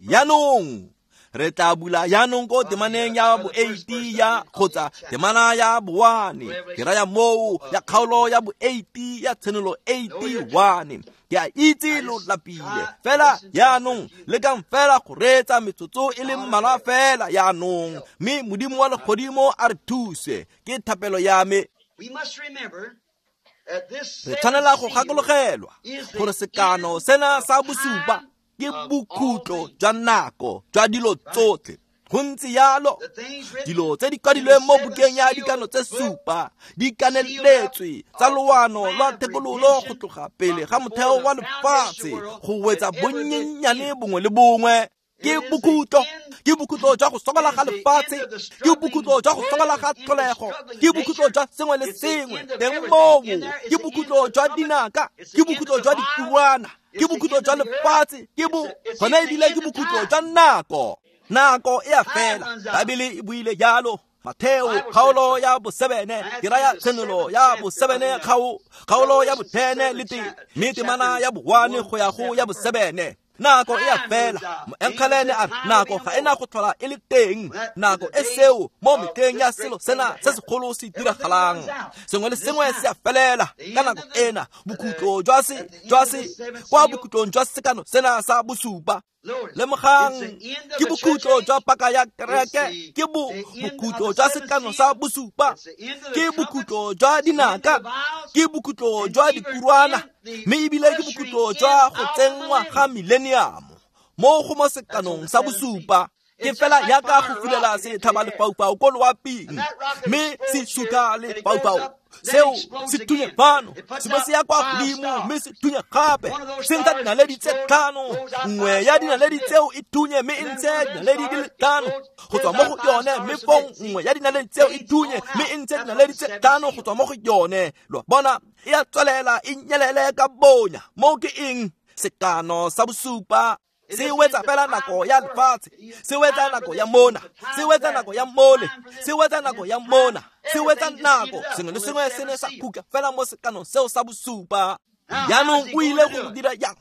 Jaanong re tla bula jaanong ko temaneng ya bo eighty ya kgotsa temana ya bo one, ke raya moo ya kgaolo ya bo eighty ya Tshenolo eighty-one. Ke a itse lo lapile, fela jaanong lekang fela go reetsa metsotso e le mmalwa fela jaanong, mme Modimo wa legodimo a re thuse, ke thapelo ya me. Re tshwanela go gakologelwa gore sekano sena sa bosupa ke bokhutlo jwa nako jwa dilo tsotlhe. Go ntse jalo, dilo tse di kwadilweng mo bukeng ya dikano tse supa di kaneletswe tsa loano lwa thekololo go tloga pele ga motheo wa lefatshe go wetsa bonnyenyane bongwe le bongwe. Ke bokhutlo, ke bokhutlo jwa go sokola ga lefatshe, ke bokhutlo jwa go sokola ga tlholego, ke bokhutlo jwa sengwe le sengwe teng moo, ke bokhutlo jwa dinaka, ke bokhutlo jwa dikurwana, ke bokhutlo jwa lefatshe, ke bo gona ebile ke bokhutlo jwa nako. Nako e a fela, Baebele e buile jalo. Matheo kgaolo ya bosebene, ke raya Tshenolo ya bosebene kgao kgaolo ya botene le tee, mme temana ya boone go ya go ya bosebene. Nako e a fela, moengele a re nako ga ena go tlhola e le teng, nako e seo mo metlheng ya selo sena se segolo se diragalang. Sengwe le sengwe se a felela ka nako ena, bokhutlo jwa se jwa se kwa bokhutlong jwa sekano sena sa bosupa. Lemogang, ke bokhutlo jwa paka ya kereke, ke bo bokhutlo jwa sekano sa bosupa, ke bokhutlo jwa dinaka, ke bokhutlo jwa dikurwana, mme ebile ke bokhutlo jwa go tsenngwa ga millennium mo go mo sekanong sa bosupa. Ke fela yaka go fulela setlhaba lefaufau ko loaping, mme se suka lefaufau seo se thunye fano, se bo se ya kwa godimo mme se thunye gape, se ntsha dinaledi tse tlhano, nngwe ya dinaledi tseo e thunye mme e ntshe dinaledi di le tlhano go tswa mo go yone, mme fong nngwe ya dinaledi tseo e thunye mme e ntshe dinaledi tse tlhano go tswa mo go yone. Lo bona e a tswelela e nyelele ka bonya. Moo ke eng? Sekano sa bosupa se wetsa fela nako ya lefatshe, se wetsa nako ya mona, se wetsa nako ya mole, se wetsa nako ya mona, se wetsa nako. Sengwe le sengwe se ne sa khutla fela mo sekanong seo sa bosupa. Jaanong o ile go dira jang?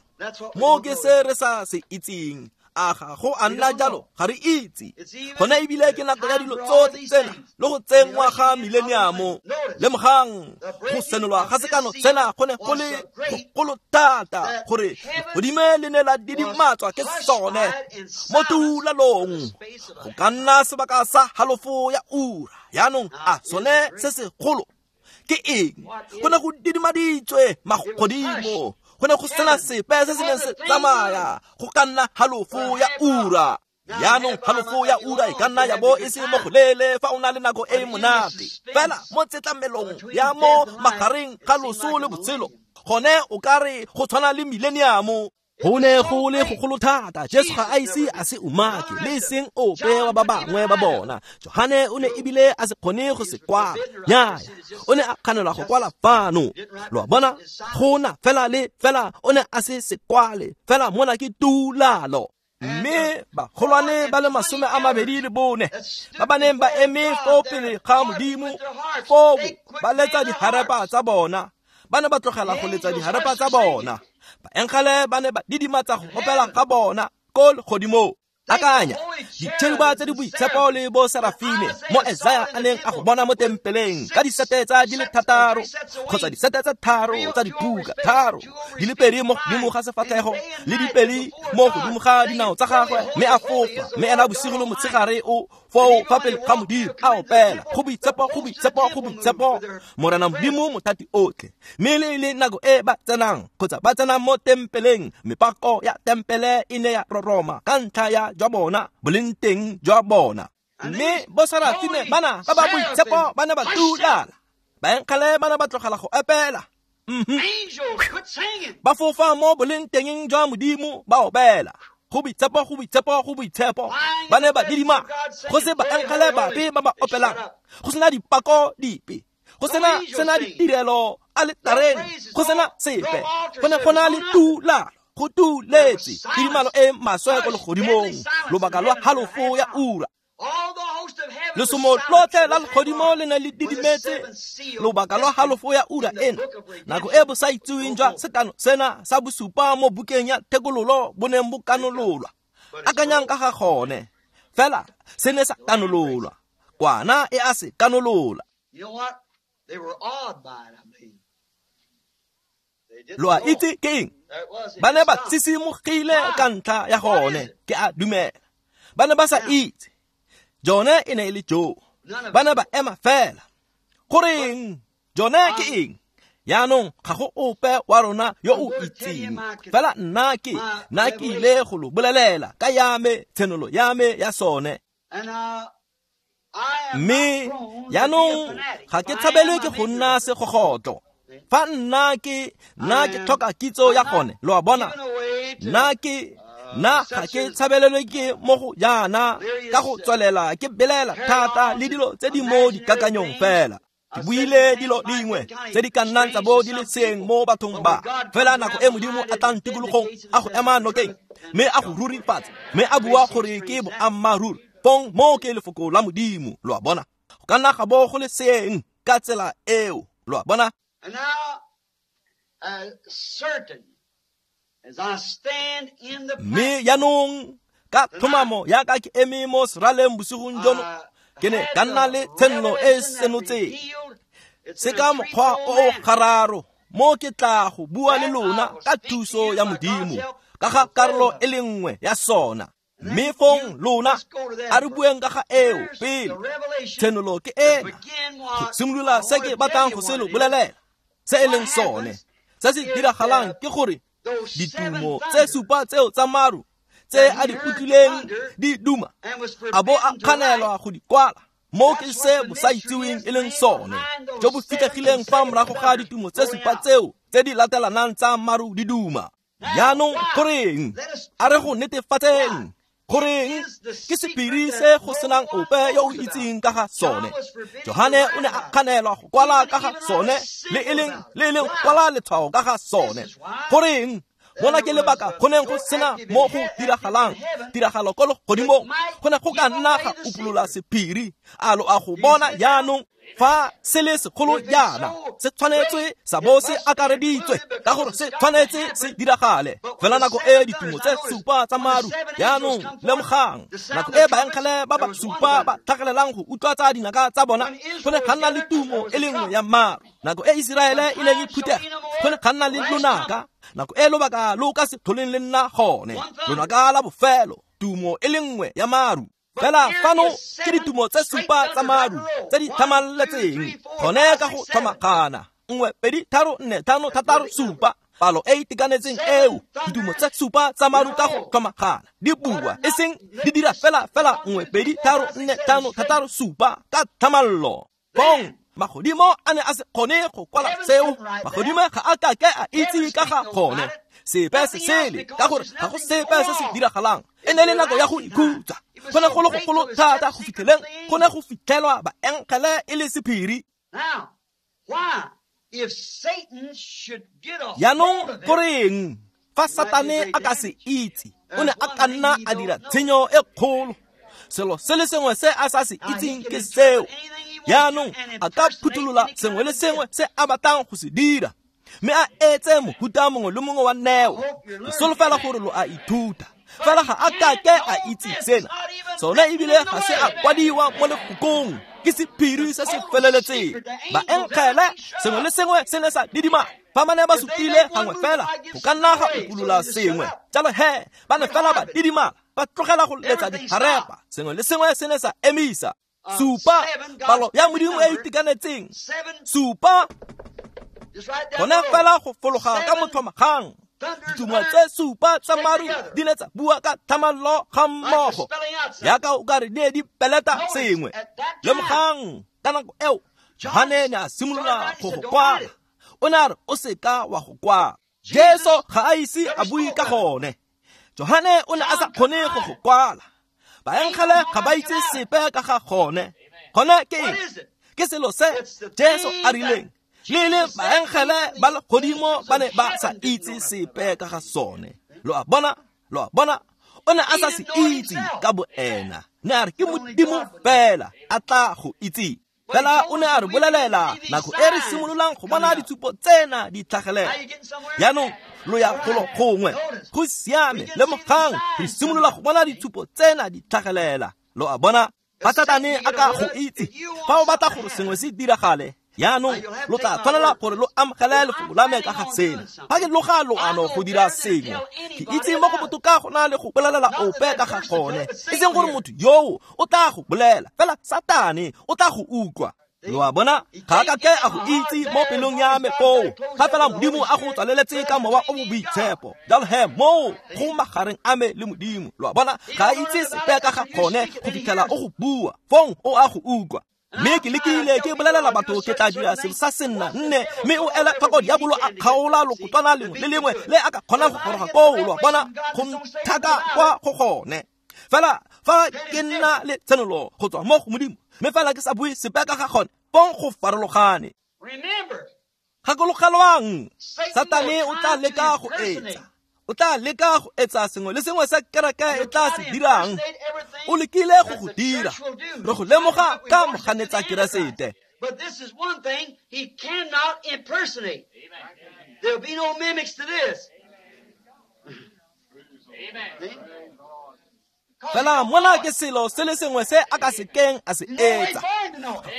Mo ke se re sa se itseng. A ga go a nna jalo? Ga re itse. Gona ebile ke nako ya dilo tsotlhe tsena le go tsenngwa ga millennium. Lemogang, go senolwa ga sekano sena go ne go le gogolo thata gore legodimo le ne la didimatswa ke sone mo tulalong go ka nna sebaka sa halofo ya ura. Jaanong a sone se segolo ke eng? Go ne go didimaditswe magodimo, go ne go sena sepe se se neng se tsamaya go ka nna halofo ya ura. Jaanong halofo ya ura e ka nna ya bo e se mo golele fa o na le nako e e monate, fela mo tsetlamelong ya mo magareng ga loso le botshelo gone o ka re go tshwana le millennium. Go ne go le gogolo thata, Jesu ga a ise a se umake le seng ope wa ba bangwe ba bona. Johane o ne ebile a se kgone go se kwala, nnyaya, o ne a kganelwa go kwala fano. Lo a bona, go na fela le fela o ne a se se kwale, fela mona ke tulalo. Mme bagolwane ba le masome a mabedi le bone ba ba neng ba eme fo pele ga Modimo foo ba letsa diharepa tsa bona, ba ne ba tlogela go letsa diharepa tsa bona. Baengele ba ne ba didimatsa go opela ga bona ko legodimong. Akanya ditšheruba tse di boitshepo le bo Serafime mo Esaya a neng a go bona mo tempeleng ka disete tsa di le thataro kgotsa disete tse tharo tsa diphuka, tharo di le pedi mo godimo ga sefatlhego le dipedi mo godimo ga dinao tsa gagwe, mme a fofa, mme ena bosigo le motshegare o foo fa pele ga Modimo a opela go boitshepo, go boitshepo, go boitshepo Morena Modimo mothati otlhe. Mme le le nako e ba tsenang kgotsa ba tsenang mo tempeleng, mepako ya tempele e ne ya roroma ka ntlha ya jwa bona boleng teng jwa bona. Mme bo Serafime bana ba ba boitshepo ba ne ba tulala, baengele ba ne ba tlogela go opela, ba fofa mo boleng teng jwa Modimo ba opela go boitshepo, go boitshepo, go boitshepo. Ba ne ba didima, go se baengele bape ba ba opelang, go sena dipako dipe, go sena sena ditirelo aletareng go sena sepe, go ne go na le tulalo, go tuletse tidimalo e maswe ko legodimong lobaka lwa halofo ya ura. Lesomo lotlhe la legodimo le ne le didimetse lobaka lwa halofo ya ura ena, nako e bo sa itseweng jwa sekano sena sa bosupa mo bukeng ya thekololo bo neng bo kanololwa. Akanyang ka ga gone, fela se ne sa kanololwa, kwana e a se kanolola. Lo a itse ke eng? Ba ne ba tsisimogile ka ntlha ya gone, ke a dumela. Ba ne ba sa itse jone e ne e le jo, ba ne ba ema fela. Goreng jone ke eng? Jaanong ga go ope wa rona yo o itseng, fela nna ke nna ke ile go lo bolelela ka ya me tshenolo ya me ya sone. Mme jaanong ga ke tshabelwe ke go nna segogotlo. Fa nna ke nna ke tlhoka kitso ya gone, lo a bona, nna ke nna ga ke tshabelelwe ke mo go jaana ka go tswelela ke belela thata le dilo tse di mo dikakanyong fela. Ke buile dilo dingwe tse di ka nnang tsa bo di le seeng mo bathong ba, fela nako e Modimo a tlang tikologong a go ema nokeng mme a go rurifatsa mme a bua gore ke boammaaruri, fong moo ke lefoko la Modimo, lo a bona. Go ka nna ga bo go le seeng ka tsela eo, lo a bona. And now, uh, certain as I stand in the Mme jaanong ka tlhomamo yaka ke eme mo seraleng bosigong jono, ke ne ka nna le tshenolo e senotseng se ka mokgwa o o gararo mo ke tla go bua le lona ka thuso ya Modimo ka ga karolo e le nngwe ya sona. Mme fong lona a re bueng ka ga eo pele. Tshenolo ke ena, go simolola se ke batlang go se lo bolelela se e leng sone. Se se diragalang ke gore ditumo tse supa tseo tsa maru tse a di utlwileng di duma, a bo a kganelwa go di kwala. Mo ke se bosaitseweng e leng sone, jo bo fitlhegileng fa morago ga ditumo tse supa tseo tse di latelanang tsa maru di duma. Jaanong goreng? A re go netefatseng goreng ke sephiri se go senang ope yo o itseng ka ga sone. Johane o ne a kganelwa go kwala ka ga sone, le e leng le e leng go kwala letshwao ka ga sone. Goreng? Mona ke lebaka go neng go sena mo go diragalang tiragalo ko legodimong, go ne go ka nna ga upolola sephiri. A lo a go bona jaanong fa se le segolo jaana, se tshwanetswe sa bo se akareditswe ka gore se tshwanetse se diragale. Fela nako e ditumo tse supa tsa maru, jaanong lemogang nako e baengele ba ba supa ba tlhagelelang go utlwa tsa dinaka tsa bona, go ne ga nna le tumo e le nngwe ya maru. Nako e Iseraele e leng e phutega, go ne ga nna le lonaka. Nako e lobaka lo ka se tlholeng le nna gone, lonaka la bofelo, tumo e le nngwe ya maru. Fela fano ke ditumo tse supa tsa maru tse di tlhamaletseng gone ka go tlhomagana, nngwe pedi tharo nne tlhano thataro supa, palo e itekanetseng eo. Ditumo tse supa tsa maru ka go tlhomagana di bua, e seng di dira fela fela nngwe pedi tharo nne tlhano thataro supa ka tlhamallo. Bong magodimo a ne a se kgone go kwala seo, magodimo ga a ka ke a itse ka ga gone sepe se sele, ka gore ga go sepe se se diragalang. E ne le nako ya go ikhutsa, go ne go le gogolo thata go fitlheleng go ne go fitlhelwa baengele e le sephiri. Jaanong goreng fa Satane a ka se itse, o ne a ka nna a dira tshenyo e kgolo. Selo se le sengwe se a sa se itseng ke seo. Jaanong a ka phuthulola sengwe le sengwe se a batlang go se dira, mme a etse mohuta mongwe le mongwe wa neo. Ke solofela gore lo a ithuta, fela ga a ka ke a itse sena. Sone ebile ga se a kwadiwa mo lefokong, ke sephiri se se feleletseng. Baengele sengwe le sengwe se ne sa didima fa ba ne ba supile gangwe fela, go ka nna ga upolola sengwe. Jalo he ba ne fela ba didimala, ba tlogela go letsa diharepa, sengwe le sengwe se ne sa emisa. Supa, palo ya Modimo e itekanetseng, supa, gone fela go fologa ka motlhomagang. Ditumo tse supa tsa maru di ne tsa bua ka tlhamallo ga mmogo, yaka o ka re di ne di peleta sengwe. Lemogang ka nako eo Johane ne a simolola go go kwala. O ne a re o seka wa go kwala. Jesu ga a ise a bue ka gone. Johane o ne a sa kgone go go kwala. Baengele ga ba itse sepe ka ga gone. Gone ke eng? Ke selo se Jesu a rileng Le le baengele ba legodimo ba ne ba sa itse sepe ka ga sone. Lo a bona, lo a bona, o ne a sa se itse ka boena. Ne a re ke Modimo fela a tla go itse. Fela o ne a re bolelela nako e re simololang go bona ditshupo tsena di tlhagelela. Jaanong lo ya golo gongwe, go siame, lemogang re simolola go bona ditshupo tsena di tlhagelela. Lo a bona, fa Satane a ka go itse, fa o batla gore sengwe se diragale, jaanong lo tla tshwanela gore lo amogele lefoko la me ka ga sena. Fa ke loga loano go dira sengwe, ke itse mo go botoka go na le go bolelela ope ka ga gone. E seng gore motho yoo o tla go bolela, fela Satane o tla go utlwa. Lo a bona, ga a ka ke a go itse mo pelong ya me foo, ga fela Modimo a go tswaleletse ka mowa o o boitshepo. Jalo he moo go magareng a me le Modimo. Lo a bona, ga a itse sepe ka ga gone go fitlhela o go bua, fong o a go utlwa. Mme ke lekile ke bolelela batho ke tla dira selo sa senna nne, mme o ela tlhoko diabolo a kgaola lokotwana lengwe le lengwe le a ka kgonang go goroga koo. Lo a bona, go nthaka kwa go gone. Fela fa ke nna le tshenolo go tswa mo go Modimo, mme fela ke sa bue sepe ka ga gone, fong go farologane. Gakologelwang, Satane o tla leka go etsa. O tla leka go etsa sengwe le sengwe se kereke e tla se dirang. O lekile go go dira. Re go lemoga ka moganetsa Keresete. But this is one thing he cannot impersonate. There'll be no mimics to this. Amen. Fela mona ke selo se le sengwe se a ka se keng a se etsa.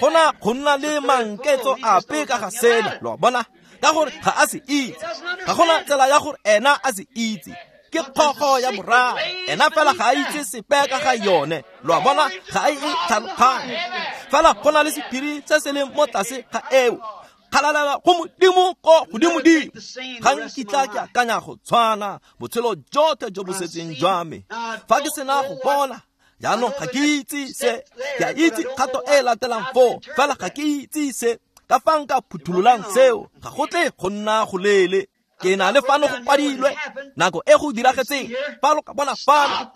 Gona go nna le manketso ape ka ga sena. Lo a bona, ka gore ga a se itse. Ga gona tsela ya gore ena a se itse. Ke kgogo ya boraro. Ena fela ga a itse sepe ka ga yone. Lo a bona, ga a e tlhaloganye. Fela go na le sephiri se se leng mo tlase ga eo. Kgalalela go Modimo ko godimodimo. Ga nkitla ke akanya go tshwana botshelo jotlhe jo bo setseng jwa me. Fa ke sena go bona, jaanong ga ke itse se. Ke a itse kgato e latelang foo, fela ga ke itse se. Ka fa nka phuthololang seo, ga go tle go nna go leele. Ke na le fano go kwadilwe nako e go diragetseng. Fa lo ka bona fano,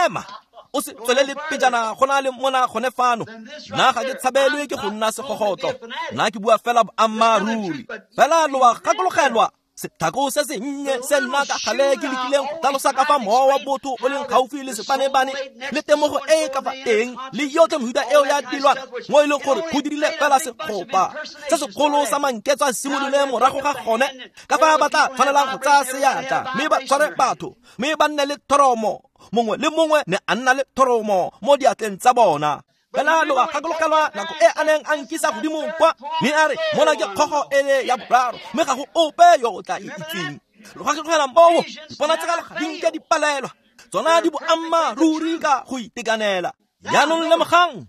ema, o se tswelele pejana go na le mona gone fano. Nna ga ke tshabelwe ke go nna segogotlo, nna ke bua fela boammaaruri. Fela lo a gakologelwa sethako se sennye se nna ka gale ke lekileng go tlhalosa ka fa mowa wa botho o leng gaufi le sepanebane le temogo e e ka fa teng le yotlhe mehuta eo ya dilwana, mo e leng gore go dirile fela segopa se segolo sa manketso a simolole morago ga gone, ka fa ba tla tshwanelang go tsaya seatla mme ba tshware batho mme ba nne le thoromo. Mongwe le mongwe ne a nna le thoromo mo diatleng tsa bona. Fela lo a gakologelwa nako e a neng a nkisa godimo kwa, mme a re mona ke kgogo ele ya boraro, mme ga go ope yo o tla e itseng. Lo gakologelwa moo, diponatshegelo ga di nke di palelwa, tsona di boammaaruri ka go itekanela. Jaanong lemogang,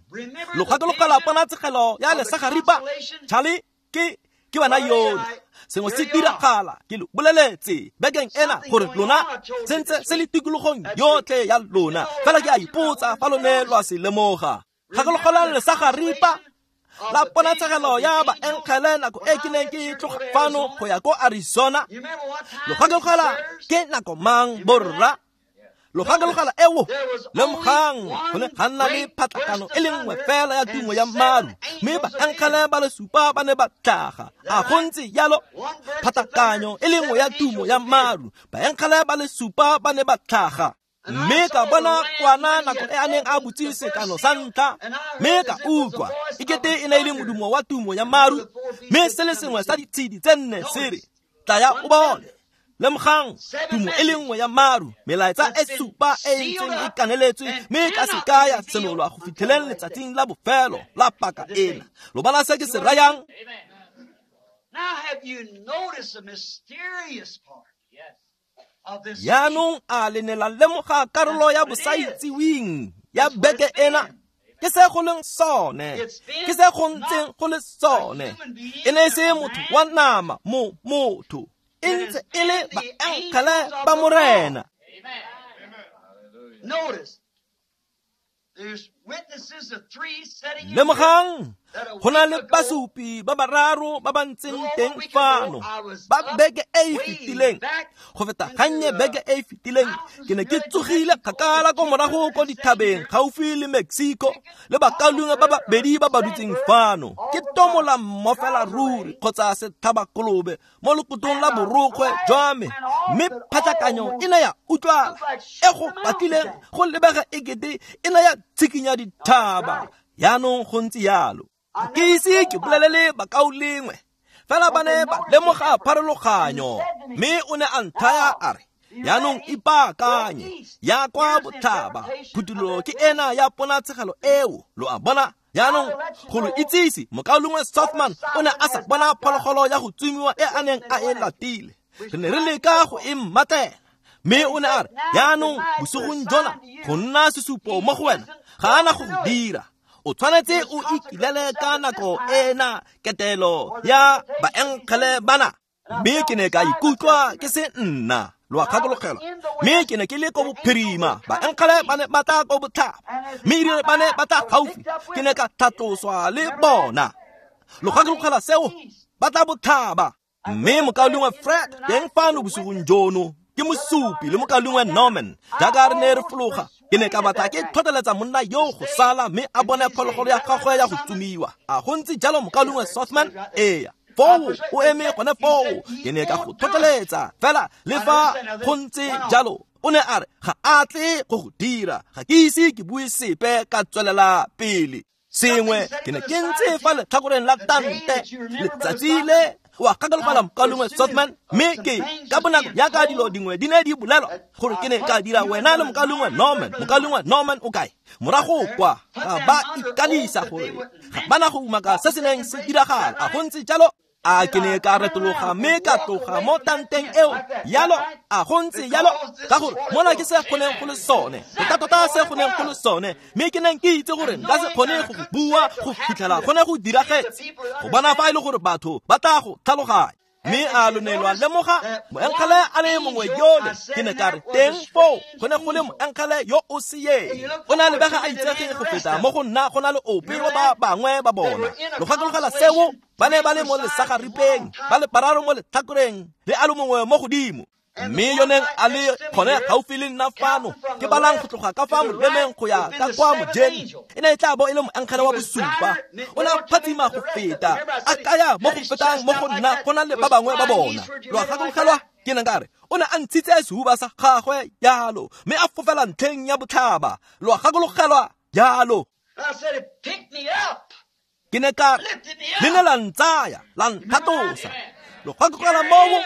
lo gakologelwa ponatshegelo ya lesagaripa. Charlie, ke ke wena yone. Sengwe se diragala, ke lo boleletse bekeng ena gore lona sentse se le tikologong yotlhe ya lona. Fela ke a ipotsa fa lone lo a se lemoga. Gakologelwang lesagaripa la ponatshegelo ya baengele nako e ke neng ke tloga fano go ya ko Arizona. Lo gakologelwa ke nako mang, borra? Lo gakologelwa eo? Lemogang, go ne ga nna le phatlakano e le nngwe fela ya tumo ya maru, mme baengele ba le supa ba ne ba tlhaga. A go ntse jalo? Phatlakanyo e le nngwe ya tumo ya maru, baengele ba le supa ba ne ba tlhaga. Mme ka bona kwana nako e a neng a butse sekano sa ntlha, mme ka utlwa e kete e ne e le modumo wa tumo ya maru, mme se le sengwe sa ditshedi tse nne se re, tlaya o bone. Lemogang, tumo e le nngwe ya maru, melaetsa e supa e ntseng e kaneletswe, mme ka se ka ya senolwa go fitlheleng letsatsing la bofelo la paka ena. Lo bona se ke se rayang? Now have you noticed the mysterious part of this? Jaanong a le ne la lemoga karolo ya bosaitseweng ya beke ena? Ke se go leng sone, ke se go ntseng go le sone. E ne e se motho wa nama mo motho, e ntse e le baengele ba Morena. Notice, there's Lemogang, go na le basupi ba bararo ba ba ntseng teng fano ba beke e e fetileng. Go feta gannye beke e e fetileng, ke ne ke tsogile kgakala ko morago ko dithabeng gaufi le Mexico le bakaulengwe ba babedi ba ba dutseng fano. Ke tomola mmofela ruri kgotsa sethabakolobe mo lekotong la borokgwe jwa me, mme phatlakanyo e ne ya utlwala e go batlileng go lebega ekete e ne ya tshikinya dithaba. Yaanong go ntse yalo. Ke ise ke bolelele bakaulengwe, fela ba ne ba lemoga pharologanyo, mme o ne a nthaya a re, yaanong ipaakanye, ya kwa botlhaba. Phuthulo ke ena ya ponatshegelo eo, lo a bona. Yaanong go lo itsise, mokaulengwe Sothmann o ne a sa bona phologolo ya go tsomiwa e a neng a e latile. Re ne re leka go e mmatela, mme o ne a re, yaanong bosigong jona go nna sesupo mo go wena, ga ana go go dira. O tshwanetse o ikilele ka nako ena ketelo ya baenkgele bana. Mme ke ne ka ikutlwa ke se nna, lo a gakologelwa. Mme ke ne ke le ko bophirima, baenkgele ba ne ba tla ko botlhaba, mme erile ba ne ba tla gaufi, ke ne ka tlhatloswa le bona. Lo gakologelwa seo, ba tla botlhaba. Mme mokaulengwe Fred teng fano bosigong jono ke mosupi le mokaulengwe Norman. Jaaka re ne re fologa, ke ne ka batla ke tlhotlheletsa monna yo go sala mme a bone phologolo ya gagwe ya go tsomiwa. A go ntse jalo mokaulengwe Sothmann? Ee, foo o eme gone foo. Ke ne ka go tlhotlheletsa fela le fa go ntse jalo. O ne a re ga a tle go go dira, ga ke ise ke bue sepe, ka tswelela pele. Sengwe ke ne ke ntse fa letlhakoreng la tante letsatsi le wa gakologelwa mokaulengwe Sothmann, mme ke ka bonako jaaka dilo dingwe di ne di bolelwa gore ke ne ka dira wena le mokaulengwe Norman. Mokaulengwe Norman o kae? Morago kwa ga ba ikanisa gore ga bana go umaka se se neng se diragala. A go ntse jalo? A ke ne ka retologa mme ka tloga mo tanteng eo yalo. A go ntse yalo? Ka gore mona ke se kgoneng go le sone, tota-tota se kgoneng go le sone, mme ke neng ke itse gore nka se kgone go go bua go fitlhela gone go diragetse, go bona fa e le gore batho ba tla go tlhaloganya. Mme a lo ne lwa lemoga moenkgele a le mongwe yole, ke ne ka re teng foo go ne go le moenkgele yo o seeng. O ne a lebega a itsege go feta mo go nna go na le ope wa ba bangwe ba bona. Lo gakologela seo? Ba ne ba le mo lesagaripeng, ba le bararo mo letlhakoreng le a le mongwe mo godimo. Mme yo neng a le gone gaufi le nna fano, ke balang go tloga ka fa molemeng go ya ka kwa mojeng, e ne e tla bo e le moenkgele wa bosupa. O ne a phatsima go feta, a kaya mo go fetang mo go nna go na le ba bangwe ba bona. Lo a gakologelwa? Ke ne ka re o ne a ntshitse sehuba sa gagwe jalo, mme a fofela ntlheng ya botlhaba. Lo a gakologelwa jalo? Ke ne ka re le ne la ntsaya, la ntlhatlosa. Lo gakologelwa moo?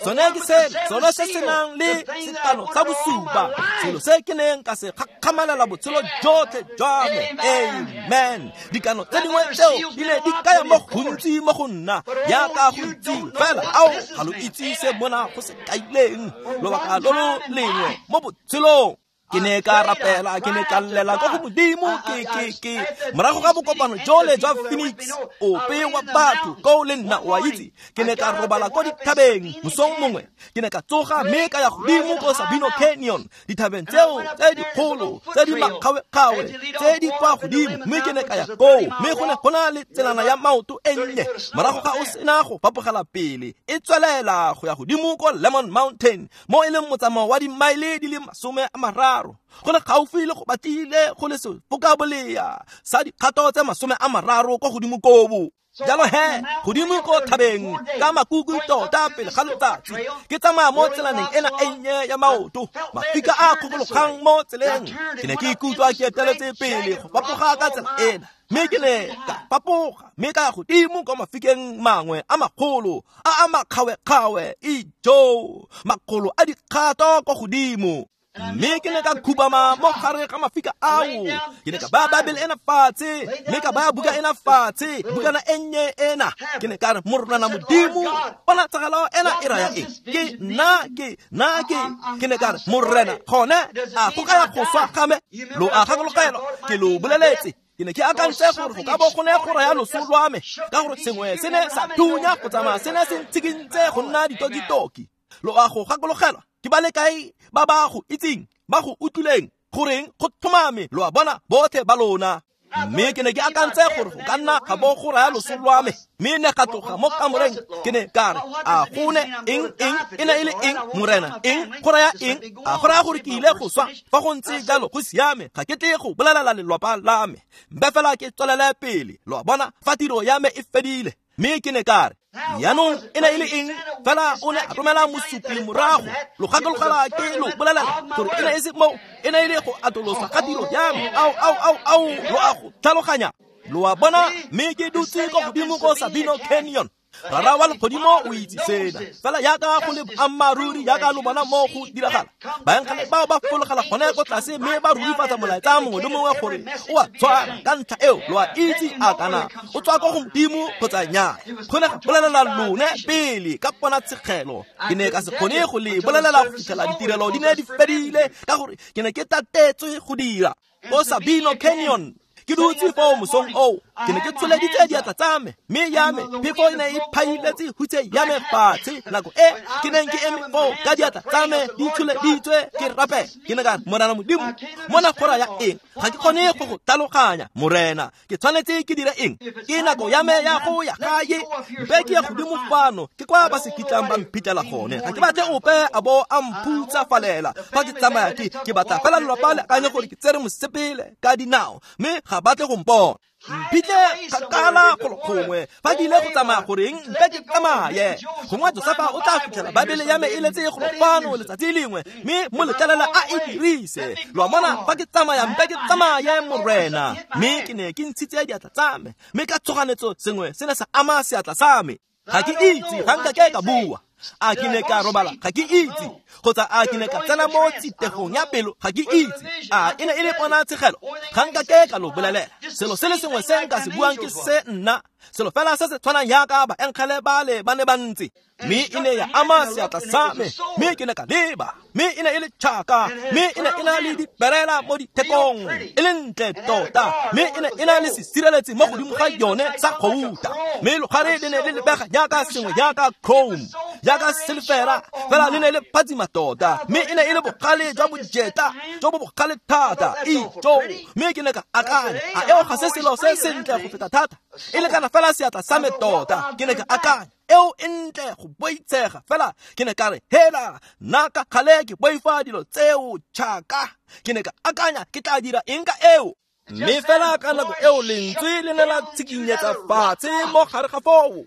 Sone ke se, sone se se nang le sekano sa bosupa, selo se ke neng ka se gakgamalela botshelo jotlhe jwa me. Amen. Dikano tse dingwe tseo di ne di kaya mo gontsi mo go nna jaaka go itsiwe, fela ao ga lo itse se mona go se kaileng lobaka lo lo lengwe mo botshelong. Ke ne ka rapela, ke ne ka llela ko go Modimo, ke ke ke morago ga bokopano jole jwa Phoenix, ope wa batho ko le nna o a itse, ke ne ka robala ko dithabeng mosong mongwe. Ke ne ka tsoga mme ka ya godimo ko Sabino Canyon, dithabeng tseo tse dikgolo tse di makgawe-kgawe tse di kwa godimo, mme ke ne ka ya koo, mme go ne go na le tselana ya maoto e nnye. Morago ga o sena go fapogela pele, e tswelela go ya godimo ko Lemon Mountain, mo e leng motsamao wa dimaele di le masome a mararo. Go le gaufi le go batlile go le sefokabolea sa dikgato tse masome a mararo kwa godimo kobo. Jalo he, godimo ko thabeng ka makuku tota pele ga letsatsi, ke tsamaya mo tselaneng ena e nnye ya maoto, mafika a kgokologang mo tseleng. Ke ne ke ikutlwa ke eteletse pele go fapoga ka tsela ena, mme ke ne ka fapoga mme ka ya godimo kwa mafikeng mangwe a magolo a a makgawe-kgawe, ijo makgolo a dikgato kwa godimo. Mme ke ne ka khubama mo gare ga mafika ao. Ke ne ka baya Bible ena fatshe, mme ka baya buka ena fatshe, bukana e nnye ena. Ke ne ka re, Morena Modimo, ponatsegelo ena e raya eng? Ke nna ke nna ke ke ne ka re, Morena, gone a go kaya go swa ga me? Lo a gakologelwa, ke lo boleletse. Ke ne ke akantse gore go ka bo go ne go raya loso lwa me, ka gore sengwe se ne sa thunya go tsamaya se ne se ntshikintse go nna ditokitoki. Lo a go gakologelwa? Ke ba le kae ba ba go itseng, ba go utlwileng Goreng go tlhomame lo a bona botlhe ba lona. Mme ke ne ke akantse gore go ka nna ga bo go raya loso lwa me, mme ne ga tloga mo kamoreng. Ke ne ka re, a go ne eng eng e ne e le eng morena, eng go raya eng? A go raya gore ke ile go swa? Fa go ntse jalo go siame, ga ke tle go bolelela lelwapa la me, mpe fela ke tswelele pele. Lo a bona, fa tiro ya me e fedile. Mme ke ne ka re, jaanong e ne e le eng? Fela o ne a romela mosupi morago. Lo gakologela ke lo bolelela gore e ne e se mo, e ne e le go atolosa ga tiro ya me. Ao, ao, ao, ao, lo a go tlhaloganya. Lo a bona, mme ke dutse ko godimo ko Sabino Canyon. Rara wa legodimo o itse sena. Fela yaka go le boammaaruri yaka lo bona mo go diragala. Baengele bao ba fologela gone ko tlase mme ba rurifatsa molaetsa mongwe le mongwe gore o a tshwana. Ka ntlha eo lo a itse a kana o tswa ko go Modimo kgotsa nnyaa. Go ne ga bolelela lone pele ka ponatshegelo. Ke ne ka se kgone go le bolelela go fitlhela ditirelo di ne di fedile, ka gore ke ne ke tatetswe go dira. Ko Sabino Canyon ke dutse foo mosong oo, ke ne ke tsholeditse diatla tsa me, mme ya me phefo e ne e phailetse hutshe ya me fatshe. Nako e ke neng ke eme foo ka diatla tsa me di tsholeditswe ke rapela, ke ne ka re, Morena Modimo, mona go raya eng? Ga ke kgone go go tlhaloganya, Morena. Ke tshwanetse ke dire eng? Ke nako ya me ya go ya gae. Mpe ke ya godimo fano, ke kwa ba se kitlang ba mphitlhela gone. Ga ke batle ope a bo a mphutsafalela fa ke tsamaya. Ke ke batla fela lelapa le akanye gore ke tsere mosepele ka dinao, mme ga batle go mpona. Mphitlhe kgakala golo gongwe. Fa ke ile go tsamaya goreng, mpe ke tsamaye. Gongwe Josefa o tla fitlhela Baebele ya me e letse golo fano letsatsi lengwe, mme mo letlelela a e dirise. Lo a bona, fa ke tsamaya mpe ke tsamaye, Morena. Mme ke ne ke ntshitse diatla tsa me, mme ka tshoganetso sengwe se ne sa ama seatla sa me. Ga ke itse, ga nka ke ka bua. A ke ne ka robala? Ga ke itse. Kgotsa a ke ne ka tsena mo tsitegong ya pelo? Ga ke itse. A e ne e le ponatshegelo? Ga nka ke ka lo bolelela. Selo se le sengwe se nka se buang ke se nna, selo fela se se tshwanang yaka baengele bale ba ne ba ntse. Mme e ne ya ama seatla sa me, mme ke ne ka leba, mme e ne e le tšhaka, mme e ne e na le diperela mo dithekong, e le ntle tota, mme e ne e na le sesireletsi mo godimo ga yone sa gouta, mme logare le ne le lebega jaaka sengwe jaaka chrome, jaaka silfera, fela le ne le phatsima tota, mme e ne e le bogale jwa bojeta jo bo bogale thata. Ijo, mme ke ne ka akanya, a eo ga se selo se sentle go feta thata? E lekana fela seatla sa me tota. Ke ne ka akanya, eo e ntle go boitshega. Fela ke ne ka re, hela nna ka gale ke boifa dilo tseo tšhaka. Ke ne ka akanya, ke tla dira eng ka eo? Mme fela ka nako eo lentswe le ne la tshikinyetsa fatshe mo gare ga foo,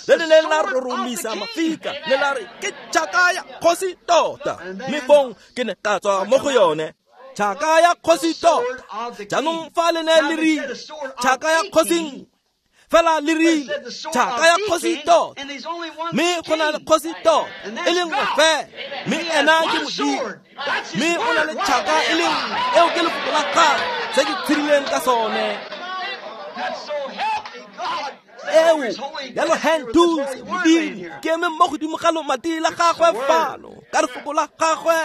le le neng la roromisa mafika, le la re, ke tšhaka ya kgosi tota. Mme fong ke ne ka tswa mo go yone. Tšhaka ya kgosi tota. Jaanong fa le ne le rile tšhaka ya kgosi, fela le rile tšhaka ya kgosi tota, mme go na le kgosi tota e le nngwe fela, mme ena ke Modimo, mme o na le tšhaka e le nngwe, eo ke lefoko la gagwe, se ke tshedileng ka sone. Eo jalo hentuse Modimo, ke eme mo godimo ga lomati la gagwe fano, ka lefoko la gagwe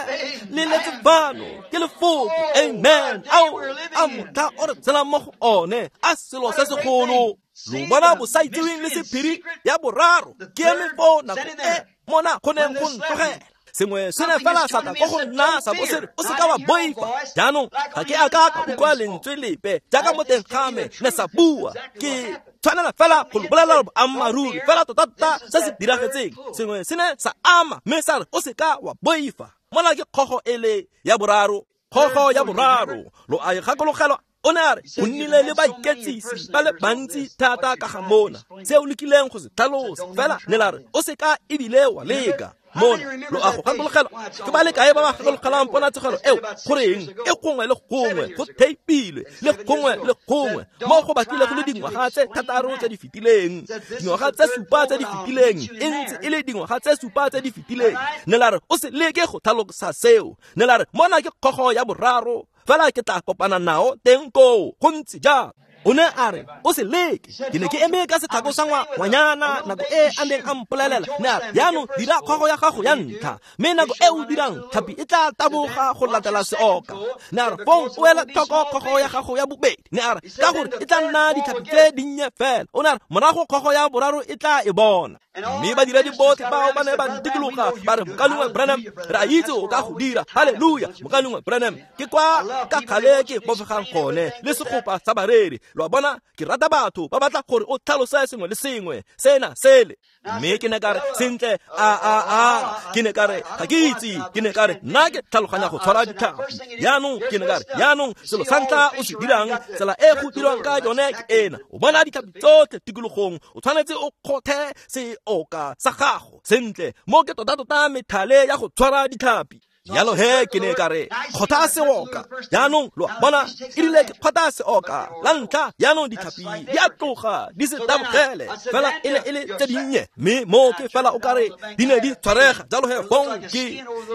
le letse fano, ke lefoko. Amen. Ao, a motlha o re tshelang mo go one, a selo se segolo. Lo bona bosaitseweng le sephiri ya boraro. Ke eme foo nako e mona go neng go ntlogela. Sengwe se ne fela sa tla ko go nna sa bo se re, o se ka wa boifa. Jaanong ga ke a ka ka utlwa lentswe lepe jaaka mo teng ga me ne sa bua. Ke tshwanela fela go lo bolelela boammaaruri fela tota-tota se se diragetseng. Sengwe se ne sa ama mme sa re, o se ka wa boifa. Mona ke kgogo e le ya boraro, kgogo ya boraro. Lo a e gakologelwa? O ne a re, go nnile le baiketsisi ba le bantsi thata ka ga mona, se o lekileng go se tlhalosa. Fela ne la re, o se ka ebile wa leka. Mona lo a go gakologelwa? Ke ba le kae ba ba gakologelang ponatshegelo eo? Goreng e gongwe le gongwe go theipilwe, le gongwe le gongwe mo go batlile go le dingwaga tse thataro tse di fetileng, dingwaga tse supa tse di fetileng, e ntse e le dingwaga tse supa tse di fetileng. Ne la re, o se leke go tlhalosa seo. Ne la re, mona ke kgogo ya boraro, fela ke tla kopana nao teng koo. Go ntse jalo. O ne a re o se leke. Ke ne ke eme ka setlhako sa ngwanyana nako e a neng a mpolelela, ne a re jaanong dira kgogo ya gago ya ntlha, mme nako e o dirang tlhapi e tla taboga go latela seoka. Ne a re fong o ela tlhoko kgogo ya gago ya bobedi, ne a re ka gore e tla nna ditlhapi tse dinnye fela. O ne a re morago kgogo ya boraro e tla e bona. Mme badiredi botlhe bao ba ne ba ntikologa ba re mokalengwe Branham, re a itse o ka go dira, halleluja. Mokalengwe Branham, ke kwa ka kgale ke bofegang gone le segopa sa bareri. Lo a bona, ke rata batho ba batla gore o tlhalose sengwe le sengwe sena sele. Mme ke ne ka re sentle, a a a ke ne ka re ga ke itse, ke ne ka re nna ke tlhaloganya go tshwara ditlhapi. Jaanong ke ne ka re jaanong selo sa ntlha o se dirang, tsela e go dirwang ka yone ke ena. O bona ditlhapi tsotlhe tikologong, o tshwanetse o kgothe seoka sa gago sentle. Mo ke tota-tota methale ya go tshwara ditlhapi. Jalo he ke ne ka re kgotha seoka. Jaanong lo a bona, e rile ke kgotha seoka la ntlha, jaanong ditlhapi di a tloga di se tabogele fela e ne e le tse dinnye, mme mo ke fela o kare di ne di tshwarega. Jalo he fong ke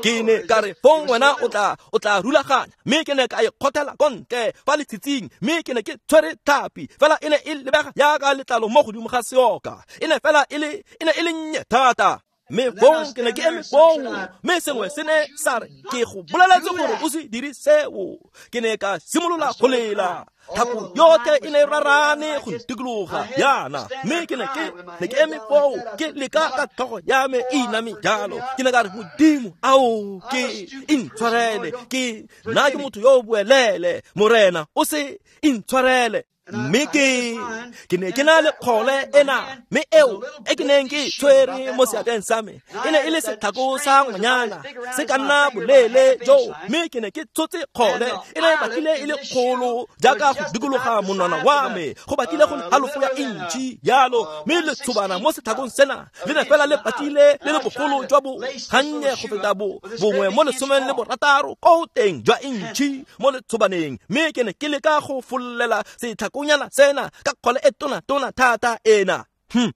ke ne ka re fong wena o tla o tla rulaganya, mme ke ne ka e kgothela ko ntle fa letshitsing, mme ke ne ke tshwere tlhapi fela e ne e lebega jaaka letlalo mo godimo ga seoka, e ne fela e le e ne e le nnye thata. Mme fong ke ne ke eme foo, mme sengwe se ne sa re ke go boleletse gore o se dire seo. Ke ne ka simolola go lela, thapo yotlhe e ne e rarane go ntikologa yana, mme ke ne ke ne ke eme foo ke leka ka tlhogo ya me e iname jalo. Ke ne ka re Modimo, ao ke intshwarele, ke nna ke motho yo o boelele, Morena o se intshwarele. Mme ke ke ne ke na le kgole ena, mme eo e ke neng ke tshwere mo seatleng sa me e ne e le setlhako sa ngwanyana se ka nna boleele jo, mme ke ne ke tshotse kgole e ne e batlile e le kgolo jaaka go dikologa monwana wa me, go batlile go le halofo ya intšhi jalo. Mme letshobana mo setlhakong sena le ne fela le batlile le le bogolo jwa bo gannye go feta bo bongwe mo lesomeng le borataro ko teng jwa intšhi mo letshobaneng. Mme ke ne ke leka go follela setlhako nyana sena ka kgole e tona tona thata ena. Hm.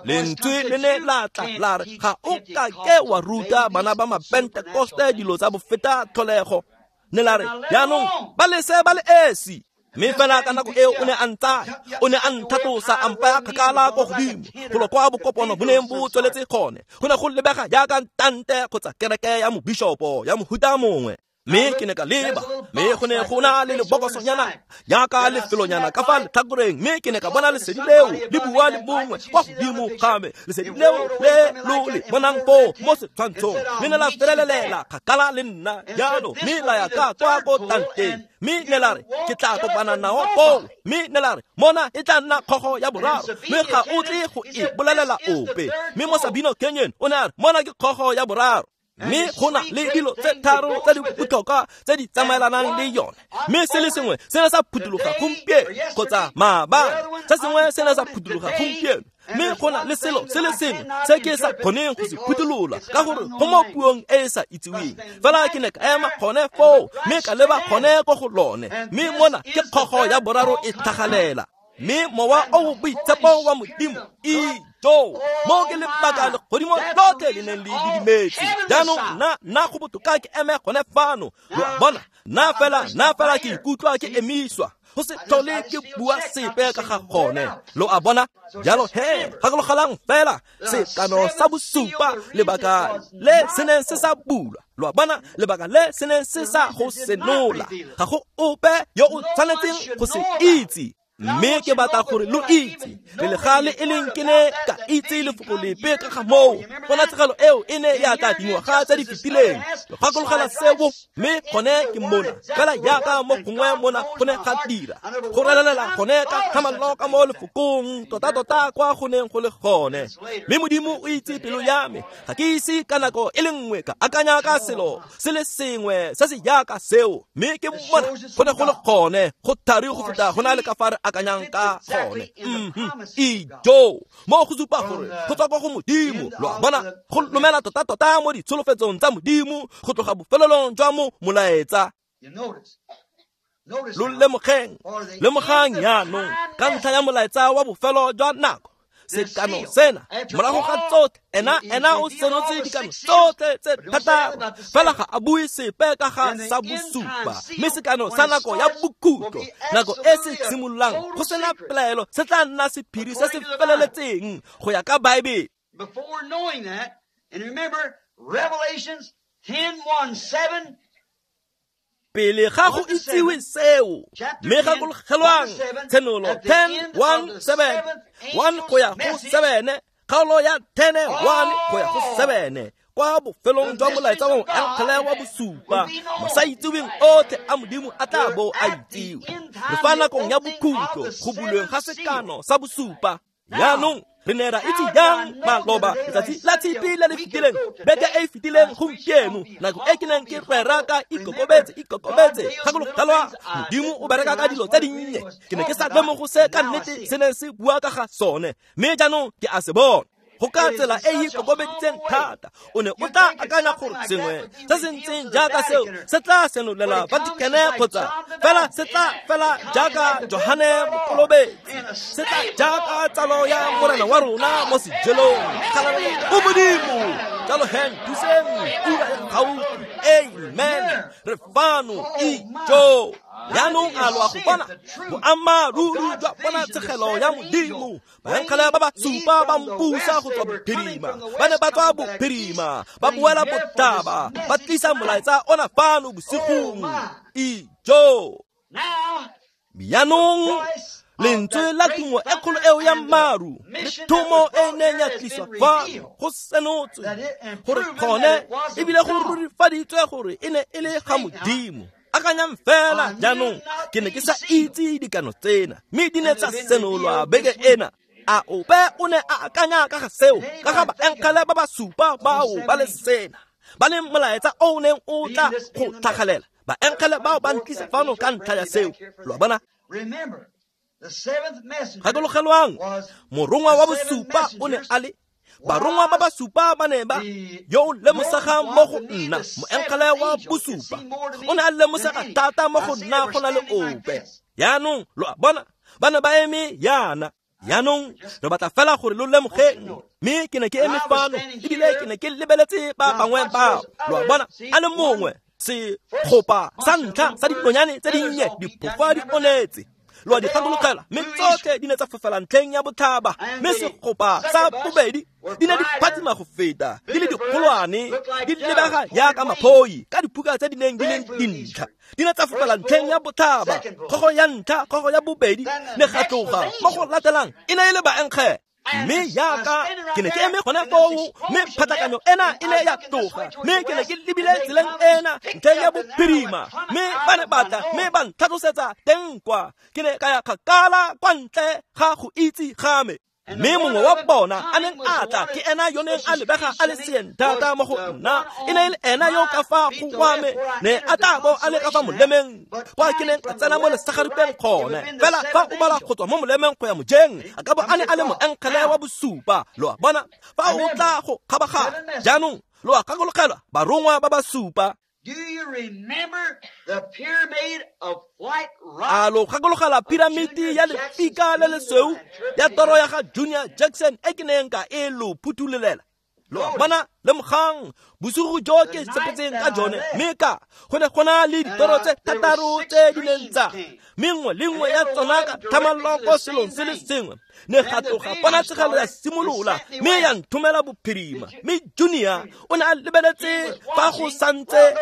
Lentswe le ne la tla la re ga o ka ke wa ruta bana ba mapentekoste dilo tsa bofeta tlholego. Ne la re jaanong ba lese ba le esi. Mme fela ka nako eo o ne a ntsaya, o ne a nthatosa a mpaya kgakala ko godimo golo kwa bokopano bo neng bo tsweletse gone. Go ne go lebega jaaka tante kgotsa kereke ya mobishopo ya mohuta mongwe. Mme ke ne ka leba, mme go ne go na le lebokosonyana jaaka lefelonyana ka fa letlhakoreng, mme ke ne ka bona lesedi leo le bua le bongwe kwa godimo ga me. Lesedi leo le lo le bonang foo mo setshwantshong le ne la felelelela kgakala le nna jalo, mme la ya ka kwa ko tanteng. Mme ne la re ke tla kopana nao foo, mme ne la re mona e tla nna kgogo ya boraro, mme ga o tle go e bolelela ope. Mme mo Sabino Canyon o ne a re mona ke kgogo ya boraro. Mme go na le dilo tse tharo tse di botlhokwa tse di tsamaelanang le yone. Mme se le sengwe se ne sa phuthuloga gompieno kgotsa maabane, se sengwe se ne sa phuthuloga gompieno, mme go na le selo se le sengwe se ke sa kgoneng go se phuthulola ka gore go mo puong e e sa itseweng. Fela ke ne ka ema gone foo mme ka leba gone ko go lone, mme mona ke kgogo ya boraro e tlhagalela. Mme mowa o boitshepo wa Modimo ijo mo ke lebaka legodimo lotlhe le neng le didimetse. Jaanong nna nna go botoka ke eme gone fano. Lo a bona, nna fela nna fela ke ikutlwa ke emiswa go se tlhole ke bua sepe ka ga gone. Lo a bona, jalo he gakologelang fela sekano sa bosupa, lebaka le se neng se sa bulwa. Lo a bona, lebaka le se neng se sa go senola, ga go ope yo o tshwanetseng go se itse. Mme ke batla gore lo itse pele ga le e leng ke ne ka itse lefoko lepe ka ga moo. Ponatshegelo eo e ne ya tla dingwaga tse di fetileng. Lo gakologela seo, mme gone ke mona fela jaaka mo gongwe mona go ne ga dira go relelela gone ka tlhamallo ka mo lefokong tota-tota kwa go neng go le gone. Mme Modimo o itse pelo ya me, ga ke ise ka nako e le nngwe ka akanya ka selo se le sengwe se se jaaka seo. Mme ke mona go ne go le gone go thari go feta go na le ka fa re akanyang ka gone. Ijo mo go supa gore go tswa kwa go Modimo. Lo a bona, go lomela tota-tota mo ditsholofetsong tsa Modimo go tloga bofelelong jwa mo molaetsa. Lo lemogeng, lemogang jaanong ka ntlha ya molaetsa wa bofelo jwa nako. Sekano sena morago ga tsotlhe ena ena o senotse dikano tsotlhe tse thataro, fela ga a bue sepe ka ga sa bosupa. Mme sekano sa nako ya bokhutlo, nako e se simololang go sena pelaelo, se tla nna sephiri se se feleletseng go ya ka Baebele. Before knowing that, and remember Revelations ten one seven. Pele ga go itsiwe seo, mme gakologelwang Tshenolo ten one seven, one go ya go seven, kgaolo ya ten one go ya go seven, kwa bofelong jwa molaetsa wa moengele wa bosupa, masaitseweng otlhe a Modimo a tla bo a itsiwe. Re fa nakong ya bokhutlo go bulweng ga sekano sa bosupa. Jaanong re ne ra itse jang maloba letsatsi la tshipi le le fetileng, beke e e fetileng gompieno, nako e ke neng ke rera ka ikokobetse ikokobetse, gakologelwa Modimo o bereka ka dilo tse dinnye. Ke ne ke sa lemogo se ka nnete se ne se bua ka ga sone, mme jaanong ke a se bona. Go ka tsela e e ikokobeditseng thata, o ne o tla akanya gore sengwe se se ntseng jaaka seo se tla senolela Vatikene kgotsa fela se tla fela jaaka Johane Mokolobetsi, se tla jaaka tsalo ya Morena wa rona mo sejelong. Kgalalelo go Modimo. Jalo he nthuseng, ura e gaufi. Amen. Re fano ijo. Jaanong a lo a go bona boammaaruri jwa ponatshegelo ya Modimo. Baengele ba ba supa ba mpusa go tswa bophirima, ba ne ba tswa bophirima ba boela botlhaba, ba tlisa molaetsa ona fano bosigong. Ijo. Jaanong lentswe la tumo e kgolo eo ya maru le thomo e neng ya tliswa fano go senotswe gore gone ebile go rurifaditswe gore e ne e le ga Modimo. Akanyang fela jaanong, ke ne ke sa itse dikano tsena, mme di ne tsa senolwa beke ena. A ope o ne a akanya ka ga seo, ka ga baengele ba ba supa bao ba le sena, ba le molaetsa o o neng o tla go tlhagalela. Baengele bao ba ntlisa fano ka ntlha ya seo. Lo a bona? Gakologelwang, morongwa wa bosupa o ne a le barongwa ba ba supa ba ne ba yo o lemosegang mo go nna, moengele wa bosupa o ne a lemosega thata mo go nna go na le ope. Jaanong lo a bona, ba ne ba eme yana. Jaanong re batla fela gore lo lemogeng, mme ke ne ke eme fano ebile ke ne ke lebeletse ba bangwe bao. Lo a bona, a le mongwe segopa sa ntlha sa dinonyane tse dinnye diphofa di onetse. Lo a di gakologela, mme tsotlhe di ne tsa fofela ntlheng ya botlhaba, mme segopa sa bobedi di ne di phatsima go feta, di le dikgolwane, di lebega jaaka maphoi ka diphuka tse di neng di leng dintlha. Di ne tsa fofela ntlheng ya botlhaba, kgogo ya ntlha, kgogo ya bobedi, ne ga tloga mo go latelang e ne e le baengele. Mme jaaka ke ne ke eme gone foo, mme phatlakanyo ena e ne ya tloga, mme ke ne ke lebile tseleng ena ntlheng ya bophirima, mme ba ne ba tla mme ba ntlhatlosetsa teng kwa. Ke ne ka ya kgakala kwa ntle ga go itse ga me. Mme mongwe wa bona a neng a tla ke ena yo neng a lebega a le seeng thata mo go nna, e ne e le ena yo ka fa go wa me ne a tla bo a le ka fa molemeng kwa ke neng a tsena mo lesagaripeng gone. Fela fa o bala go tswa mo molemeng go ya mojeng, a ka bo a ne a le moengele wa bosupa. Lo a bona, fa o tla go kgabaganya. Jaanong lo a gakologelwa barongwa ba ba supa. Do you remember the pyramid of white rock? A lo gakologela piramiti ya lefika le lesweu ya toro ya ga Junior Jackson e ke neng ka e lo phuthulolela. Lo a bona, lemogang bosigo jo ke sepetseng ka jone, mme ka go ne go na le ditoro tse thataro tse di neng tsa, mme nngwe le nngwe ya tsona ka tlhamallo ko selong se le sengwe. Ne ga tloga ponatshegelo ya simolola, mme ya nthomela bophirima. Mme Junior o ne a lebeletse fa go santse.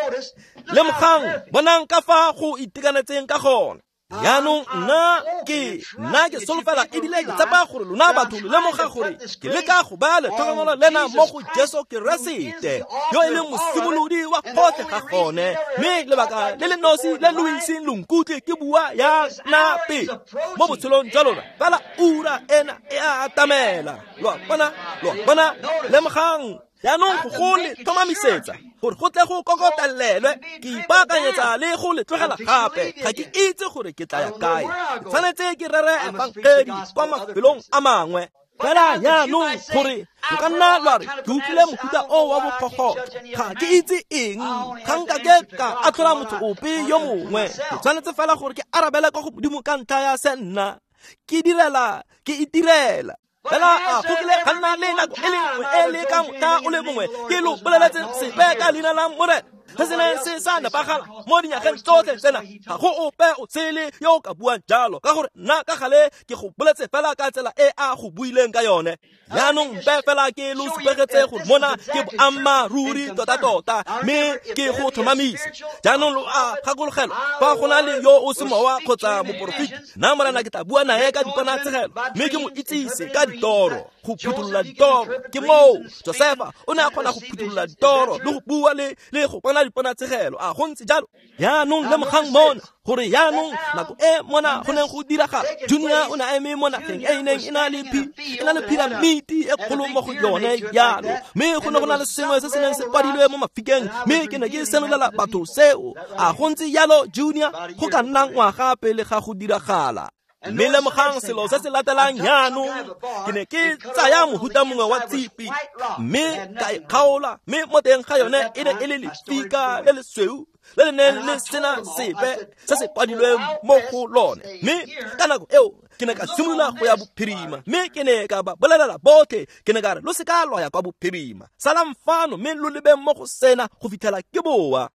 Lemogang, bonang ka fa go itekanetseng ka gone. Jaanong nna ke nna ke solofela ebile ke tshepa gore lona batho lo lemoga gore ke leka go baya letlhokomelo lena mo go Jesu Keresete yo e leng mosimolodi wa gotlhe ga gone, mme lebaka le le nosi le lo iseng lo nkutlwe ke bua ya na pele mo botshelong jwa lona, fela ura ena e a atamela. Lo a bona, lo a bona, lemogang. Jaanong go go le tlhomamisetsa gore go tle go kokotelelwe, ke ipaakanyetsa le go le tlogela gape. Ga ke itse gore ke tla ya kae, ke tshwanetse ke rere efangedi kwa mafelong a mangwe. Fela jaanong gore lo ka nna lwa re ke utlwile mofuta o wa bokgokgotho, ga ke itse eng, ga nka ke ka atlhola motho ope yo mongwe. Ke tshwanetse fela gore ke arabele kwa go Modimo ka ntlha ya se nna ke direla, ke itirela. Fela a go kile ga nna le nako e le nngwe e le ka motlha o le mongwe ke lo boleletse sepe ka leina la Morena se se neng se sa nepagala mo dinyageng tsotlhe tsena? Ga go ope o tshele yo o ka buang jalo, ka gore nna ka gale ke go boletse fela ka tsela e a go buileng ka yone. Jaanong mpe fela ke lo supegetse gore mona ke boammaaruri tota-tota, mme ke go tlhomamise. Jaanong lo a gakologelwa, fa go na le yo o semowa kgotsa moporofeti, nna Morena ke tla bua nae ka diponatshegelo, mme ke mo itsise ka ditoro, go phuthulola ditoro. Ke moo Josefa o ne a kgona go phuthulola ditoro le go bua le le go bona diponatshegelo. A go ntse jalo? Jaanong lemogang mona gore jaanong nako e mona go neng go diragala, Junior o ne a eme mo nageng e e neng e na le e na le piramiti e kgolo mo go yone jalo, mme go ne go na le sengwe se se neng se kwadilwe mo mafikeng, mme ke ne ke senolela batho seo. A go ntse jalo, Junior? Go ka nna ngwaga pele ga go diragala. Mme lemogang selo se se latelang jaanong, ke ne ke tsaya mohuta mongwe wa tshipi mme ka e kgaola, mme mo teng ga yone e ne e le lefika le lesweu le le neng le sena sepe se se kwadilweng mo go lone. Mme ka nako eo ke ne ka simolola go ya bophirima, mme ke ne ka ba bolelela botlhe, ke ne ka re lo se ka lwa ya kwa bophirima, salang fano mme lo lebeng mo go sena go fitlhela ke boa.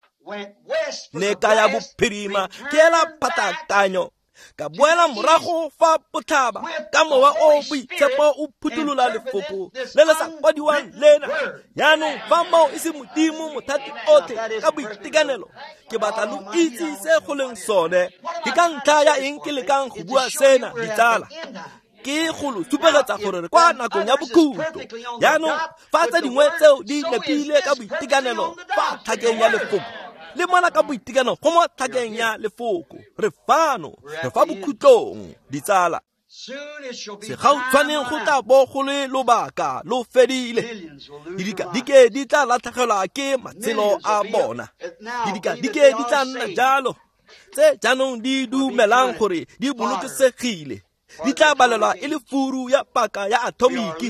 Ne ka ya bophirima ke ela phatakanyo, ka boela morago fa botlhaba ka mowa o boitshepo o phuthulola lefoko le le sa kwadiwang lena. Jaanong fa moo e se Modimo mothati otlhe ka boitekanelo, ke batla lo itse se go leng sone. Ke ka ntlha ya eng ke lekang go bua sena, ditsala? Ke go lo supegetsa gore re kwa nakong ya bokhutlo. Jaanong fa tse dingwe tseo di nepile ka boitekanelo fa tlhakeng ya lefoko, le mona ka boitekanelo go mo tlhakeng ya lefoko, re fano, re fa bokhutlong, ditsala. Segautshwaneng go tla bo go le lobaka lo fedile. Didikadike di tla latlhegelwa ke matshelo a bona. Didikadike di tla nna jalo tse jaanong di dumelang gore di bolokesegile, di tla balelwa e le furu ya paka ya atomiki.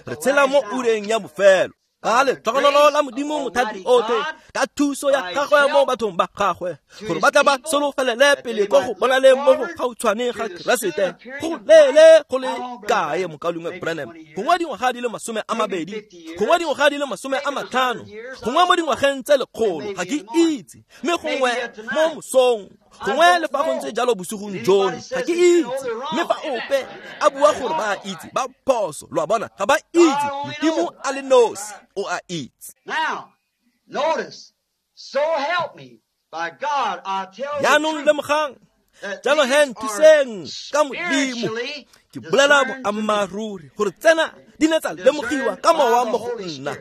Re tshela mo ureng ya bofelo. Ka letlhogonolo la Modimo mothati otlhe, ka thuso ya gagwe mo bathong ba gagwe, gore ba tla ba solofelele pele ko go bonaleng mo go gautshwane ga Keresete. Go leele go le kae, mokaulengwe Branham? Gongwe dingwaga di le masome a mabedi, gongwe dingwaga di le masome a matlhano, gongwe mo dingwageng tse lekgolo, ga ke itse. Mme gongwe mo mosong, gongwe le fa go ntse jalo bosigong jono, ga ke itse. Mme fa ope a bua gore ba itse, ba phoso. Lo a bona, ga ba itse. Modimo a le nosi o a itse. Jaanong lemogang, jalo he nthuseng ka Modimo, ke bolela boammaaruri gore tsena di ne tsa lemogiwa ka mowa mo go nna,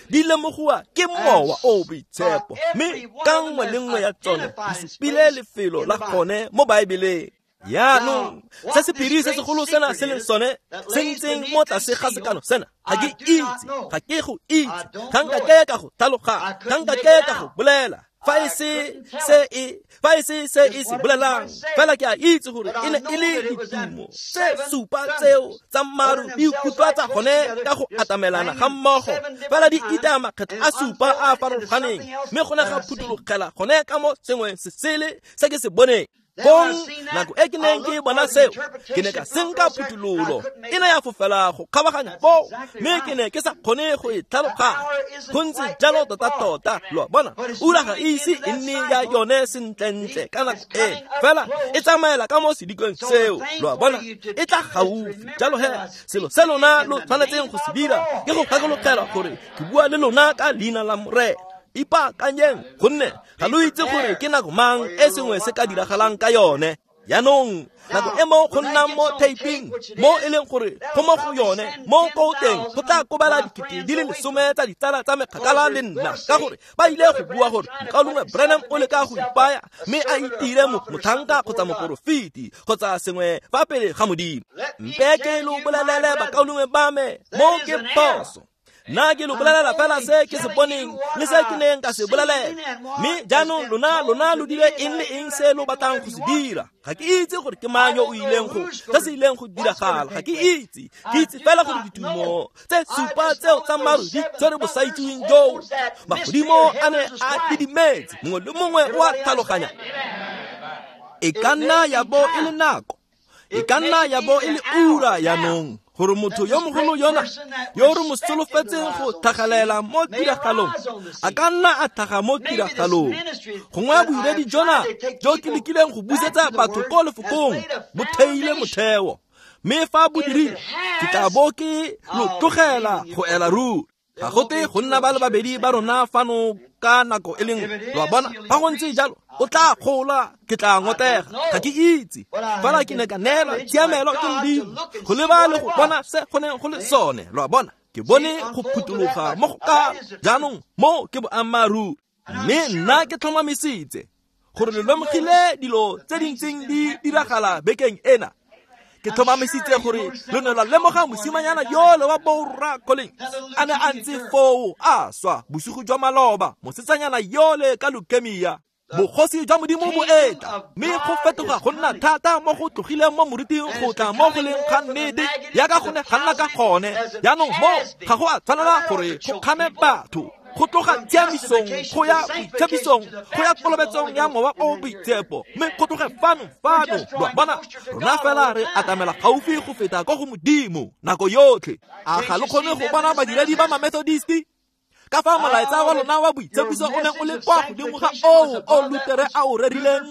di lemogiwa ke mowa o boitshepo, mme ka nngwe le nngwe ya tsone di supile lefelo la gone mo Baebeleng. Jaanong se sephiri se segolo sena se leng sone se ntseng mo tlase ga sekano sena, ga ke itse, ga ke go itse, ga nka ke ka go tlhaloganya, ga nka ke ka go bolela fa e se se e fa e se se e se bolelang. Fela ke a itse gore e ne e le ditumo tse supa tseo tsa maru di ikutlwatsa gone ka go atamelana ga mmogo, fela di itaya makgetlo a supa a a farologaneng, mme go ne ga phuthologela gone ka mo sengwe se sele se ke se boneng. Kong nako e ke neng ke bona seo, ke ne ka senka phuthololo e ne ya fofela go kgabaganya foo, mme ke ne ke sa kgone go e tlhaloganya. Go ntse jalo tota-tota, lo a bona, ura ga e ise e nne ya yone sentlentle ka nako eno, fela e tsamaela ka mo sedikong seo, lo a bona, e tla gaufi. Jalo he, selo se lona lo tshwanetseng go se dira ke go gakologelwa gore ke bua le lona ka leina la Morena. Ipaakanyeng, gonne ga lo itse gore ke nako mang e sengwe se ka diragalang ka yone. Jaanong nako e mo go nnang mo taping, mo e leng gore go mo go yone, mo ko teng go tla kobela dikete di le lesome tsa ditsala tsa mekgakala le nna, ka gore ba ile go bua gore mokaulengwe Branham o leka go ipaya mme a itire motlhanka kgotsa moporofeti kgotsa sengwe fa pele ga Modimo. Mpe ke lo bolelele bakaulengwe ba me, mo ke phoso. Nna ke lo bolelela fela se ke se boneng le se ke neng ka se bolelela. Mme jaanong lona lona lo dire eng le eng se lo batlang go se dira. Ga ke itse gore ke mang yo o ileng go se se ileng go diragala, ga ke itse. Ke itse fela gore ditumo tse supa tseo tsa maru di tshwere bosaitseweng joo. Magodimo a ne a didimetse, mongwe le mongwe o a tlhaloganya. E ka nna ya bo e le nako, e ka nna ya bo e le ura jaanong Gore motho yo mogolo yona yo re mo solofetseng go tlhagelela mo tiragalong a ka nna a tlhaga mo tiragalong. Gongwe bodiredi jona jo ke lekileng go busetsa batho ko lefokong bo theile motheo, mme fa bo dirile ke tla bo ke lo tlogela go ela ruri. Ga go te go nna ba le babedi ba rona fano ka nako e le nngwe, lo a bona. Fa go ntse jalo o tla gola, ke tla ngotega, ga ke itse. Fela ke ne ka neelwa tshiamelo ke Modimo go leba le go bona se go neng go le sone, lo a bona. Ke bone go phutologa mo go ka jaanong mo ke boammaaruri, mme nna ke tlhomamisitse gore le lemogile dilo tse di ntseng di diragala bekeng ena. Ke tlhomamisitse gore lo ne lwa lemoga mosimanyana yole wa borra Collins a ne a ntse foo a swa bosigo jwa maloba, mosetsanyana yole ka leukemia. Bogosi jwa Modimo bo etla, mme go fetoga go nna thata mo go tlogileng mo moriting go tla mo go leng ga nnete yaka go ne ga nna ka gone. Jaanong mo ga go a tshwanela gore go kgame batho go tloga tshiamisong go ya boitshepisong go ya kolobetsong ya Mowa o Boitshepo, mme go tloge fano fano, lo a bona. Rona fela re atamela gaufi go feta ko go Modimo nako yotlhe. A ga lo kgone go bona badiredi ba ma-Methodisti ka fa molaetsa wa lona wa boitshepiso o neng o le kwa godimo ga oo o Lutere a o rerileng?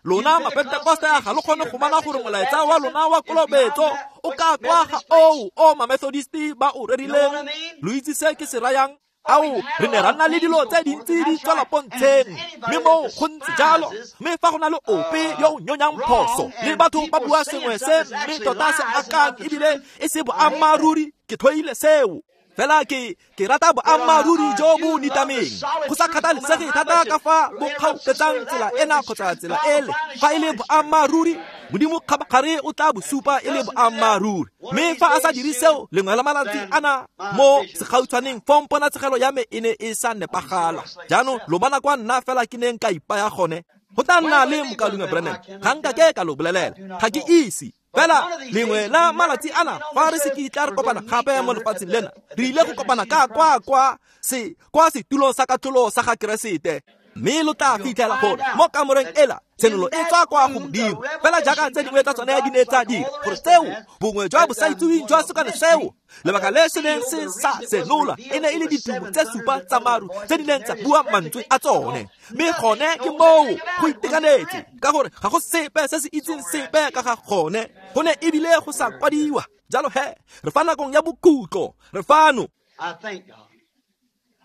Lona ma-Pentekoste a ga lo kgone go bona gore molaetsa wa lona wa kolobetso o ka kwa ga oo o ma-Methodisti ba o rerileng? Lo itse se ke se rayang? Ao, re ne ra nna le dilo tse dintsi di tswela pontsheng, mme moo go ntse jalo. Mme fa go na le ope yo o nyonyang phoso le batho ba bua sengwe se mme tota se akang ebile e se boammaaruri, ke tlhoile seo. Fela ke ke rata boammaaruri jo bo nitameng, go sa kgathalesege thata ka fa bo kgaupetsang tsela ena kgotsa tsela ele. Fa e le boammaaruri, Modimo kgabagare o tla bo supa e le boammaaruri. Mme fa a sa dire seo, lengwe la malatsi ana mo segautshwaneng fong ponatshegelo ya me e ne e sa nepagala. Jaanong lo bona kwa nna fela ke neng ka ipaya gone. Go tla nna le mokaulengwe Branham, ga nka ke ka lo bolelela, ga ke ise. Fela lengwe la malatsi ana fa re se kitla re kopana gape mo lefatsheng lena, re ile go kopana ka kwa kwa se kwa setulong sa katlholo sa ga Keresete. Mme lo tla fitlhela gore mo kamoreng ela tshenolo e tswa kwa go Modimo, fela jaaka tse dingwe tsa tsone di ne tsa dira gore seo bongwe jwa bosaitseweng jwa sekano seo lebaka le se neng se sa senola e ne e le ditumo tse supa tsa maru tse di neng tsa bua mantswe a tsone. Mme gone ke moo go itekanetse, ka gore ga go sepe se se itseng sepe ka ga gone, go ne ebile go sa kwadiwa. Jalo he, re fa nakong ya bokhutlo, re fano.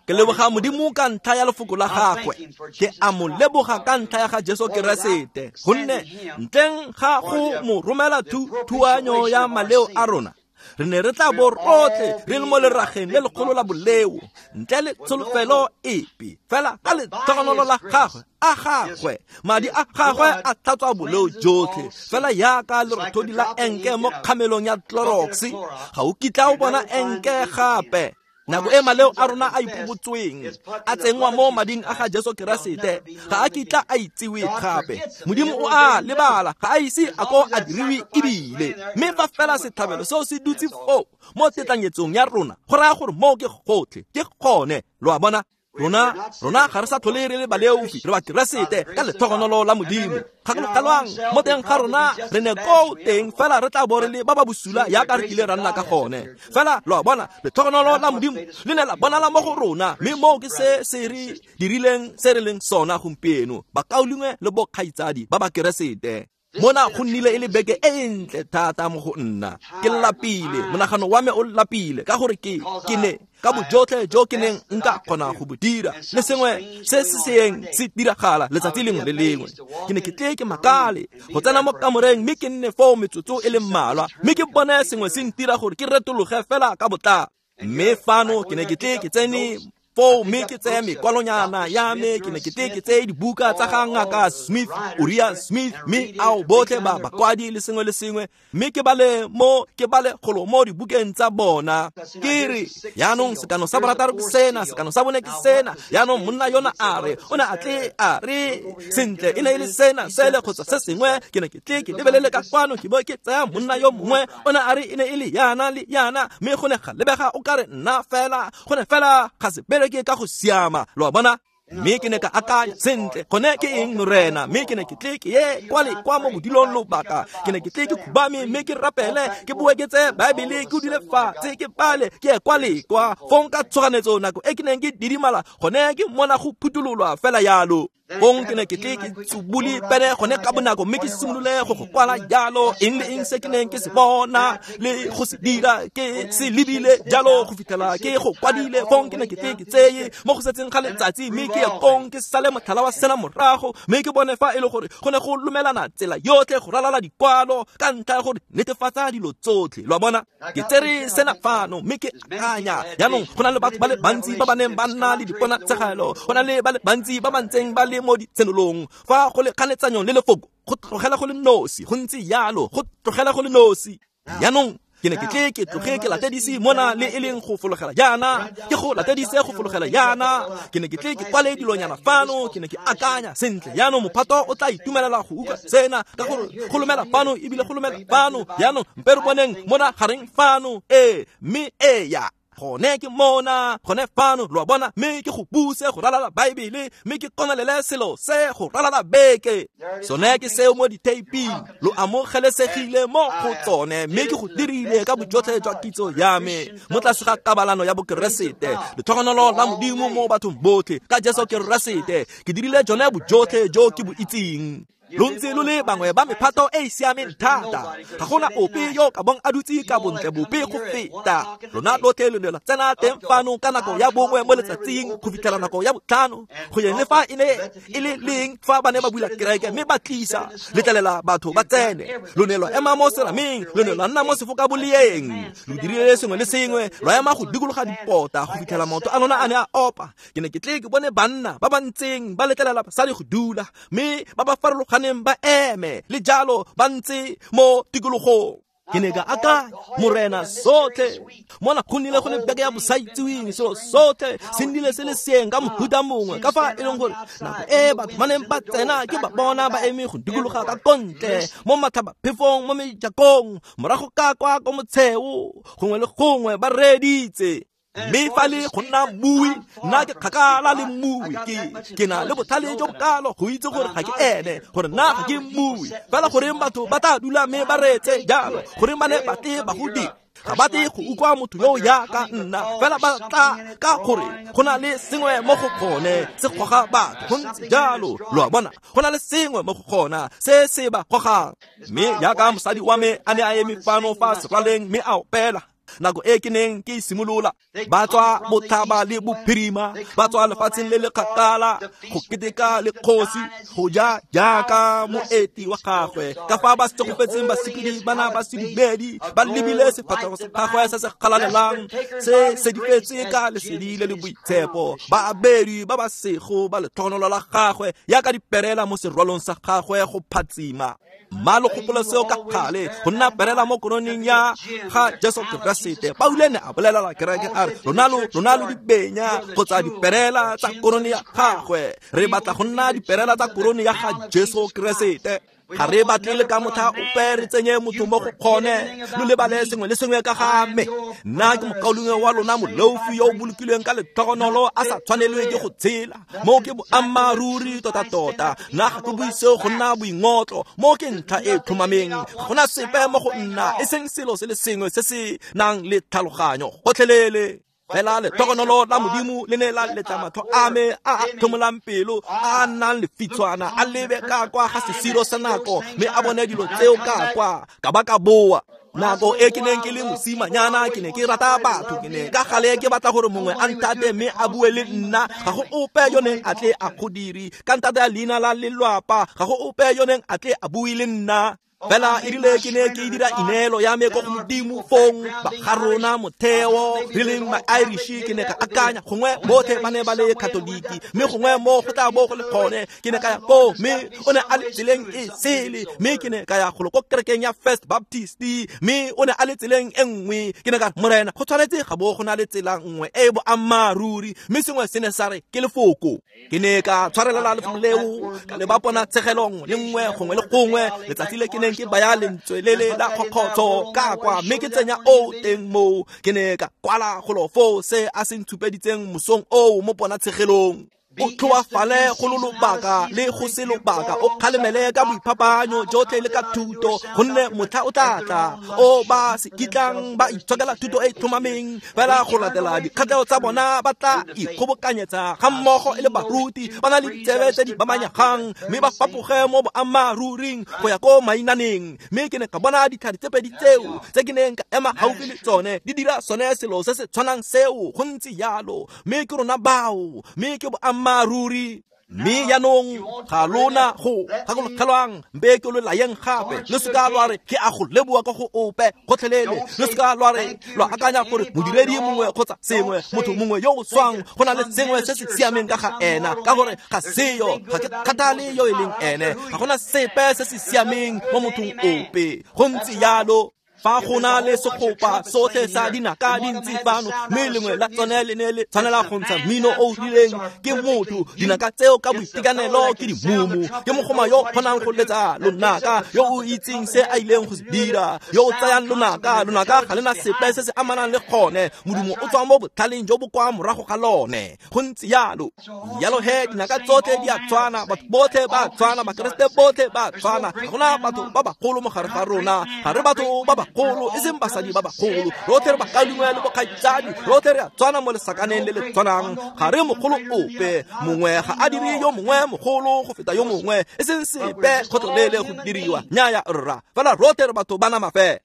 Ke leboga Modimo ka ntlha ya lefoko la gagwe, ke a mo leboga ka ntlha ya ga Jesu Keresete, gonne ntleng ga go mo romela thuanyo ya maleo a rona, re ne re tla bo rotlhe re le mo lerageng le legolo la boleo, ntle le tsholofelo epe. Fela ka letlhogonolo la gagwe a gagwe, madi a gagwe a tlhatswa boleo jotlhe, fela yaka lerothodi la enke mo kgamelong ya Clorox, ga o kitla o bona enke gape. Nako e maleo a rona a ipobotsweng a tsenngwa mo mading a ga Jesu Keresete, ga a kitla a itsiwe gape. Modimo o a lebala, ga a ise a ko a diriwe ebile. Mme fa fela setlhabelo seo se dutse foo mo tetlanyetsong ya rona, go raya gore moo ke gotlhe, ke gone, lo a bona. Rona rona ga re sa tlhole re le baleofi, re ba Keresete ka letlhogonolo la Modimo. Gakologelwang, mo teng ga rona re ne koo teng, fela re tla bo re le ba ba bosula yaka re kile ra nna ka gone. Fela lo a bona, letlhogonolo la Modimo le ne la bonala mo go rona, mme moo ke se se re dirileng se re leng sona gompieno, bakaulengwe le bokgaitsadi ba ba Keresete. Mona go nnile e le beke e ntle thata mo go nna. Ke lapile, monagano wa me o lapile, ka gore ke ke ne ka bojotlhe jo ke neng nka kgona go bo dira, le sengwe se se seeng se diragala letsatsi lengwe le lengwe. Ke ne ke tle ke makale go tsena mo kamoreng mme ke nne foo metsotso e le mmalwa, mme ke bone sengwe se ntira gore ke retologe fela ka botlalo. Mme fano ke ne ke tle ke tsene foo mme ke tseye mekwalonyana ya me, ke ne ke tle ke tseye dibuka tsa ga ngaka Smith, Uriah Smith, mme ao botlhe ba bakwadi le sengwe le sengwe, mme ke bale mo ke bale golo mo dibukeng tsa bona. Ke re jaanong sekano sa borataro ke sena, sekano sa bone ke sena. Jaanong monna yona a re o ne a tle a re sentle e ne e le sena sele kgotsa se sengwe. Ke ne ke tle ke lebelele ka kwano, ke bo ke tsaya monna yo mongwe, o ne a re e ne e le yana le yana, mme go ne ga lebega o kare nna fela, go ne fela ga se ke ka go siama, lo a bona. Mme ke ne ka akanya sentle gone ke eng Morena, mme ke ne ke tle ke ye kwa le kwa mo bodilong lobaka, ke ne ke tle ke khubame mme ke rapele, ke boe ke tseye Baebele ke dule fatshe ke bale ke ye kwa le kwa. Fong ka tshoganetso nako e ke neng ke didimala gone ke mona go phuthololwa fela yalo. Fong ke ne ke tle ke tsubule pene gone ka bonako mme ke simolole go go kwala jalo eng le eng se ke neng ke se bona le go se dira ke se lebile jalo go fitlhela ke go kwadile. Fong ke ne ke tle ke tseye mo go setseng ga letsatsi mme ke ye kong ke sale motlhala wa sena morago mme ke bone fa e le gore go ne go lomelana tsela yotlhe go ralala dikwalo ka ntlha ya gore netefatsa dilo tsotlhe. Lo a bona, ke tsere sena fano mme ke akanya jaanong go na le batho ba le bantsi ba ba neng ba nna le diponatshegelo, go na le ba le bantsi ba ba ntseng ba le mo ditshenolong fa go le kganetsanyong le lefoko go tlogela go le nosi, go ntse yalo go tlogela go le nosi. Jaanong ke ne ke tle ke tloge ke latedise mona le e leng go fologela jaana, ke go latedise go fologela jaana. Ke ne ke tle ke kwale dilonyana fano, ke ne ke akanya sentle jaanong mophato o tla itumelela go utlwa sena ka gore go lomela fano ebile go lomela fano. Jaanong mpe re boneng mona gareng fano, ee mme eya gone ke mona gone fano, lo a bona, mme ke go buse go ralala Baebele mme ke konelele selo se go ralala beke. Sone ke seo mo diteiping, lo amogelesegile mo go tsone mme ke go dirile ka bojotlhe jwa kitso ya me mo tlase ga kabalano ya Bokeresete, letlhogonolo la Modimo mo bathong botlhe ka Jesu Keresete. Ke dirile jone bojotlhe jo ke bo itseng. Lo ntse lo le bangwe ba mephato e e siameng thata, ga gona ope yo ka bong a dutse ka bontle bope go feta lona lotlhe. Lo ne la tsena teng fano ka nako ya bongwe mo letsatsing go fitlhela nako ya botlhano, go yeng le fa e ne e le leng fa ba ne ba bula kereke mme ba tlisa letlelela batho ba tsene. Lo ne lwa ema mo serameng, lo ne lwa nna mo sefokaboleng, lo dirile sengwe le sengwe, lwa ema go dikologa dipota go fitlhela maoto a lona a ne a opa. Ke ne ke tle ke bone banna ba ba ntseng ba letlelela basadi go dula mme ba ba farologaneng ba eme le jalo ba ntse mo tikologong. Ke ne ka akanya Morena sotlhe mona go nnile go le beke ya bosaitsiweng, selo sotlhe se nnile se le seeng ka mohuta mongwe ka fa e leng gore nako e batho ba neng ba tsena ke ba bona ba eme go dikologa ka kontle mo matlhabaphefong mo mejakong morago ka kwa ko motsheo gongwe le gongwe ba reeditse. Mme fa le go nna mmui, nna ke kgakala le mmui, ke ke na le botlhale jo bokalo go itse gore ga ke ene, gore nna ga ke mmui. Fela goreng batho ba tla dula mme ba reetse jalo, goreng ba ne ba tle ba go dira, ga ba tle go utlwa motho yo jaaka nna, fela ba tla ka gore go na le sengwe mo go gone se goga batho go ntse jalo. Lo a bona, go na le sengwe mo go gona se se ba gogang. Mme jaaka mosadi wa me a ne a eme fano fa seraleng mme a opela nako e ke neng ke simolola, ba tswa botlhaba le bophirima, ba tswa lefatsheng le le kgakala go keteka le kgosi go ja jaaka moeti wa gagwe. Ka fa ba segofetseng basepedi bana ba sedumedi ba lebile sefatlhego sa gagwe se se galalelang se sedifetse ka lesedi le le boitshepo, ba abedi ba ba sego ba letlhogonolo la gagwe yaka diperela mo serwalong sa gagwe go phatsima. Mma lo gopola seo ka gale go nna perela mo koroneng ya ga Jesu Keresete. Paulo ne a bolelela kereke a re lona lo lona lo dibenya kgotsa diperela tsa korone ya gagwe. Re batla go nna diperela tsa korone ya ga Jesu Keresete. Ga re batle le ka motlha ope re tsenye motho mo go kgone lo lebale sengwe le sengwe ka ga me. Nna ke mokaulengwe wa lona moleofi yo o bolokilweng ka letlhogonolo a sa tshwanelwe ke go tshela. Moo ke boammaaruri tota-tota. Nna ga ke bue seo go nna boingotlo, moo ke ntlha e tlhomameng. Ga gona sepe mo go nna e seng selo se le sengwe se se nang le tlhaloganyo gotlhelele. Fela letlhogonolo la Modimo le ne la letla matlho a me a a tlhomolang pelo a a nnang lefitshwana a lebe ka kwa ga sesiro sa nako mme a bone dilo tseo ka kwa ka ba ka boa. Nako e ke neng ke le mosimanyana ke ne ke rata batho, ke ne ka gale ke batla gore mongwe a nthate mme a bue le nna. Ga go ope yo neng a tle a go dire ka ntate ya leina la lelwapa, ga go ope yo neng a tle a bue le nna. Fela e rile ke ne ke dira ineelo ya me ko go Modimo fong ba ga rona motheo re leng ma-Irish, ke ne ka akanya gongwe botlhe ba ne ba le Katoliki mme gongwe mo go tla bo go le gone. Ke ne ka ya koo mme o ne a le tseleng e sele, mme ke ne ka ya golo ko kerekeng ya First Baptist mme o ne a le tseleng e nngwe. Ke ne ka re Morena go tshwanetse ga bo go na le tsela nngwe e e boammaaruri, mme sengwe se ne sa re ke lefoko. Ke ne ka tshwarelela lefoko leo ka le ba pona tshegelo nngwe le nngwe gongwe le gongwe. Letsatsi le ke neng ke baya lentswe le le la kgokgotsho ka kwa mme ke tsenya o teng moo, ke ne ka kwala golo foo se a se ntshupeditseng mosong oo mo ponatshegelong. O tlhoafale go lo lobaka le go se lobaka, o kgalemele ka boiphapanyo jotlhe le ka thuto, gonne motlha o tla tla o ba se kitlang ba itshokela thuto e e tlhomameng, fela go latela dikgatlhego tsa bona ba tla ikgobokanyetsa ga mmogo e le baruti ba na le ditsebe tse di bamanyegang, mme ba fapoge mo boammaaruring go ya ko mainaneng. Mme ke ne ka bona ditlhare tse pedi tseo tse ke neng ka ema gaufi le tsone di dira sone selo se se tshwanang seo, go ntse jalo. Mme ke rona bao, mme ke boammaaruri. Mme jaanong ga lona go gakologelwang, mpe ke lo layeng gape, le seka lwa re ke a go leboa ka go ope gotlhelele, le seka lwa re lwa akanya gore modiredi mongwe kgotsa sengwe, motho mongwe yo o swang go na le sengwe se se siameng ka ga ena, ka gore ga seyo, ga ke kgathale yo e leng ene, ga gona sepe se se siameng mo mothong ope. Go ntse jalo. Fa go na le segopa sotlhe sa dinaka di ntse fano, mme lengwe la tsone le ne le tshwanela go ntsha mmino o o rileng ke motho, dinaka tseo ka boitekanelo ke dimumu, ke mogoma yo o kgonang go letsa lonaka, yo o itseng se a ileng go se dira, yo o tsayang lonaka, lonaka ga le na sepe se se amanang le gone, modumo o tswa mo botlhaleng jo bo kwa morago ga lone. Go ntse jalo. Jalo he, dinaka tsotlhe di a tshwana, batho botlhe ba a tshwana, Bakeresete botlhe ba a tshwana, ga gona batho ba bagolo mo gare ga rona, ga re batho ba bagolo, e seng basadi ba bagolo, rotlhe re bakaulengwe le bokgaitsadi, rotlhe re a tshwana mo lesakaneng le le tshwanang, ga re mogolo ope, mongwe ga a dire yo mongwe mogolo go feta yo mongwe, e seng sepe kgotlelele go diriwa, nnyaya rra, fela rotlhe re batho ba nama fela.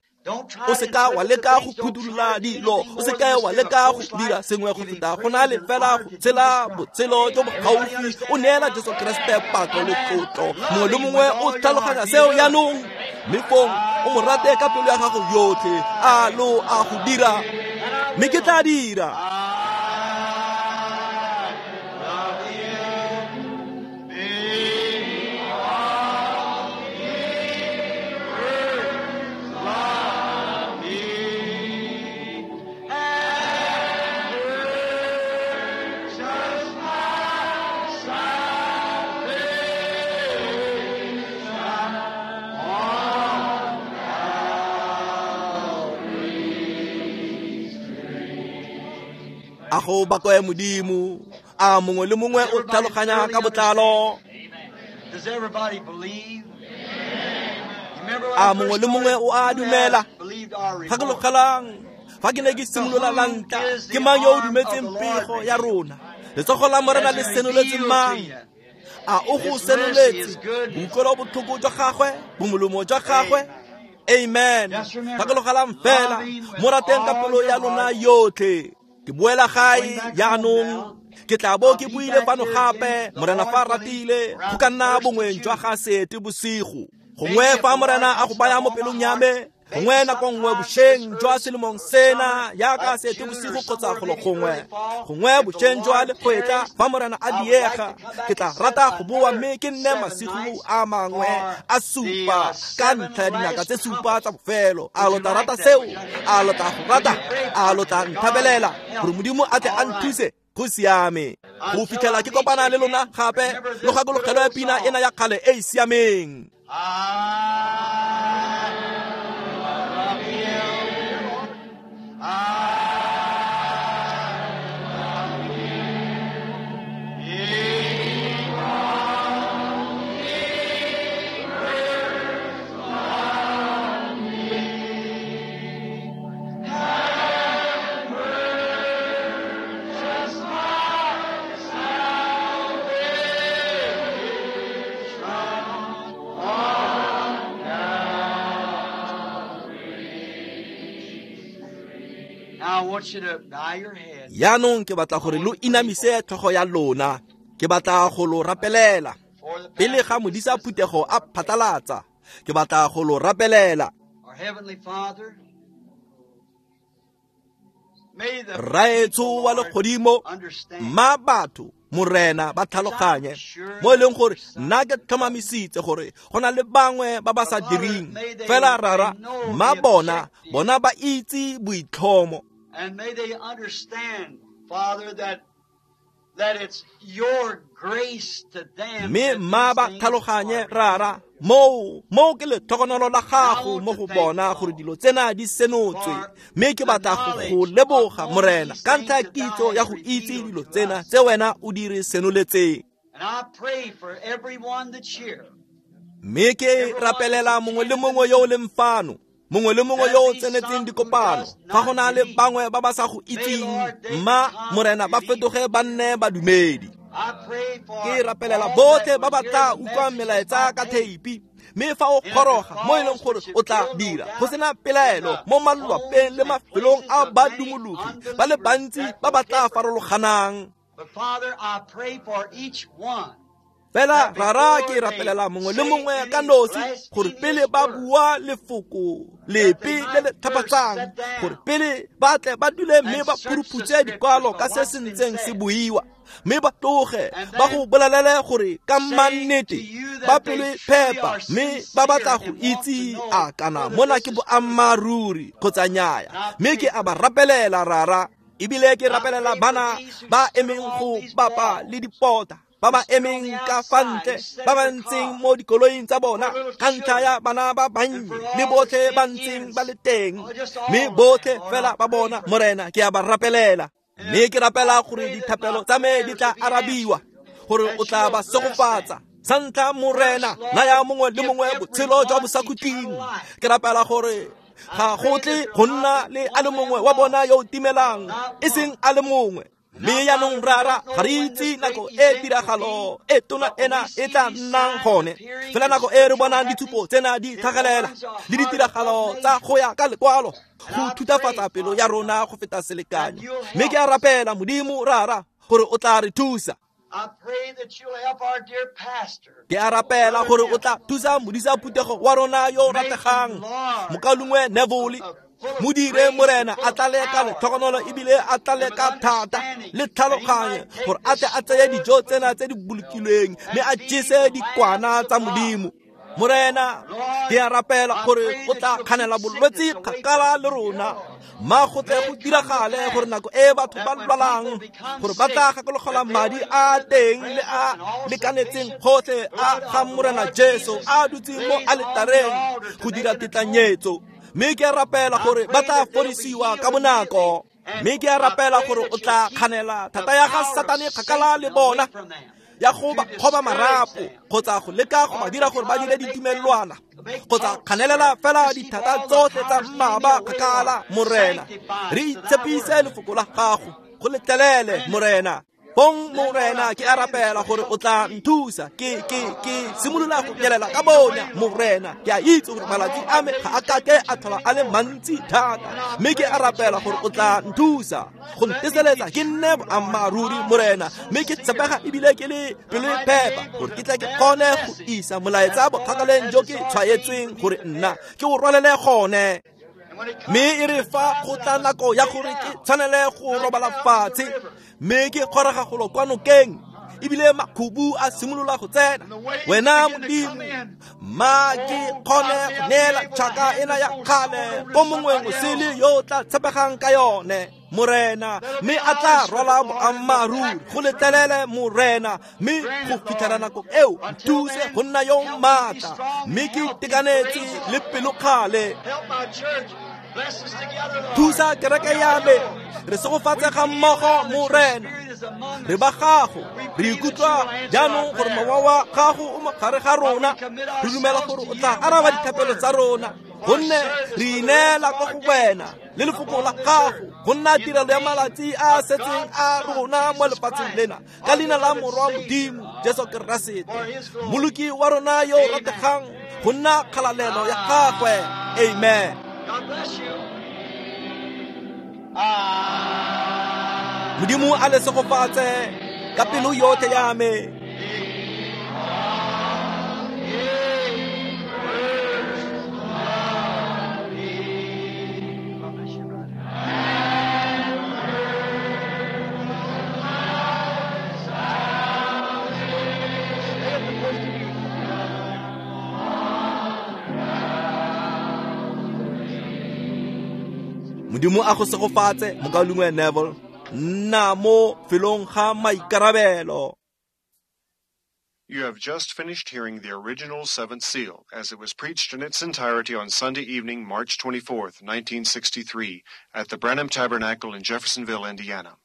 O seka wa leka go phuthulola dilo, o seka wa leka go dira sengwe go feta go na le fela go tshela botshelo jo bo gaufi, o neela Jesu Keresete pako le tlotlo. Mongwe le mongwe o tlhaloganya seo jaanong, mme fong o mo rate ka pelo ya gago yotlhe, a lo a go dira, mme ke tla dira. A go bakwe Modimo, a mongwe le mongwe o tlhaloganya ka botlalo. A mongwe le mongwe o a dumela. Gakologelang, fa ke ne ke simolola la ntlha, ke mang yo o dumetseng pego ya rona? Letsogo la Morena le senoletse mang? A o go senoletse boutlwelobotlhoko jwa gagwe, bomolomo jwa gagwe? Amen. Gakologelang fela, mo rateng ka pelo ya lona yotlhe. Ke boela gae jaanong, ke tla bo ke buile fano gape, Morena fa a ratile, go ka nna bongweng jwa ga sete bosigo. Gongwe fa Morena a go baya mo pelong ya me, gongwe nako nngwe bošeng jwa selemong sena yaka sete bosigo kgotsa golo gongwe, gongwe bošeng jwa legwetla fa Morena a diega, ke tla rata go boa mme ke nne masigo a mangwe a supa ka ntlha ya dinaka tse supa tsa bofelo. A lo tla rata seo? A lo tla go rata? A lo tla nthabelela gore Modimo a tle a nthuse? Go siame. Go fitlhela ke kopana le lona gape, lo gakologelwe pina ena ya kgale e e siameng. Jaanong ke batla gore lo inamise tlhogo ya lona, ke batla go lo rapelela. Pele ga modisa phuthego a phatlalatsa, ke batla go lo rapelela. Rraetsho wa legodimo, mma batho Morena ba tlhaloganye mo e leng gore nna ke tlhomamisitse gore go na le bangwe ba ba sa direng, fela rara mma bona bona ba itse boitlhomo. And may they understand, Father, that Mme mma ba tlhaloganye Rara, moo moo ke letlhogonolo la gago mo go bona gore dilo tsena di senotswe. Mme ke batla go go leboga Morena ka ntlha ya kitso ya go itse dilo tsena tse wena o di re senoletseng. Mme ke rapelela mongwe le mongwe yo o leng fano, mongwe le mongwe yo o tsenetseng dikopano. Fa go na le bangwe ba ba sa go itseng, mma Morena ba fetoge ba nne badumedi. Ke rapelela botlhe ba ba tla utlwang melaetsa ka theipi, mme fa o goroga mo e leng gore o tla dira go sena pelaelo mo malwapeng le mafelong a badumologi ba le bantsi ba ba tla farologanang. Fela Rara, ke rapelela mongwe le mongwe ka nosi gore pele ba bua lefoko lepe le le tlhapatsang, gore pele ba tle ba dule mme ba phuruphutse dikwalo ka se se ntseng se buiwa, mme ba tloge ba go bolelele gore ka mannete ba pelo e phepa mme ba batla go itse a kana mona ke boammaaruri kgotsa nnyaya. Mme ke a ba rapelela Rara, ebile ke rapelela bana ba emeng go bapa le dipota, ba ba emeng ka fa ntle, ba ba ntseng mo dikoloing tsa bona ka ntlha ya bana ba bannye le botlhe ba ntseng ba le teng, mme botlhe fela ba bona Morena ke a ba rapelela. Mme ke rapela gore dithapelo tsa me di tla arabiwa, gore o tla ba segofatsa. Sa ntlha Morena, naya mongwe le mongwe botshelo jwa bosakhutleng. Ke rapela gore ga go tle go nna le a le mongwe wa bona yo o timelang, e seng a le mongwe. Mme jaanong Rara, ga re itse nako e tiragalo e tona ena e tla nnang gone. Fela nako e re bonang ditshupo tsena di tlhagelela le ditiragalo tsa go ya ka lekwalo, go thutafatsa pelo ya rona go feta selekanyo. Mme ke a rapela Modimo Rara gore o tla re thusa. Ke a rapela gore o tla thusa modisa phuthego wa rona yo o rategang, mokaulengwe Neville. Mo dire Morena a tlale ka letlhogonolo ebile a tlale ka thata le tlhaloganyo, gore a tle a tseye dijo tsena tse di bolokilweng mme a jese dikwana tsa Modimo. Morena, ke a rapela gore o tla kganela bolwetse kgakala le rona, mma go tle go diragale gore nako e batho ba lwalang, gore ba tla gakologelwa madi a teng le a lekanetseng gotlhe a ga Morena Jesu a dutseng mo aletareng go dira tetlanyetso. Mme ke a rapela gore ba tla fodisiwa ka bonako. Mme ke a rapela gore o tla kganela thata ya ga Satane kgakala le bona, ya go ba kgoba marapo kgotsa go leka go ba dira gore ba dire ditumelelwana, kgotsa kganelela fela dithata tsotlhe tsa mmaba kgakala. Morena, re itshepise lefoko la gago, go letlelele Morena. Bong Morena, ke a rapela gore o tla nthusa. Ke ke ke simolola go nyelela ka bonya Morena. Ke a itse gore malatsi a me ga a kake a tlhola a le mantsi thata, mme ke a rapela gore o tla nthusa go nteseletsa ke nne boammaaruri Morena, mme ke tshepega ebile ke le pelo e phepa, gore ke tle ke kgone go isa molaetsa bokgakaleng jo ke tshwaetsweng gore nna ke o rwalele gone. Mme e re fa go tla nako ya gore ke tshwanele go robala fatshe, mme ke kgorega golo kwa nokeng, ebile makhubu a simolola go tsena, wena Modimo, mma ke kgone go neela tšhaka ena ya kgale ko mongweng o sele yo o tla tshepegang ka yone Morena, mme a tla rwala boammaaruri go letlelele Morena. Mme go fitlhela nako eo, nthuse go nna yo maatla, mme ke itekanetse le pelokgale. Thusa kereke ya me, re segofatse ga mmogo Morena. Re ba gago, re ikutlwa jaanong gore mowa wa gago o mo gare ga rona. Re dumela gore o tla araba dithapelo tsa rona, gonne re ineela kwa go wena le lefoko la gago go nna tirelo ya malatsi a a setseng a rona mo lefatsheng lena, ka leina la Morwa Modimo Jesu Keresete, Mmoloki wa rona yo o rategang, go nna kgalalelo ya gagwe. Amen. Modimo a le segofatse ka pelo yotlhe ya me. Modimo a go segofatse, mokaulengwe Neville. Nna mo felong ga maikarabelo. You have just finished hearing the original Seventh Seal as it was preached in its entirety on Sunday evening, March twenty-fourth, nineteen sixty-three, at the Branham Tabernacle in Jeffersonville, Indiana.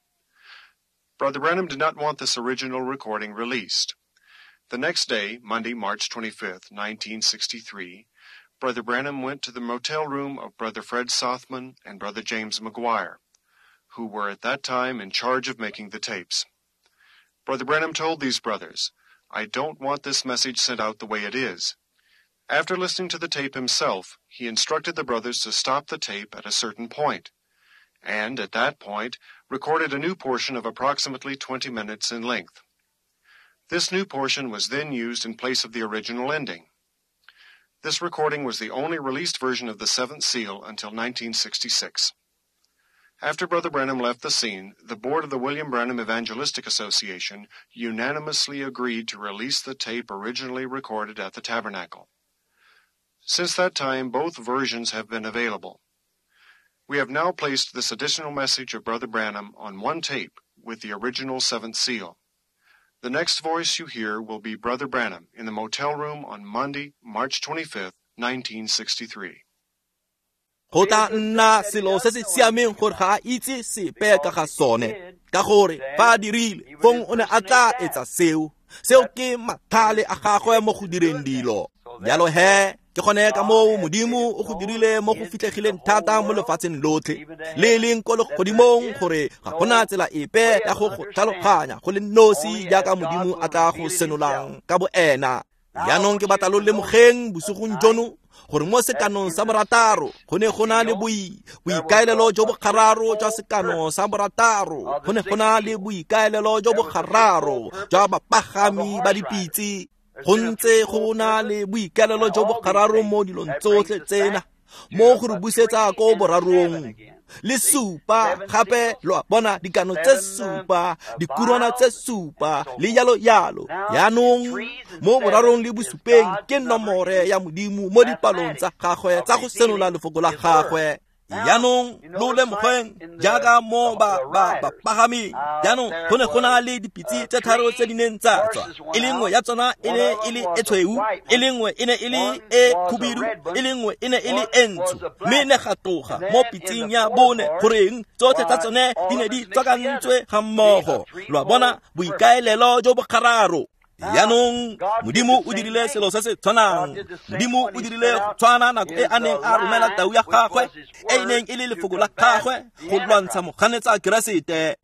Brother Branham did not want this original recording released. The next day, Monday, March twenty-fifth, nineteen sixty-three, Brother Branham went to the motel room of Brother Fred Sothmann and Brother James McGuire, who were at that time in charge of making the tapes. Brother Branham told these brothers, "I don't want this message sent out the way it is." After listening to the tape himself, he instructed the brothers to stop the tape at a certain point, and at that point recorded a new portion of approximately twenty minutes in length. This new portion was then used in place of the original ending. This recording was the only released version of the Seventh Seal until nineteen sixty-six. After Brother Branham left the scene, the board of the William Branham Evangelistic Association unanimously agreed to release the tape originally recorded at the tabernacle. Since that time, both versions have been available. We have now placed this additional message of Brother Branham on one tape with the original Seventh Seal. The next voice you hear will be Brother Branham in the motel room on Monday, March twenty-fifth, nineteen sixty-three. Go tla nna selo se se siameng gore ga a itse sepe ka ga sone, ka gore fa a dirile fong o ne a tla etsa seo. Seo ke mathale a gagwe mo go direng dilo. Jalo he, ke gone ka moo Modimo o go dirile mo go fitlhegileng thata mo lefatsheng lotlhe, le e leng ko legodimong, gore ga gona tsela epe ya go go tlhaloganya go le nosi jaaka Modimo a tla go senolang ka bo ena. Jaanong ke batla lo lemogeng bosigong jono gore mo sekanong sa borataro go ne go na le boi boikaelelo jo bo gararo jwa sekano sa borataro, go ne go na le boikaelelo jo bo gararo jwa bapagami ba dipitse. Go ntse go na le boikaelelo jo bo gararo mo dilong tsotlhe tsena, mo go re busetsa ko borarong le supa gape. Lo a bona, dikano tse supa, dikurwana tse supa, le yalo yalo. Yaanong mo borarong le bosupeng ke nomore ya Modimo mo dipalong tsa gagwe tsa go senola lefoko la gagwe. Jaanong lo lemogeng jaaka mo ba ba bapagaming. Jaanong go ne go na le dipitse tse tharo tse di neng tsa tswa, e le nngwe ya tsona e ne e le e tshweu, e le nngwe e ne e le e khubidu, e le nngwe e ne e le e ntsho, mme ne ga tloga mo pitseng ya bone goreng tsotlhe tsa tsone di ne di tswakantswe ga mmogo. Lo a bona, boikaelelo jo bo gararo. Jaanong Modimo o dirile selo se se tshwanang. Modimo o dirile go tshwana nako e a neng a romela tau ya gagwe, e e neng e le lefoko la gagwe, go lwantsha moganetsa Keresete.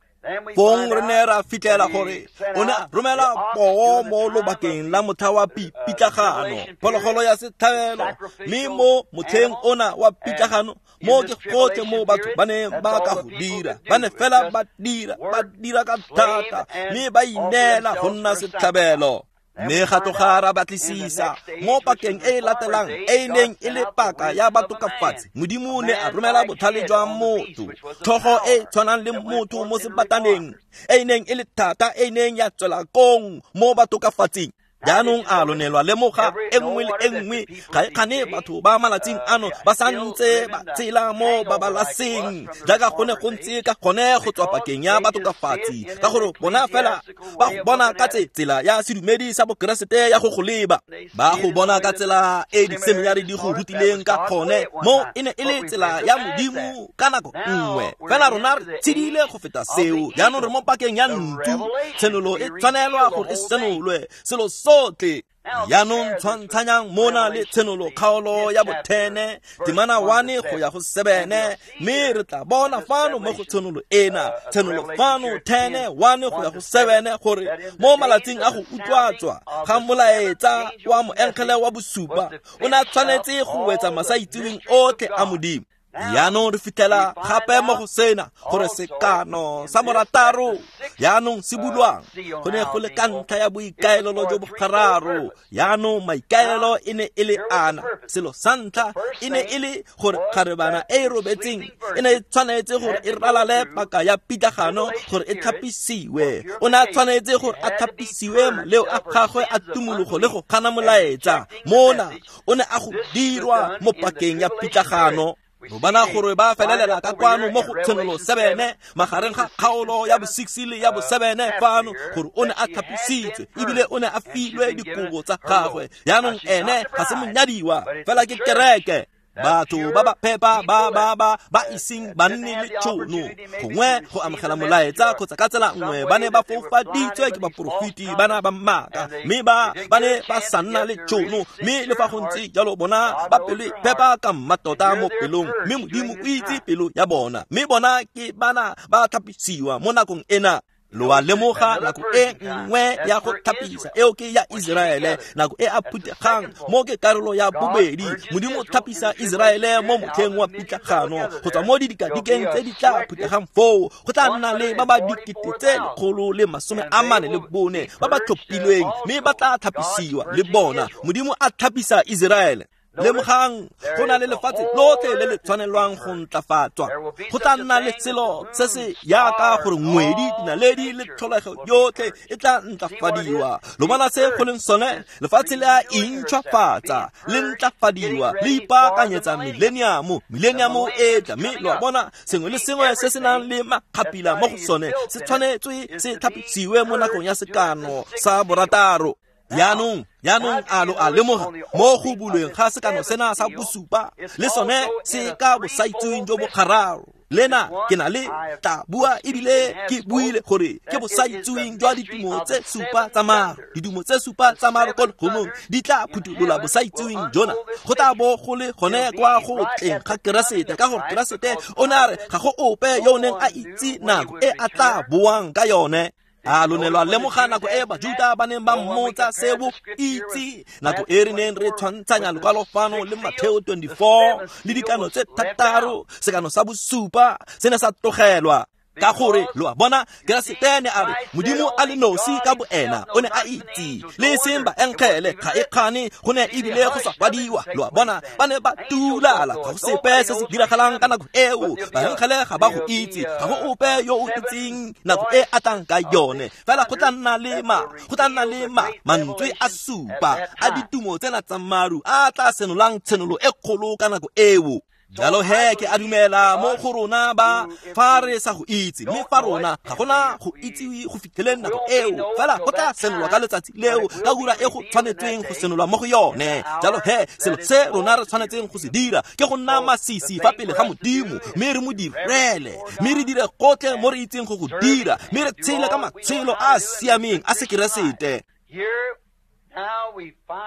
Fong re ne ra fitlhela gore o ne a romela poo mo lobakeng la motlha wa pitlagano, phologolo ya setlhabelo, mme mo motlheng ona wa pitlagano, mo ke gotlhe mo batho ba neng ba ka go dira, ba ne fela ba dira, ba dira ka thata, mme ba ineela go nna setlhabelo. Mme ga tloga ra batlisisa mo pakeng e e latelang e e neng e le paka ya batokafatsi, Modimo ne a romela botlhale jwa motho, tlhogo e e tshwanang le motho mo sebataneng, e e neng e le thata, e e neng ya tswela kong mo batokafatsing. Jaanong a lo ne lwa lemoga e nngwe le e nngwe ga e kgane batho ba malatsing ano ba santse ba tshela mo babalaseng jaaka go ne go ntse ka gone go tswa pakeng ya batokafatsi, ka gore bona fela ba go bona ka tsela ya sedumedi sa bokeresete ya go go leba, ba go bona ka tsela e diseminari di go rutileng ka gone, mo e ne e le tsela ya Modimo ka nako nngwe. Fela rona re tshedile go feta seo. Jaanong re mo pakeng ya ntsu, tshenolo e tshwanelwa gore e senolwe selo sotlhe. Jaanong tshwantshanyang mona le tshenolo kgaolo ya bothene temana one go ya go sebene, mme re tla bona fano mo go tshenolo ena, tshenolo fano ten one go ya go sebene, gore mo malatsing a go utlwatswa ga molaetsa wa moengele wa bosupa o ne a tshwanetse go wetsa masaitseweng otlhe a Modimo. Jaanong re fitlhela gape mo go sena gore sekano sa morataro jaanong se bulwang go ne go le ka ntlha ya boikaelelo jo bo gararo. Jaanong maikaelelo e ne e le ana. Selo sa ntlha e ne e le gore kgarebana e e robetseng e ne e tshwanetse gore e ralale paka ya pitlagano gore e tlhapisiwe. O ne a tshwanetse gore a tlhapisiwe maleo a gagwe a tumologo le go gana molaetsa. Mona o ne a go dirwa mo pakeng ya pitlagano. Lo bona gore ba felelela ka kwano mo go Tshenolo sebene, magareng ga kgaolo ya bo six le ya bo sebene fano, gore o ne a thapisitswe ebile o ne a filwe dikobo tsa gagwe. Jaanong ene ga se monyadiwa, fela ke kereke. Batho ba ba phepa ba ba ba ba iseng ba nne le tšhono gongwe go amogela molaetsa kgotsa ka tsela nngwe ba ne ba foufaditswe ke baporofeti bana ba maaka, mme ba ba ne ba sa nna le tšhono. Mme le fa go ntse jalo bona ba pelo e phepa ka mmatota mo pelong, mme Modimo o itse pelo ya bona, mme bona ke bana ba thapisiwa mo nakong ena. Lo a lemoga nako e nngwe ya go thapisa eo ke ya Iseraele, nako e a phutegang mo ke karolo ya bobedi. Modimo o thapisa Iseraele mo motlheng wa pitlagano go tswa mo didikadikeng tse di tla phutegang foo. Go tla nna le ba ba dikete tse lekgolo le masome a mane le bone ba ba tlhophilweng, mme ba tla thapisiwa le bona. Modimo a thapisa Iseraele. Lemogang go na le lefatshe lotlhe le le tshwanelwang go ntlafatswa. Go tla nna le selo se se yaka gore ngwedi, dinaledi le tlholego yotlhe e tla ntlafadiwa. Lo bona se go leng sone? Lefatshe le a intšhwafatsa, le ntlafadiwa, le ipaakanyetsa millennium. Millennium e tla, mme lo a bona sengwe le sengwe se se nang le makgapila mo go sone se tshwanetswe se thapisiwe mo nakong ya sekano sa borataro. Jaanong, jaanong a lo a lemoga mo go bulweng ga sekano sena sa bosupa le sone se ka bosaitseweng jo bo gararo. Lena ke na le tla bua ebile ke buile gore ke bosaitseweng jwa ditumo tse supa tsa maru. Ditumo tse supa tsa maru ko legodimong di tla phuthulola bosaitseweng jona. Go tla bo go le gone kwa go tleng ga Keresete, ka gore Keresete o ne a re ga go ope yo o neng a itse nako e a tla boang ka yone. A lo ne lwa lemoga nako e Bajuta ba neng ba mmotsa se bo itse, nako e re neng re tshwantshanya lekwalo fano le Mateo twenty-four le dikano tse thataro, sekano sa bosupa se ne sa tlogelwa. Ka gore lo a bona Keresete ne a re Modimo a le nosi ka boena o ne a itse, le seng baengele ga e kgane go ne ebile go sa kwadiwa. Lo a bona ba ne ba tulala, ga go sepe se se diragalang ka nako eo. Baengele ga ba go itse, ga go ope yo o itseng nako e a tlang ka yone. Fela go tla nna le ma, go tla nna le ma mantswe a supa a ditumo tsena tsa maru a tla senolang tshenolo e kgolo ka nako eo. Jalo he ke a dumela mo go rona ba fa re sa go itse, mme fa rona ga gona go itsiwe go fitlheleng nako eo, fela go tla senolwa ka letsatsi leo ka ura e go tshwanetseng go senolwa mo go yone. Jalo he selo se rona re tshwanetseng go se dira ke go nna masisi fa pele ga Modimo, mme re mo direle, mme re dire gotlhe mo re itseng go go dira, mme re tshele ka matshelo a a siameng a Sekeresete.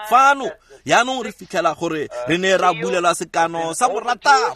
Fano jaanong re fitlhela gore re ne ra bulela sekano sa borataro.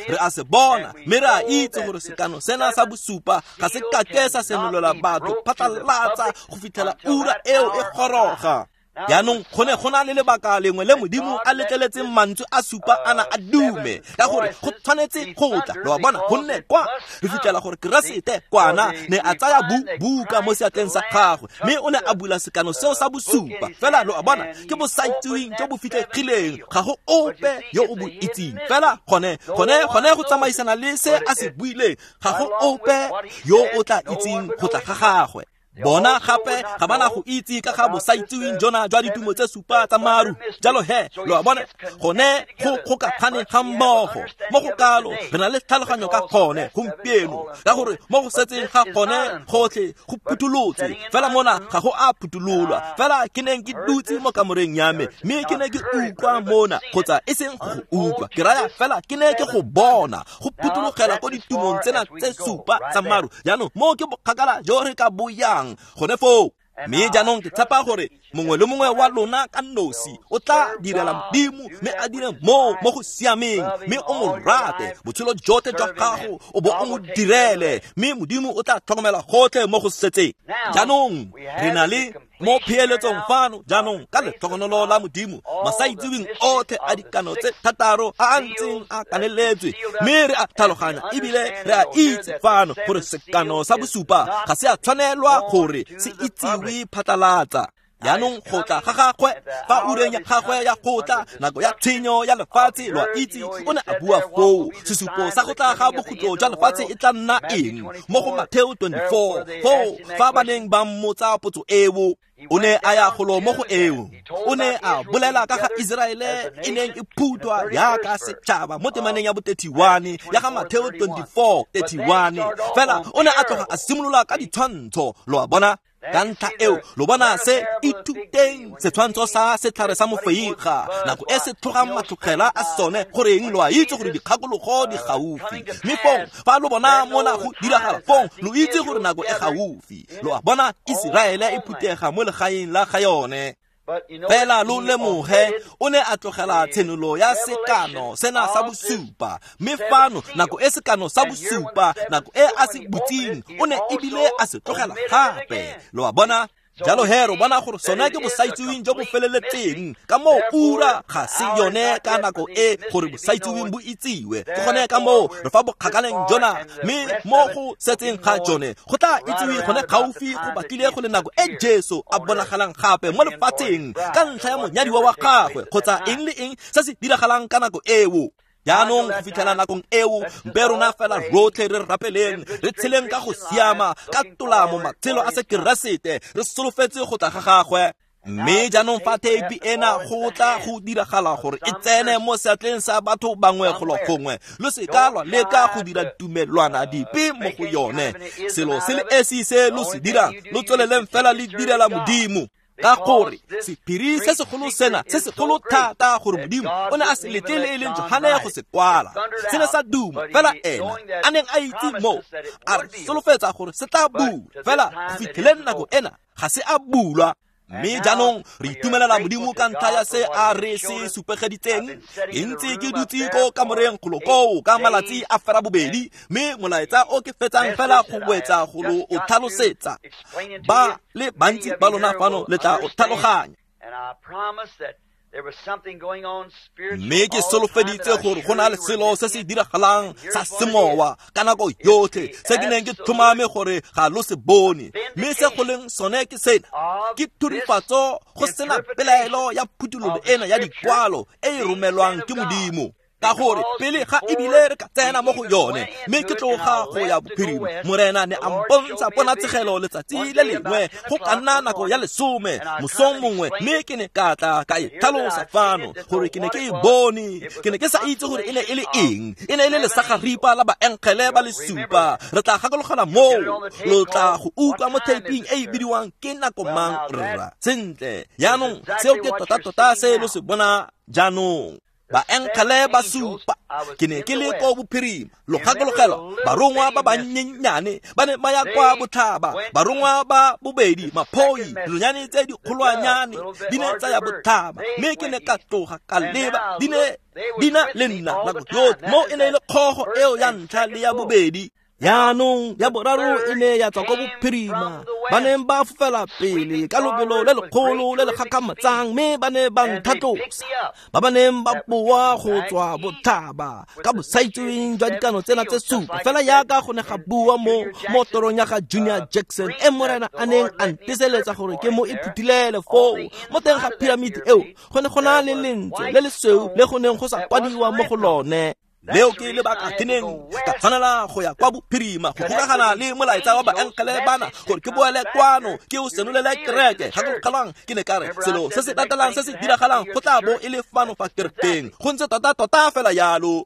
Re a se bona, mme re a itse gore sekano sena sa bosupa ga se kake sa senolela batho phatlalatsa go fitlhela ura eo e goroga. Jaanong go ne go na le lebaka lengwe le Modimo a letleletseng mantswe a supa ana a dume, ka gore go tshwanetse go tla. Lo a bona, gonne kwa re fitlhela gore Keresete kwana ne a tsaya buka mo seatleng sa gagwe, mme o ne a bula sekano seo sa bosupa. Fela lo a bona ke bosaitseweng jo bo fitlhegileng, ga go ope yo o bo itseng. Fela gone gone gone go tsamaisana le se a se buileng, ga go ope yo o tla itseng go tla ga gagwe. Bona gape ga bana go itse ka ga bosaitseweng jona jwa ditumo tse supa tsa maru. Jalo he lo a bona gone go kgokagane ga mmogo mo go kalo re na le tlhaloganyo ka gone gompieno, ka gore mo go setseng ga gone gotlhe go phuthulotswe. Fela mona ga go a phuthololwa. Fela ke neng ke dutse mo kamoreng ya me, mme ke ne ke utlwa mona, kgotsa e seng go utlwa, ke raya fela ke ne ke go bona go phuthologela ko ditumong tsena tse supa tsa maru. Jaanong mo ke bokgakala jo re ka boyang gone foo. Mme jaanong ke tshepa gore mongwe le mongwe wa lona ka nosi o tla direla Modimo, mme a dire mo mo go siameng, mme o mo rate botshelo jotlhe jwa gago o bo o mo direle, mme Modimo o tla tlhokomela gotlhe mo go setseng. Jaanong re na le mo pheeletsong fano jaanong ka letlhogonolo la Modimo masaitseweng otlhe a dikano tse thataro a a ntseng a kaneletswe, mme re a tlhaloganya ebile re a itse fano gore sekano sa bosupa ga se a tshwanelwa gore se itsiwe phatlalatsa. Jaanong go tla ga gagwe fa ureng ya gagwe ya go tla nako ya tshenyo ya lefatshe lo a itse o ne a bua foo sesupo sa go tla ga bokhutlo jwa lefatshe e tla nna eng mo go Mateo twenty-four foo fa ba neng ba mmotsa potso eo o ne a ya golo mo go eo o ne a bolela ka ga Iseraele e neng e phuthwa jaaka setšhaba mo temaneng ya bo thirty-one ya ga Mateo twenty-four thirty-one fela o ne a tloga a simolola ka ditshwantsho lo a bona ka ntlha eo lo bona se ithuteng setshwantsho sa setlhare sa mofeiga nako e se tlhogang matlogela a sone goreng lo a itse gore dikgakologo di gaufi mme fong fa lo bona mona go diragala fong lo itse gore nako e gaufi lo a bona Iseraele e phuthega mo legaeng la ga yone fela lo lemoge o ne a tlogela tshenolo ya sekano sena sa bosupa mme fano nako e sekano sa bosupa nako e a se butseng o ne ebile a se tlogela gape lo a bona jalo he re bona gore sone ke bosaitseweng jo bo feleletseng ka moo ura ga se yone ka nako e gore bosaitseweng bo itsiwe ke gone ka moo re fa bokgakaleng jona mme mo go setseng ga jone go tla itsiwe gone gaufi go batlile go le nako e Jesu a bonagalang gape mo lefatsheng ka ntlha ya monyadiwa wa gagwe kgotsa eng le eng se se diragalang ka nako eo. Jaanong go fitlhela nakong eo mpe rona fela rotlhe re rapeleng re tsheleng ka go siama ka tolamo matshelo a sekeresete re solofetse go tla ga gagwe mme jaanong fa theipi ena go tla go diragala gore e tsene mo seatleng sa batho bangwe golo gongwe lo se ka lwa leka go dira tumelwana dipe mo go yone selo se le esi se lo se dirang lo tsweleleng fela le direla Modimo ka gore sephiri se segolo sena se segolo thata gore Modimo o ne a se letle le e leng Johane go se kwala se ne sa duma fela ena a neng a itse moo a re solofetsa gore se tla bulwa fela go fitlheleng nako ena ga se a bulwa mme jaanong re itumelela Modimo ka ntlha ya se a re se supegeditseng ke ntse ke dutse ko kamoreng golo koo ka malatsi a fera bobedi mme molaetsa o ke fetsang fela go wetsa go lo o tlhalosetsa ba le bantsi ba lona fano le tla o tlhaloganya mme ke solofeditse gore go na le selo se se diragalang sa semowa ka nako yotlhe se ke neng ke tlhomame gore ga lo se bone mme se go leng sone ke sena ke thurifatso go sena pelaelo ya phuthololo ena ya dikwalo e e romelwang ke Modimo ka gore pele ga ebile re ka tsena mo go yone mme ke tloga go ya bophirima Morena ne a mpontsha ponatshegelo letsatsi le lengwe go ka nna nako ya lesome mosong mongwe mme ke ne ka tla ka e tlhalosa fano gore ke ne ke e bone ke ne ke sa itse gore e ne e le eng e ne e le lesagaripa la baenkgele ba le supa re tla gakologela moo lo tla go utlwa mo theiping e e bidiwang ke nako mang rra sentle jaanong seo ke tota-tota se lo se bona jaanong baenkgele ba supa ke ne ke le ko bophirima lo gakologelwa barongwa ba bannyenyane ba ne ba ya kwa botlhaba barongwa ba bobedi maphoi dinonyane tse dikgolwanyane di ne tsa ya botlhaba mme ke ne ka tloga ka leba di ne di na le nna nako yotlhe mo e ne e le kgogo eo ya ntlha le ya bobedi jaanong ya boraro e ne ya tswa ko bophirima ba neng ba fofela pele ka lobelo le lekgolo le le gakgamatsang mme ba ne ba nthatlosa ba ba neng ba boa go tswa botlhaba ka bosaitseweng jwa dikano tsena tse supa fela jaaka go ne ga bua mo mo torong ya ga Junior Jackson e Morena a neng a nteseletsa gore ke mo iphuthilele foo mo teng ga piramidi eo go ne go na le lentswe le lesweu le go neng go sa kwadiwa mo go lone leo ke lebaka ke neng ka tshwanela go ya kwa bophirima go gokagana le molaetsa wa baenkgele bana gore ke boele kwano ke o senolele kereke gakologelwang ke ne ka re selo se se latelang se se diragalang go tla bo e le fano fa kerekeng go ntse tota-tota fela jalo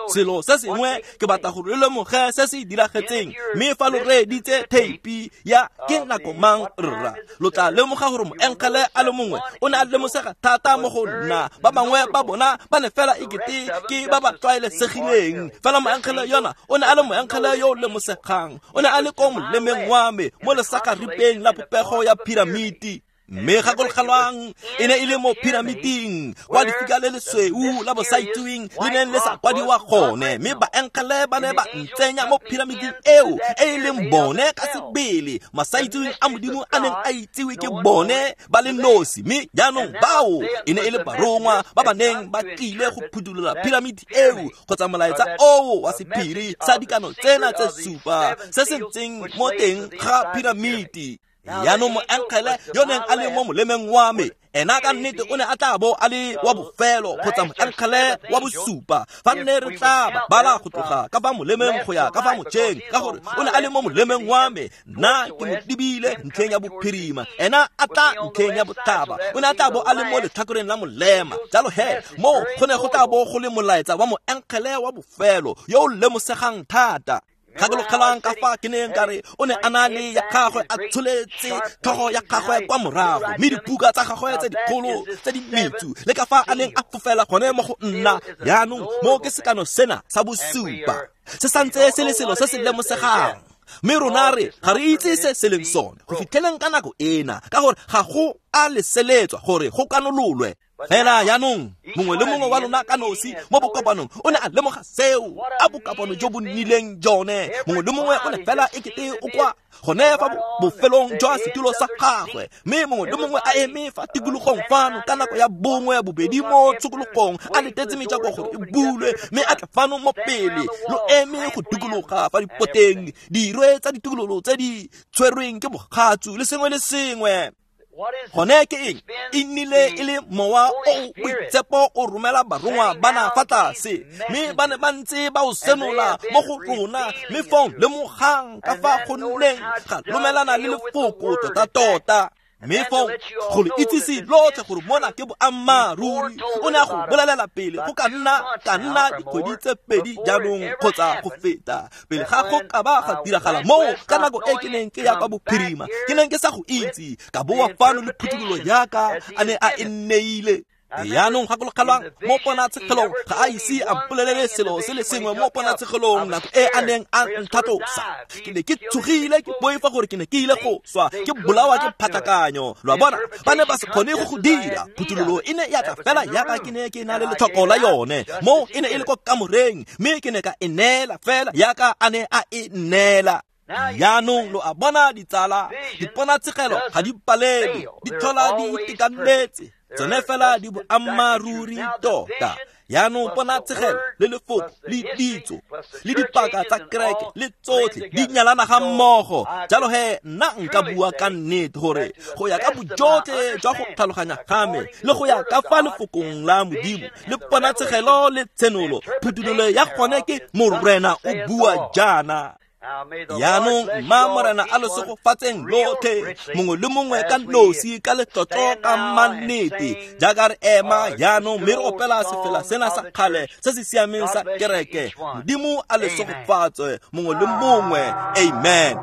selo se sengwe ke batla gore le lemoge se se diragetseng mme fa lo reeditse theipi ya ke nako mang rra lo tla lemoga gore moenkgele a le mongwe o ne a lemosega thata mo go nna ba bangwe ba bona ba ne fela ekete ke ba ba tlwaelesegileng fela moenkgele yona o ne a le moenkgele yo o lemosegang o ne a le ko molemeng wa me mo lesakaripeng la popego ya piramiti mme gakologelwang e ne e le mo piramiting kwa lefika le lesweu la bosaitseweng le neng le sa kwadiwa gone mme baenkgele ba ne ba ntsenya mo piramiting eo e e leng bone ka sebele masaitseweng a Modimo a neng a itsiwe ke bone ba le nosi mme jaanong bao e ne e le barongwa ba ba neng ba tlile go phuthulola piramiti eo kgotsa molaetsa oo wa sephiri sa dikano tsena tse supa se se ntseng mo teng ga piramiti. Jaanong moengele yo neng a le mo molemeng wa me ena ka nnete o ne a tla bo a le wa bofelo kgotsa moengele wa bosupa fa nne re tla ba bala go tloga ka fa molemeng go ya ka fa mojeng, ka gore o ne a le mo molemeng wa me, nna ke mo lebile ntlheng ya bophirima, ena a tla ntlheng ya botlhaba. O ne a tla bo a le mo letlhakoreng la molema. Jalo he mo go ne go tla bo go le molaetsa wa moengele wa bofelo yo o lemosegang thata. Gakologelang ka fa ke neng ka re o ne a na le ya gagwe a tsholetse tlhogo ya gagwe kwa morago, mme dibuka tsa gagwe tse dikgolo tse di metsu le ka fa a neng a fofela gone mo go nna. Jaanong mo ke sekano sena sa bosupa se santse se le selo se se lemosegang, mme rona re ga re itse se se leng sone go fitlheleng ka nako ena, ka gore ga go a leseletswa gore go kanololwe. Fela jaanong mongwe le mongwe wa lona ka nosi mo bokopanong o ne a lemoga seo, a bokopano jo bo nnileng jone. Mongwe le mongwe o ne fela ekete o kwa gone fa bofelong jwa setulo sa gagwe, mme mongwe le mongwe a eme fa tikologong fano ka nako ya bongwe bobedi mo tshokologong a letetse mejako gore e bulwe, mme a tla fano mo pele lo eme go dikologa fa dipoteng, dirwe tsa ditokololo tse di tshwerweng ke bogatsu le sengwe le sengwe. Gone ke eng? E nnile e le mowa o boitshepo o romela barongwa bana fa tlase, mme ba ne ba ntse ba o senola mo go rona, mme fong lemogang ka fa go nneng ga lomelana le lefoko tota-tota. Mme fong go le itsise lotlhe gore mona ke boammaaruri. O ne a go bolelela pele go ka nna ka nna dikgwedi tse pedi jaanong kgotsa go feta pele ga go ka ba ga diragala moo ka nako e ke neng ke ya kwa bophirima, ke neng ke sa go itse, ka boa fano le phuthololo yaka a ne a e nneile. Jaanong gakologelwang mo ponatshegelong ga a ise a mpolelele selo se le sengwe mo ponatshegelong nako e a neng a nthatlosa. Ke ne ke tshogile, ke boifa gore ke ne ke ile go swa, ke bolawa ke phatlakanyo. Lo a bona, ba ne ba se kgone go go dira. Phuthololo e ne ya tla fela yaka ke ne ke na le letlhoko la yone. Mo e ne e le kwa kamoreng, mme ke ne ka e neela fela yaka a ne a e neela. Jaanong lo a bona ditsala, diponatshegelo ga di palelwe, di tlhola di itekanetse, tsone fela di boammaaruri tota. Jaanong ponatshegelo le lefoko le ditso le dipaka tsa kereke le tsotlhe di nyalana ga mmogo. Jalo he nna nka bua ka nnete gore go ya ka bojotlhe jwa go tlhaloganya ga me le go ya ka fa lefokong la Modimo le ponatshegelo le tshenolo, phuthololo ya gone ke Morena o bua jaana. Jaanong mma Morena a le segofatseng lotlhe, mongwe le mongwe ka nosi ka letlotlo ka mannete, jaaka re ema jaanong mme re opela sefela sena sa kgale se se siameng sa kereke. Modimo a le segofatse mongwe le mongwe. Amen.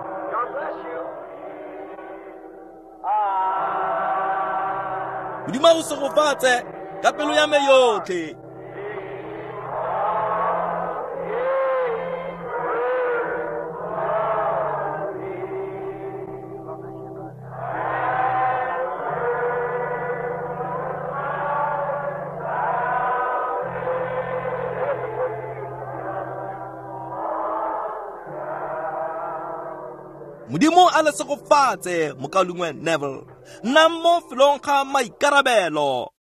Modimo a go segofatse ka pelo ya me yotlhe. Modimo a le segofatse mokaulengwe Neville. Nna mo felong ga maikarabelo.